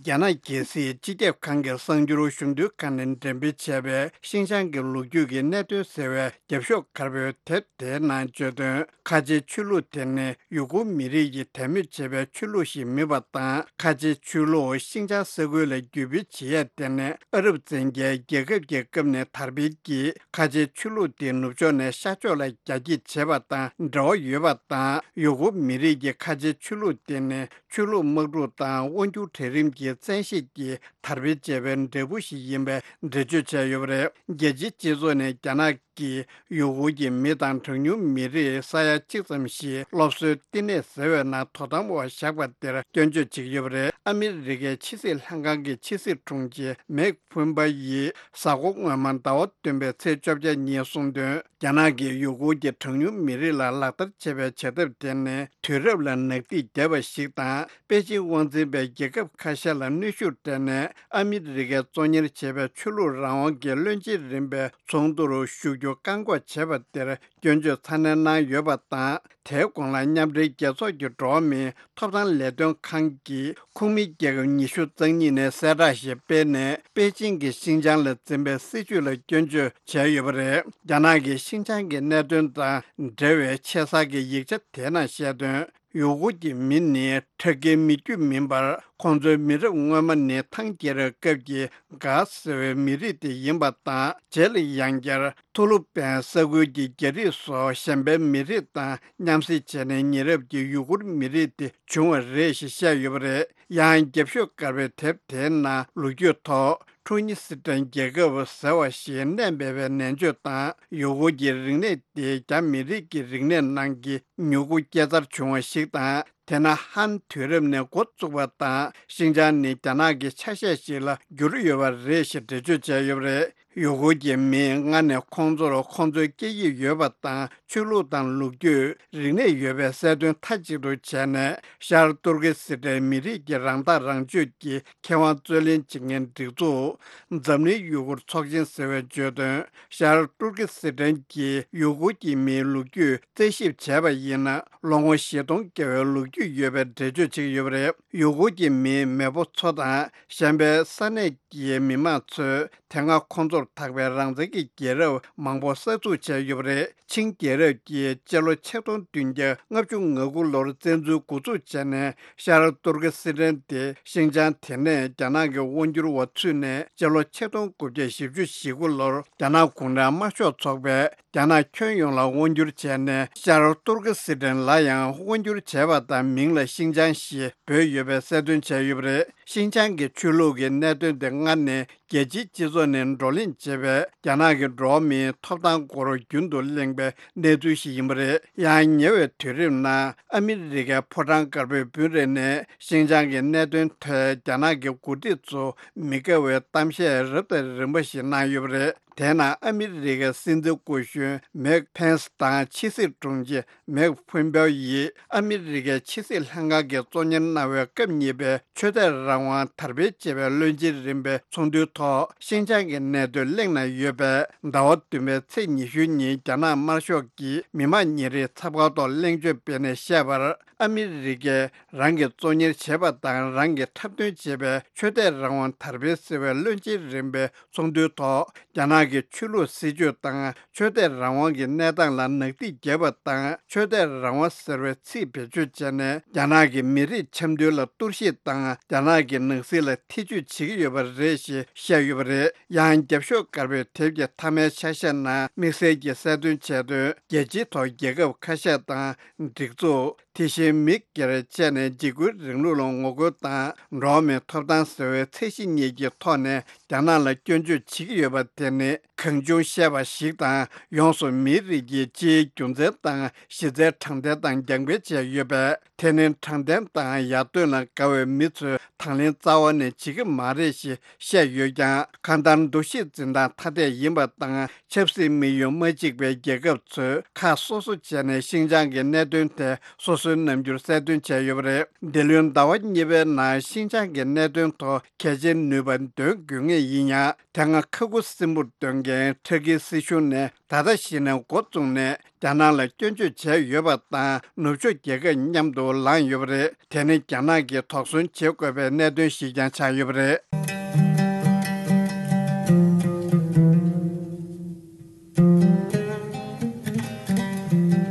རྒྱ་ནག་རྒྱལ་སྲིད་སྤྱི་ཁྱབ་ཁང་གི་གསར་འགྱུར་ཞུ་འདུན་ཁང་ནས་འགྲེམས་སྤེལ་བྱས་པའི་ཤིན་ཅང་གི་ལོ་རྒྱུས་ཀྱི་གནད་དོན་ཟེར་བའི་རྒྱབ་ཤོག་དཀར་པོའི་དེབ་དེའི་ནང་བརྗོད་དོན། ཁ་ཆེའི་ཆོས་ལུགས་དེ་ནི་ཡུ་གུར་མི་རིགས་ཀྱིས་དད་མོས་བྱེད་པའི་ཆོས་ལུགས་ཤིག་མིན་པ་དང་། ཁ་ཆེའི་ཆོས་ལུགས་ཤིན་ཅང་ས་ཁུལ་ལ་བརྒྱུད་སྤེལ་བྱེད་ཡས་དེ་ནི་ཨ་རབ་བཙན་རྒྱལ་རྒྱལ་ཁབ་ཀྱི་སྐབས་ནས་དར་འཕེལ་གྱིས། ཁ་ཆེའི་ཆོས་ལུགས་དེ་ནུབ་ཕྱོགས་ནས་ཤར་ཕྱོགས་ལ་རྒྱ་སྐྱེད་བྱེད་པ་དང་འབྲེལ་བ་ཡོད་པ་དང་། ཡུ་གུར་མི་རིགས་ཀྱི་ཁ་ཆེའི་ཆོས་ལུགས་དེ་ནི་ཆོས་ལུགས་དམག་འཁྲུག་དང་དབང་སྒྱུར་གྲལ་རིམ་གྱི་བཙན་ཤེད་ཀྱིས་དར་སྤེལ་བྱས་པའི་འབྲས་བུ་ཞིག་ཡིན་པའི་འགྲེལ་བརྗོད་བྱས་ཡོད་པ་རེད། རྒྱལ་སྤྱིའི་སྤྱི་ཚོགས་ནས་རྒྱ་ནག་གིས་ཡུ་གུར་གྱི་མི་དང་གྲངས་ཉུང་མི་རིགས་ས་ཡ་གཅིག་ཙམ་ཞིག་སློབ་གསོའི་བསྟི་གནས་ཟེར་བའི་ནང་དོ་དམ་འོག་བཞག་པ་དེར་སྐྱོན་བརྗོད་བྱེད་ཀྱི་ཡོད་པ་རེད། ཨ་མི་རི་ཀའི་ཕྱི་སྲིད་ལྷན་ཁང་གི་ཕྱི་སྲིད་དྲུང་ཆེ་མེག་ཕུན་པ་ཡིས་གཟའ་འཁོར་སྔོན་མ་ཟླ་བ་བདུན་པའི་ཚེས་བཅོ་བརྒྱད་ཉིན་གསུངས་དོན། རྒྱ་ནག་གིས་ཡུ་གུར་གྱི་གྲངས་ཉུང་མི་རིགས་ལ་ལག་བསྟར་བྱེད་པའི་བྱ་ཐབས་དེ་ནི་དུས་རབས་ལ་ནག་ཐིག་བརྒྱབ་པ་ཞིག་དང་། པེ་ཅིང་དབང་འཛིན་པས་རྒྱལ་ཁབ་ཁ་ཤས་ལ་གནོན་ཤུགས་སྤྲད་ནས། ཨ་མི་རི་ཀས་གཙོ་གཉེར་བྱེད་པའི་ཆོས་ལུགས་རང་དབང་གི་བློན་ཆེན་རིམ་པའི་ཚོགས་འདུར་ཞུགས་རྒྱུ་བཀག་འགོག་བྱས་པ་དེར་སྐྱོན་བརྗོད་ཚ་ནན་གནང་ཡོད་པ་དང་། དེའི་གོང་ལ་མཉམ་འབྲེལ་རྒྱལ་ཚོགས་ཀྱི་འགྲོ་བ་མིའི་ཐོབ་ཐང་ལས་དོན་ཁང་གིས་ཁོངས་མིའི་རྒྱལ་ཁབ་ཉི་ཤུ་རྩ་གཉིས་ནས་གསལ་བསྒྲགས་ཤིག་སྤེལ་ནས། པེ་ཅིང་གིས་ཤིན་ཅང་ལ་འཛིན་པའི་སྲིད་བྱུས་ལ་སྐྱོན་བརྗོད་བྱས་ཡོད་པ་རེད། རྒྱ་ནག་གིས་ཤིན་ཅང་གི་གནད་དོན་དང་འབྲེལ་བའི་ཆེ་ས་གི་ཡིག་ཆ་དེའི་ནང་བཤད་དོན། ཡུ་གུར་གྱི་མི་ནི་ཁྲག་གི་མི་རྒྱུད་མིན་པར། ཁོང་ཚོའི་མི་རབས་སྔོན་མ་ནི་ཐང་རྒྱལ་རབས་སྐབས་ཀྱི་གྷ་ཟེར་བའི་མི་རིགས་དེ་ཡིན་པ་དང་། རྗེས་ལ་ཡང་བསྐྱར་ཐུ་ལུ་པན་ས་ཁུལ་གྱི་རྒྱ་རིགས་སོགས་གཞན་པའི་མི་རིགས་དང་མཉམ་བསྲེས་བྱས་ནས་ཉེ་རབས་ཀྱི་ཡུ་གུར་མི་རིགས་དེ་བྱུང་བ་རེད་ཞེས་བཤད་ཡོད་པ་རེད། ཡང་རྒྱབ་ཤོག་དཀར་པོའི་དེབ་དེའི་ནང་ལོ་རྒྱུས་ཐོག་ཁྲུ་ཉི་སི་ཀྲན་རྒྱལ་ཁབ་ཟེར་བ་ཞིག་གནས་མེད་པའི་ནན་བརྗོད་དང་། ཡུ་གུར་གྱི་རིག་གནས་དེ་རྒྱ་མི་རིགས་ཀྱི་རིག་གནས་ནང་གི་མྱུ་གུ་སྐྱེ་འཚར་བྱུང་བ་ཞིག་དང་། དེ་ནི་ཧན་དུས་རབས་ནས་འགོ་བཙུགས་པ་དང་། ཤིན་ཅང་ནི་རྒྱ་ནག་གི་ཆ་ཤས་ཤིག་ལ་གྱུར་ཡོད་པ་རེད་ཞེས་འགྲེལ་བརྗོད་བྱས་ཡོད་པ་རེད། ཡུ་གུར་གྱི་མིས་སྔར་ནས་ཁོང་ཚོར་ཁོང་ཚོའི་སྐད་ཡིག་ཡོད་པ་དང་། ཆོས་ལུགས་དང་ལོ་རྒྱུས། རིག་གནས་ཡོད་པའི་གསལ་སྟོན་མཐའ་གཅིག་ཏུ་བྱས་ནས། ཤར་ཏུར་ཀི་སི་ཐན་མི་རིགས་ཀྱི་རང་ཐག་རང་གཅོད་ཀྱི་ཁེ་དབང་རྩོད་ལེན་བྱེད་མཁན་སྒྲིག་འཛུགས། འཛམ་གླིང་ཡུ་གུར་ཚོགས་ཆེན་ཟེར་བས་བརྗོད་དོན། ཤར་ཏུར་ཀི་སི་ཐན་གྱི་ཡུ་གུར་གྱི་མིའི་ལོ་རྒྱུས་རྩད་ཞིབ་བྱས་པ་ཡིན་ན། ལོ་ངོ་བཞི་སྟོང་བརྒལ་བའི་ལོ་རྒྱུས་ཡོད་པའི་འགྲེལ་བརྗོད་བྱེད་ཀྱི་ཡོད་པ་རེད། ཡུ་གུར་གྱི་མིའི་མེས་པོ་ཚོ་དང་། གཞན་པའི་ས་གནས་ཀྱི་མི་མང་ཚོས་དེ་སྔ་ཁོང་ཚོར་ཐག་པའི་རང་བཙན་གྱི་རྒྱལ་རབས་མང་པོ་གསར་འཛུགས་བྱས་ཡོད་པ་རེད། ཆིང་རྒྱལ་རབས་ཀྱིས་སྤྱི་ལོ་ཆིག་སྟོང་བདུན་བརྒྱ་ལྔ་བཅུ་ང་དགུ་ལོར་བཙན་འཛུལ་འགོ་འཛུགས་བྱས་ནས། ཤར་ཏུར་ཀི་སི་ཐན་དེ་ཤིན་ཅང་དེ་ནས་རྒྱ་ནག་གི་དབང་སྒྱུར་འོག་ཚུད་ནས། སྤྱི་ལོ་ཆིག་སྟོང་དགུ་བརྒྱ་བཞི་བཅུ་ཞེ་དགུ་ལོར་རྒྱ་ནག་གུང་ཁྲན་དམར་ཤོག་ཚོགས་པས་རྒྱ་ནག་ཁྱོན་ཡོངས་ལ་དབང་སྒྱུར་བྱས་ནས། ཤར་ཏུར་ཀི་སི་ཐན་ལ་ཡང་དབང་སྒྱུར་བྱས་པ་དང་། མིང་ལ་ཤིན་ཅང་ཞེས་འབོད་ཡོད་པའི་གསལ་སྟོན་བྱས་ཡོད་པ་རེད། ཤིན་ཅང་གི་ཆོས་ལུགས་ཀྱི་གནད་དོན་དེ་སྔར་ནས་རྒྱལ་སྤྱིའི་སྤྱི་ཚོགས་ནས་བགྲོ་གླེང་བྱས་པའི་རྒྱ་ནག་གི་འགྲོ་བ་མིའི་ཐོབ་ཐང་སྐོར་རྒྱུན་དུ་གླེང་པའི་གནས་ཚུལ་ཞིག་ཡིན་པ་རེད། ཡང་ཉེ་བའི་དུས་རིམ་ནང་ཨ་མི་རི་ཀའི་ཕོ་བྲང་དཀར་པོའི་སྤུན་རེ་ནས་ཤིན་ཅང་གི་གནད་དོན་ཐད་རྒྱ་ནག་གི་འགོ་ཁྲིད་ཚོ་མི་དགའ་བའི་གཏམ་བཤད་རབ་དང་རིམ་པ་ཞིག་གནང་ཡོད་པ་རེད། དེས་ན་ཨ་མི་རི་ཀའི་སྲིད་འཛིན་སྐུ་གཞོན་མེག་ཕེན་སི་དང་ཕྱི་སྲིད་དྲུང་ཆེ་མེག་ཕུན་པའོ་ཡིས་ཨ་མི་རི་ཀའི་ཕྱི་སྲིད་ལྷན་ཁང་གིས་གཙོ་གཉེར་གནང་བའི་སྐབས་གཉིས་པའི་ཆོས་དད་རང་དབང་དར་སྤེལ་ཅེས་པའི་བློན་ཆེན་རིམ་པའི་ཚོགས་འདུའི་ཐོག་ཤིན་ཅང་གི་གནད་དོན་གླེང་གནང་ཡོད་པས། ཟླ་བ་བདུན་པའི་ཚེས་ཉི་ཤུའི་ཉིན་རྒྱ་ནག་དམར་ཤོག་གིས་མི་དམངས་ཉིན་རེའི་ཚབ་ཁང་ཐོག་གླེང་བརྗོད་སྤེལ་ནས་བཤད་པར། ཨ་མི་རི་ཀས་རང་གིས་གཙོ་གཉེར་བྱས་པ་དང་། རང་གིས་འཁྲབ་སྟོན་བྱས་པའི་ཆོས་དད་རང་དབང་དར་སྤེལ་ཟེར་བའི་བློན་ཆེན་རིམ་པའི་ཚོགས་འདུའི་ཐོག་རྒྱ་ནག་གི་ཆོས་ལུགས་སྲིད་བྱུས་དང་ཆོས་དད་རང་དབང་གི་གནས་སྟངས་ལ་ནག་ཐིག་བརྒྱབ་པ་དང་། ཆོས་དད་རང་དབང་ཟེར་བའི་ཚིག་བེད་སྤྱོད་བྱས་ནས། རྒྱ་ནག་གི་མི་རིགས་འཆམ་མཐུན་ལ་གཏོར་བཤིག་དང་། རྒྱ་ནག་གི་ནང་སྲིད་ལ་ཐེ་ཇུས་བྱེད་ཀྱི་ཡོད་པ་རེད་ཞེས་བཤད་ཡོད་པ་རེད། ཡང་རྒྱབ་ཤོག་དཀར་པོའི་དེབ་ཀྱི་མཐའ་མའི་ཆ་ཤས་ནང་དམིགས་བསལ་གྱིས་གསལ་སྟོན་བྱས་དོན། རྒྱལ་སྤྱིའི་ཐོག་རྒྱལ་ཁབ་ཁ་ཤས་དང་། སྒྲིག་འཛུགས། དེ་བཞིན་མི་སྒེར་བཅས་ནས་འཇིགས་སྐུལ་རིང་ལུགས་ལ་ངོ་རྒོལ་དང་། འགྲོ་བ་མིའི་ཐོབ་ཐང་ཟེར་བའི་ཚད་གཞི་གཉིས་ཀྱི་ཐོག་ནས་རྒྱ་ནག་ལ་སྐྱོན་བརྗོད་བྱེད་ཀྱི་ཡོད་པ་དེ་ནི་གང་བྱུང་བཤད་པ་ཞིག་དང་། ཡོངས་སུ་མིའི་རིགས་ཀྱི་སྤྱིའི་རྒྱུ་མཚན་དང་གཞི་རྩའི་དྲང་བདེན་དང་རྒྱང་འཕེན་བྱས་ཡོད་པས། དེ་ནི་དྲང་བདེན་དང་ཡར་ཐོན་ལ་དགའ་བའི་མི་ཚོས་དང་ལེན་རྩ་བ་ནས་བྱེད་ཀྱི་མ་རེད་ཞེས་བཤད་ཡོད་ཀྱང་། གང་ལྟར་འདུ་ཤེས་འཛིན་སྟངས་ཐ་དད་ཡིན་པ་དང་། ཆབ་སྲིད་དམིགས་ཡུལ་མ་གཅིག་པའི་རྒྱལ་ཁབ་ཚོས་ཁག་སོ་སོ་བྱས་ནས་ཤིན་ཅང་གི་གནད་དོན་ཐད་སོ་སོའི་རྣམ་འགྱུར་གསལ་སྟོན་བྱས་ཡོད་པ་རེད། འདི་ལོའི་ཟླ་བ་གཉིས་པའི་ནང་ཤིན་ཅང་གི་གནད་དོན་ཐོག་གལ་ཆེའི་ནུས་པ་འདོན་དགོས་ངེས་ཡིན་ཡང་། དེ་སྔ་ཁ་ཁུ་སིམ་པོར་སྡོད་མཁན་ཕྲུ་གུའི་སྲིད་གཞུང་ནས་ད་ལྟ་གཞི་ནས་འགོ་བཙུགས་ནས་རྒྱ་ནག་ལ་སྐྱོན་བརྗོད་བྱས་ཡོད་པ་དང་། ནུབ་ཕྱོགས་རྒྱལ་ཁབ་མཉམ་དུ་ལངས་ཡོད་པ་རེད། དེ་ནི་རྒྱ་ནག་གིས་དོགས་ཟོན་བྱེད་དགོས་པའི་གནད་དོན་ཞིག་ཀྱང་ཆགས་ཡོད་པ་རེད།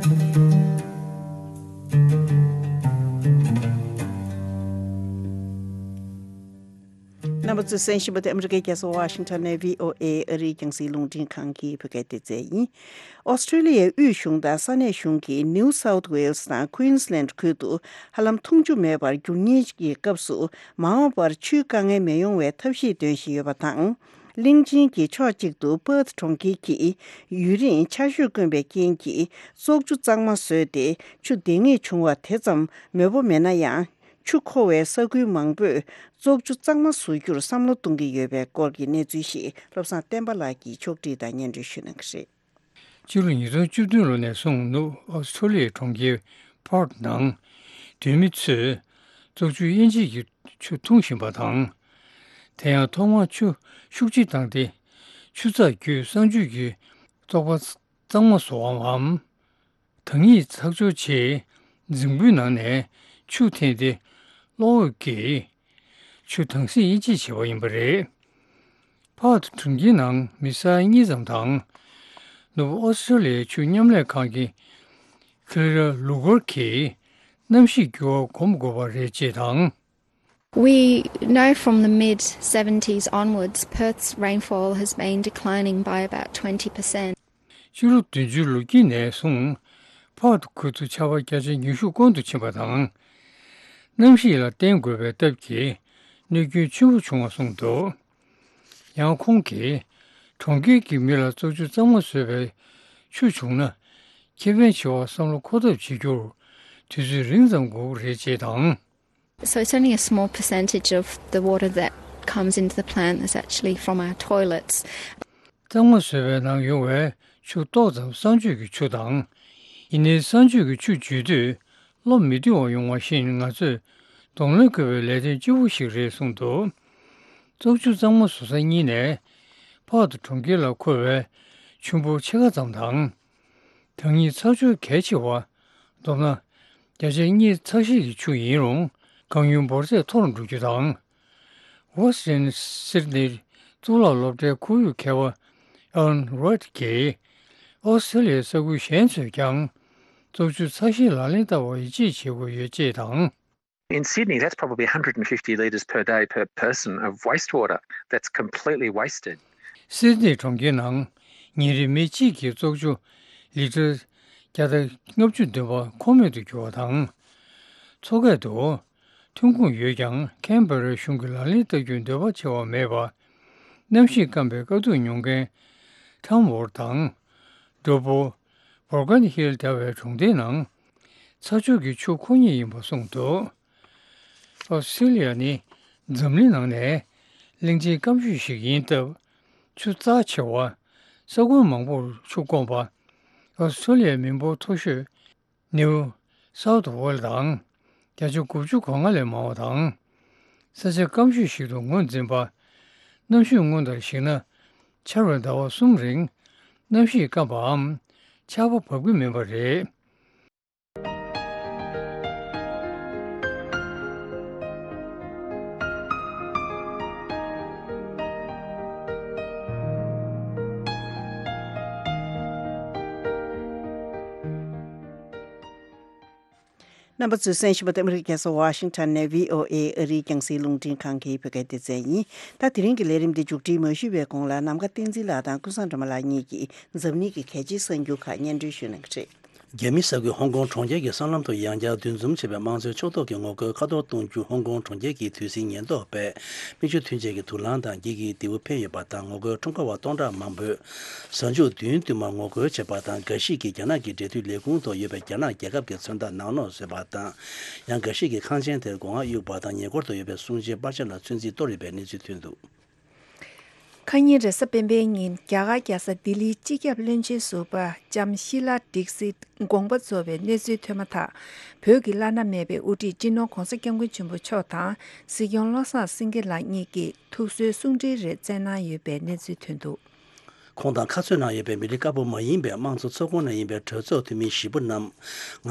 རྣམ་པ་ཚོས་གསན་བཞིན་པ་དེ་ཨ་མི་རི་ཀའི་རྒྱལ་ས་ཝ་ཤིང་ཊོན་ནས་བྷི་ཨོ་ཨེ་ཨ་རིའི་རྒྱང་སྲིང་རླུང་འཕྲིན་ཁང་གི་བོད་སྐད་སྡེ་ཚན་ཡིན། ཨོ་སི་ཁྲུ་ལི་ཡའི་དབུས་གཞུང་དང་ས་གནས་གཞུང་གིས་ནིའུ་སའུཐ་ཝེལ་སི་དང་ཁུའིན་སི་ལན་ཁུལ་དུ་ཧ་ལམ་འཐུང་ཆུ་མེད་པར་འགྱུར་ཉེན་གྱི་སྐབས་སུ་མ་འོངས་པར་ཆུའི་དཀའ་ངལ་མི་ཡོང་བའི་ཐབས་ཤེས་འདོན་བཞིན་ཡོད་པ་དང་། གླིང་ཆེན་གྱི་ཕྱོགས་གཅིག་ཏུ་པར་ཐི་གྲོང་ཁྱེར་གྱིས་ཡུན་རིང་ཆར་ཞོད་དཀོན་པའི་རྐྱེན་གྱིས་བཙོག་ཆུ་གཙང་མ་བཟོས་ཏེ་ཆུ་འདེད་ངེས་བྱུང་བ་དེ་ཙམ་མོད་པོ་མེད་ན་ཡང་། ཆུ་མཁོ་བའི་ས་ཁུལ་མང་པོས་བཙོག་ཆུ་གཙང་མ་བཟོ་རྒྱུར་བསམ་བློ་གཏོང་གི་ཡོད་པའི་སྐོར་གྱི་གནས་ཚུལ་ཞིག་བློ་བཟང་བསྟན་པ་ལགས་ཀྱིས་ཕྱོགས་བསྒྲིགས་དང་སྙན་སྒྲོན་ཞུ་གནང་གི་རེད། ཕྱི་ལོ་ཉིས་སྟོང་བཅུ་བདུན་ལོ་ནས་བཟུང་ནུབ་ཨོ་སི་ཁྲུ་ལི་ཡའི་གྲོང་ཁྱེར་ཕར་ཐི་ནང་སྡོད་མི་ཚོས་བཙོག་ཆུ་དབྱེ་འབྱེད་ཀྱི་ཆུ་འཐུང་བཞིན་པ་དང་། དེ་ཡང་ཐོག་མར་ཆུ་ཤུགས་ཆེ་བཏང་སྟེ་ཆུ་ཚགས་བརྒྱུད་གསང་སྤྱོད་ཀྱི་བཙོག་པ་གཙང་མ་བཟོ་བའམ། ཐང་ཡིག་ཚགས་སྦྱོར་ཆེད་རྫིང་བུའི་ནང་ནས་ཆུ་འཐེན་ཏེ་གློག་འོད་ཀྱིས་ཆུ་དྭངས་སེལ་དབྱེ་འབྱེད་བྱས་པ་ཡིན་པ་རེད། ཕར་ཐི་གྲོང་ཁྱེར་ནང་མི་ས་ཡ་གཉིས་ཙམ་དང་། ནུབ་ཨོ་སི་ཁྲུ་ལི་ཡའི་ཆུ་མཉམ་ལས་ཁང་གི་ཁི་ལི་ར་ལུ་གོར་གྱིས་གནམ་གཤིས་འགྱུར་བ་གོམས་དགོས་པ་རེད་ཅེས་དང་། We know from the mid seventies onwards, Perth's rainfall has been declining by about twenty percent. ཕྱི་ལོ་བདུན་ཅུ་ལོ་དཀྱིལ་ནས་བཟུང་ཕར་ཐི་ཁུལ་དུ་ཆར་པ་བརྒྱ་ཆ་ཉི་ཤུ་སྐོང་དུ་ཕྱིན་པ་དང་། གནམ་གཤིས་ལ་བརྟེན་དགོས་པའི་སྟབས་ཀྱིས་གནོད་སྐྱོན་ཆེན་པོ་བྱུང་བ་གསུངས་འདུག་ཡང་ཁོང་གིས་གྲོང་ཁྱེར་གྱི་མི་ལ་བཙོག་ཆུ་གཙང་མ་བཟོས་པའི་ཆུ་བྱུང་ན་ཁེ་ཕན་ཆེ་བར་བསམ་བློ་འཁོར་ཐབས་བྱེད་རྒྱུར་དུས་ཚོད་རིང་ཙམ་འགོར་གྱི་རེད་ཅེས་དང་། So it's only a small percentage of the water that comes into the plant that's actually from our toilets. གཙང་མ་བཟོས་པའི་ནང་ཡོང་བའི་ཆུ་ཏོག་ཙམ་གསང་སྤྱོད་ཀྱི་ཆུ་དང་། ཡིན་ནའི་གསང་སྤྱོད་ཀྱི་ཆུ་འཇུས་དུས་བློ་མི་བདེ་བ་ཡོང་བ་བཞིན། ང་ཚོས་གདོང་ལེན་དགོས་པའི་ལས་དོན་ལྕི་པོ་ཞིག་རེད་གསུངས་འདུག། བཙོག་ཆུ་གཙང་མ་བཟོ་ས་གཉིས་ནས་ཕར་དུ་གྲོང་ཁྱེར་ལ་འཁོར་བའི་ཆུན་པོ་ཕྱེད་ཀ་ཙམ་དང་། བདག་ཉིད་ཚ་ཆུ་གལ་ཆེ་བ། མདོར་ན། བརྒྱ་ཆ་གཉིས་ཚ་ཤེད་ཀྱི་ཆུ་ཡིན་རུང་། གང་ཡུན་འབོར་ཚད་མཐོ་རུ་འགྲོ་རྒྱུ་དང་། Western Sydney གཙུག་ལག་སློབ་གྲྭའི་ཁོར་ཡུག་མཁས་པ་Alan Reid གྱིས། ཨོ་སི་ཀྲི་ལི་ཡའི་ས་ཁུལ་གཞན་ཚོས་ཀྱང་བཙོག་ཆུ་ཚ་ཤེད་ལག་ལེན་བསྟར་བར་ཡིད་ཆེས་བྱེད་དགོས་ཡོད་ཅེས་དང་། In Sydney, that's probably one hundred and fifty litres per day per person of wastewater that's completely wasted. སིད་ནི་གྲོང་ཁྱེར་ནང་ཉིན་རེ་མི་གཅིག་གིས་བཙོག་ཆུ་ལི་ཊར་བརྒྱ་དང་ལྔ་བཅུ་བདུན་པ་ཁོ་མེད་དུ་གྱུར་བ་དང་། མཚོ་ཁ་དུ་ཐོན་ཁུངས་ཡོད་ཀྱང་ཁན་བྷེ་རའི་གཞུང་གིས་ལག་ལེན་བསྟར་རྒྱུའི་འདོད་པ་ཆེ་བ་མེད་པ། གནམ་གཤིས་སྐམ་པའི་དཀའ་སྡུག་མྱོང་མཁན་ཁྲམ་ཝོར་དང་། ཌོ་པོ། བོར་གན་ཧིལ་ལྟ་བུའི་གྲོང་སྡེའི་ནང་ཚ་ཆུ་གི་ཆུ་ཁོ་ཉིད་ཡིན་པ་གསུངས་འདུག། ཨོ་སི་ཀྲི་ལི་ཡ་ནི་འཛམ་གླིང་ནང་ནས་གླིང་ཆེན་སྐམ་ཤོས་ཤིག་ཡིན་སྟབས། ཆུ་རྩ་ཆེ་བ། ས་ཁུལ་མང་པོར་ཆུ་དཀོན་པ། ཨོ་སི་ཀྲི་ལི་ཡའི་མི་འབོར་མཐོ་ཤོས་ནིའུ་སའུཐ་ཝེལ་དང་། བརྒྱ་ཆ་དགུ་བཅུ་གོ་ལྔ་ལས་མང་བ་དང་། ས་ཆ་སྐམ་ཤོས་ཤིག་ཏུ་ངོས་འཛིན་པ། གནམ་གཤིས་སྔོན་ལྟར་གཞིགས་ན། ཆར་བའི་ཟླ་བ་གསུམ་རིང་གནམ་གཤིས་སྐམ་པའམ་ཆར་པ་བབས་ཀྱི་མིན་པ་རེད། རྣམ་པ་ཚོས་གསན་བཞིན་པ་དེ་ཨ་མི་རི་ཀའི་རྒྱལ་ས་ཝ་ཤིང་ཊོན་ནས་བྷི་ཨོ་ཨེ་ཨ་རིའི་རྒྱང་སྲིང་རླུང་འཕྲིན་ཁང་གི་བོད་སྐད་སྡེ་ཚན་ཡིན། ད་དེ་རིང་གི་ལས་རིམ་འདི་མཇུག་སྒྲིལ་མ་ཞུས་པའི་གོང་ལ། ནམ་མཁའ་བསྟན་འཛིན་ལགས་དང་ཀུན་བཟང་སྒྲོལ་མ་ལགས་གཉིས་ཀྱིས་འཛམ་གླིང་གི་གལ་ཆེའི་གསར་འགྱུར་ཁག་སྙན་སྒྲོན་ཞུ་གནང་གི་རེད། རྒྱ་མི་ས་ཁུལ་ཧོང་ཀོང་གྲོང་ཁྱེར་གྱི་སྲང་ལམ་དུ་ཡང་བསྐྱར་འདུ་འཛོམས་བྱས་པའི་དམངས་གཙོའི་ཕྱོགས་གཏོགས་ཀྱི་ངོ་རྒོལ་ཁ་ཐོར་གཏོང་རྒྱུ། ཧོང་ཀོང་གྲོང་ཁྱེར་གྱི་དུས་ཟིང་ཉེན་རྟོག་པས་མིག་ཆུ་ཐོན་ཆེད་ཀྱི་དུག་རླངས་དང་འགྱིག་གི་རྡེའུ་འཕེན་ཡོད་པ་དང་། ངོ་རྒོལ་ཁྲོམ་ཁ་བ་སྟོང་ཕྲག་མང་པོས་གཟའ་མཇུག་བདུན་བསྟུད་མར་ངོ་རྒོལ་བྱས་པ་དང་། འགའ་ཞིག་གིས་རྒྱ་ནག་གི་འབྲེལ་མཐུད་ལས་ཁུངས་ཐོག་ཡོད་པའི་རྒྱ་ནག་རྒྱལ་ཁབ་ཀྱི་མཚོན་རྟགས་ནག་ནོག་བཟོས་པ་དང་། ཡང་འགའ་ཞིག་གིས་ཁང་ཆེན་དེར་སྒོ་ང་གཡུགས་པ་དང་། ཉེ་འཁོར་དུ་ཡོད་པའི་གསུང་ཆོས་པར་ཆས་ལ་ཚོད་འཛིན་གཏོར་ཡོད་པའི་གནས་ཚུལ་ཐོན་འདུག། ཁ་ཉིན་རེས་གཟའ་སྤེན་པའི་ཉིན་རྒྱ་གར་རྒྱལ་ས་ལྡི་ལིའི་སྤྱི་ཁྱབ་བློན་ཆེན་ཟུར་པ་ལྕམ་ཤི་ལ་ཌིག་སིད་དགོངས་པ་རྫོགས་པའི་གནས་ཚུལ་ཐོན་མ་ཐག། བོད་ཀྱི་བླ་ན་མེད་པའི་དབུ་ཁྲིད་སྤྱི་ནོར་༧གོང་ས་༧སྐྱབས་མགོན་ཆེན་པོ་མཆོག་དང་སྲིད་སྐྱོང་བློ་བཟང་སེང་གེ་ལགས་གཉིས་ཀྱིས་ཐུགས་གསོའི་གསུང་འཕྲིན་རེ་བསྩལ་གནང་ཡོད་པའི་གནས་ཚུལ་ཐོན་འདུག། ཁོང་དང་ཁ་རྩོད་གནང་ཡོད་པའི་མི་རིགས་དཀར་པོ་མ་ཡིན་པའི་དམངས་གཙོ་ཚོགས་ཁོངས་ནས་ཡིན་པའི་གྲོས་ཚོགས་འཐུས་མི་བཞི་པོ་རྣམས།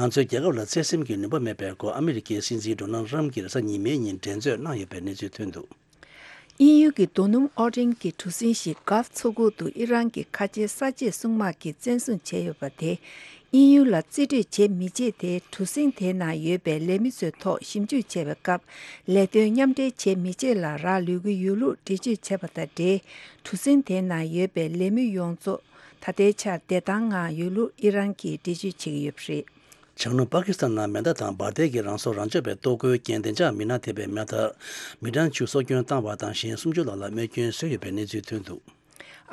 ང་ཚོའི་རྒྱལ་ཁབ་ལ་བརྩེ་སེམས་ཀྱི་ནུས་པ་མེད་པའི་སྐོར་ཨ་མི་རི་ཀའི་སྲིད་འཛིན་ཌོ་ནལ་ཊམ་གྱིས་རེས་གཟའ་ཉི་མའི་ཉིན་འགྲན་རྩོད་གནང་ཡོད་པའི་གནས་ཚུལ་ཐོན་འདུག། དབྱིན་ཡུལ་གྱི་རྡོ་སྣུམ་ཨོ་ཌེན་གྱི་གྲུ་གཟིངས་ཤིག་གྷལཕ་མཚོ་ཁུག་ཏུ་ཨི་རན་གྱི་ཁ་ཆེའི་གསར་བརྗེའི་སྲུང་དམག་གིས་བཙན་བཟུང་བྱས་ཡོད་པ་དེ། དབྱིན་ཡུལ་ལ་རྩིས་སྤྲོད་བྱེད་མི་བྱེད་དེ། གྲུ་གཟིངས་དེའི་ནང་ཡོད་པའི་ལས་མི་ཚོའི་ཐོག་ཞིབ་འཇུག་བྱས་པའི་སྐབས། ལས་དོན་མཉམ་འབྲེལ་བྱེད་མི་བྱེད་ལ་རག་ལུས་ཀྱི་ཡོད་ལུགས་འགྲེལ་བརྗོད་བྱས་པ་དང་འབྲེལ། གྲུ་གཟིངས་དེའི་ནང་ཡོད་པའི་ལས་མི་ཡོངས་རྫོགས་ད་ལྟའི་ཆར་བདེ་ཐང་ངང་ཡོད་ལུགས་ཨི་རན་གྱིས་འགྲེལ་བརྗོད་བྱེད་ཀྱི་ཡོད་པ་རེད། བྱང་ནུབ་པ་ཀི་སི་ཐན་ནང་མེ་མདའ་དང་འབར་མདེལ་གྱིས་རང་སྲོག་རང་སྐྱོབ་པའི་གཏོར་རྒོལ་རྐྱེན་བདེ་འཇགས་མི་སྣ་ཐེ་བའི་མེ་མདའ་མི་གྲངས་བཅུ་སྲོག་སྐྱོན་བཏང་བ་དང་། གཞན་སུམ་ཅུ་ལྷག་ལ་རྨས་སྐྱོན་བཟོས་ཡོད་པའི་གནས་ཚུལ་ཐོན་འདུག།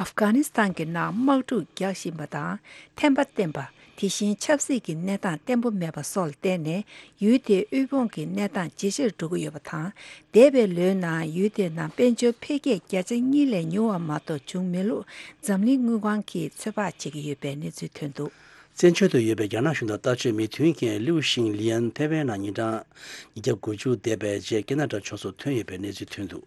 ཨབ་གྷ་ནི་སི་ཐན་གྱི་ནང་དམག་འཁྲུག་རྒྱག་བཞིན་པ་དང་། ཐན་པ་བརྟན་པ། དེ་བཞིན་ཆབ་སྲིད་ཀྱི་གནས་སྟངས་བརྟན་པོ་མེད་པ་སོགས་ལ་བརྟེན་ནས། ཡུལ་དེའི་དབུལ་ཕོངས་ཀྱི་གནས་སྟངས་ཇེ་ཆེར་འགྲོ་གི་ཡོད་པ་དང་། འདས་པའི་ལོའི་ནང་ཡུལ་དེའི་ནང་དཔལ་འབྱོར་འཕེལ་རྒྱས་བརྒྱ་ཆ་གཉིས་ལས་ཉུང་བ་མ་གཏོགས་བྱུང་མེད་ལུགས་འཛམ་གླིང་དངུལ་ཁང་གིས་ཚོད་དཔག་བྱེད་ཀྱི་ཡོད་པའི་གནས་ཚུལ་ཐོན་འདུག། བཙན་བྱོལ་དུ་ཡོད་པའི་རྒྱ་ནག་གཞུང་དང་ལྟ་སྤྱོད་མི་མཐུན་རྐྱེན་ལིའུ་ཤིང་ལིན་ཐེ་ཝན་ནང་ཉིན་གྲངས་ཉིས་བརྒྱ་དགུ་བཅུ་འདས་པའི་རྗེས་ཀེ་ན་ཌ་ཕྱོགས་སུ་ཐོན་ཡོད་པའི་གནས་ཚུལ་ཐོན་འདུག།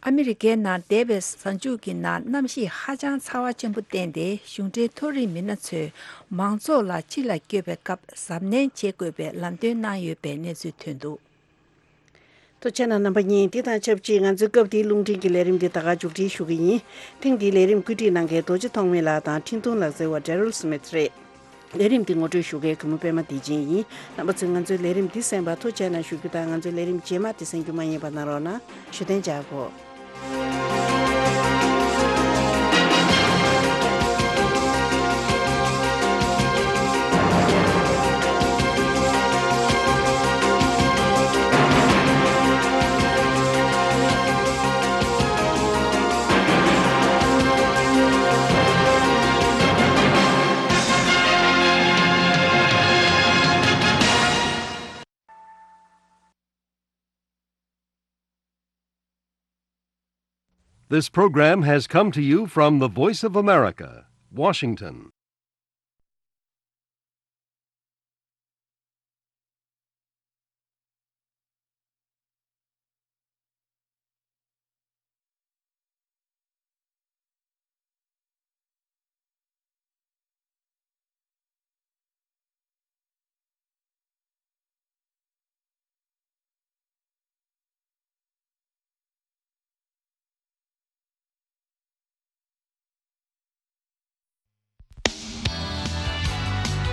ཨ་མི་རི་ཀའི་ནང་འདས་པའི་གཟའ་མཇུག་གི་ནང་གནམ་གཤིས་ཧ་ཅང་ཚ་བ་ཆེན་པོ་བསྟན་ཏེ། གཞུང་འབྲེལ་མཐོ་རིམ་མི་སྣ་ཚོས་མང་ཚོགས་ལ་ཕྱི་ལ་སྐྱོད་པའི་སྐབས་གཟབ་ནན་བྱེད་དགོས་པའི་ལམ་སྟོན་གནང་ཡོད་པའི་གནས་ཚུལ་ཐོན་འདུག། ཐུགས་རྗེ་གནང་རྣམ་པ་གཉིས། འདི་དང་ཆབས་ཅིག་ང་ཚོའི་སྐབས་འདིའི་རླུང་འཕྲིན་གྱི་ལས་རིམ་འདི་ད་ག་མཇུག་སྒྲིལ་ཞུ་གི་ཡིན། ཐེངས་འདིའི་ལས་རིམ་བཀོད་སྒྲིག་གནང་མཁན་རྡོ་རྗེ་ཐོགས་མེད་ལགས་དང་འཕྲིན་ཐུང་ལག་རྩལ་བ་Daryl Smith་རེད། ལས་རིམ་འདི་ངོ་སྤྲོད་ཞུ་མཁན་གུས་མོ་པད་མ་བདེ་ཆེན་ཡིན། རྣམ་པ་ཚོས་ང་ཚོའི་ལས་རིམ་འདི་གསན་པར་ཐུགས་རྗེ་གནང་ཞུ་རྒྱུ་དང་། ང་ཚོའི་ལས་རིམ་རྗེས་མ་འདི་གསན་རྒྱུ་མ་བསྙེལ་བ་གནང་རོགས་གནང་། བཞུགས་གདན་འཇགས་དགོས། This program has come to you from the Voice of America, Washington.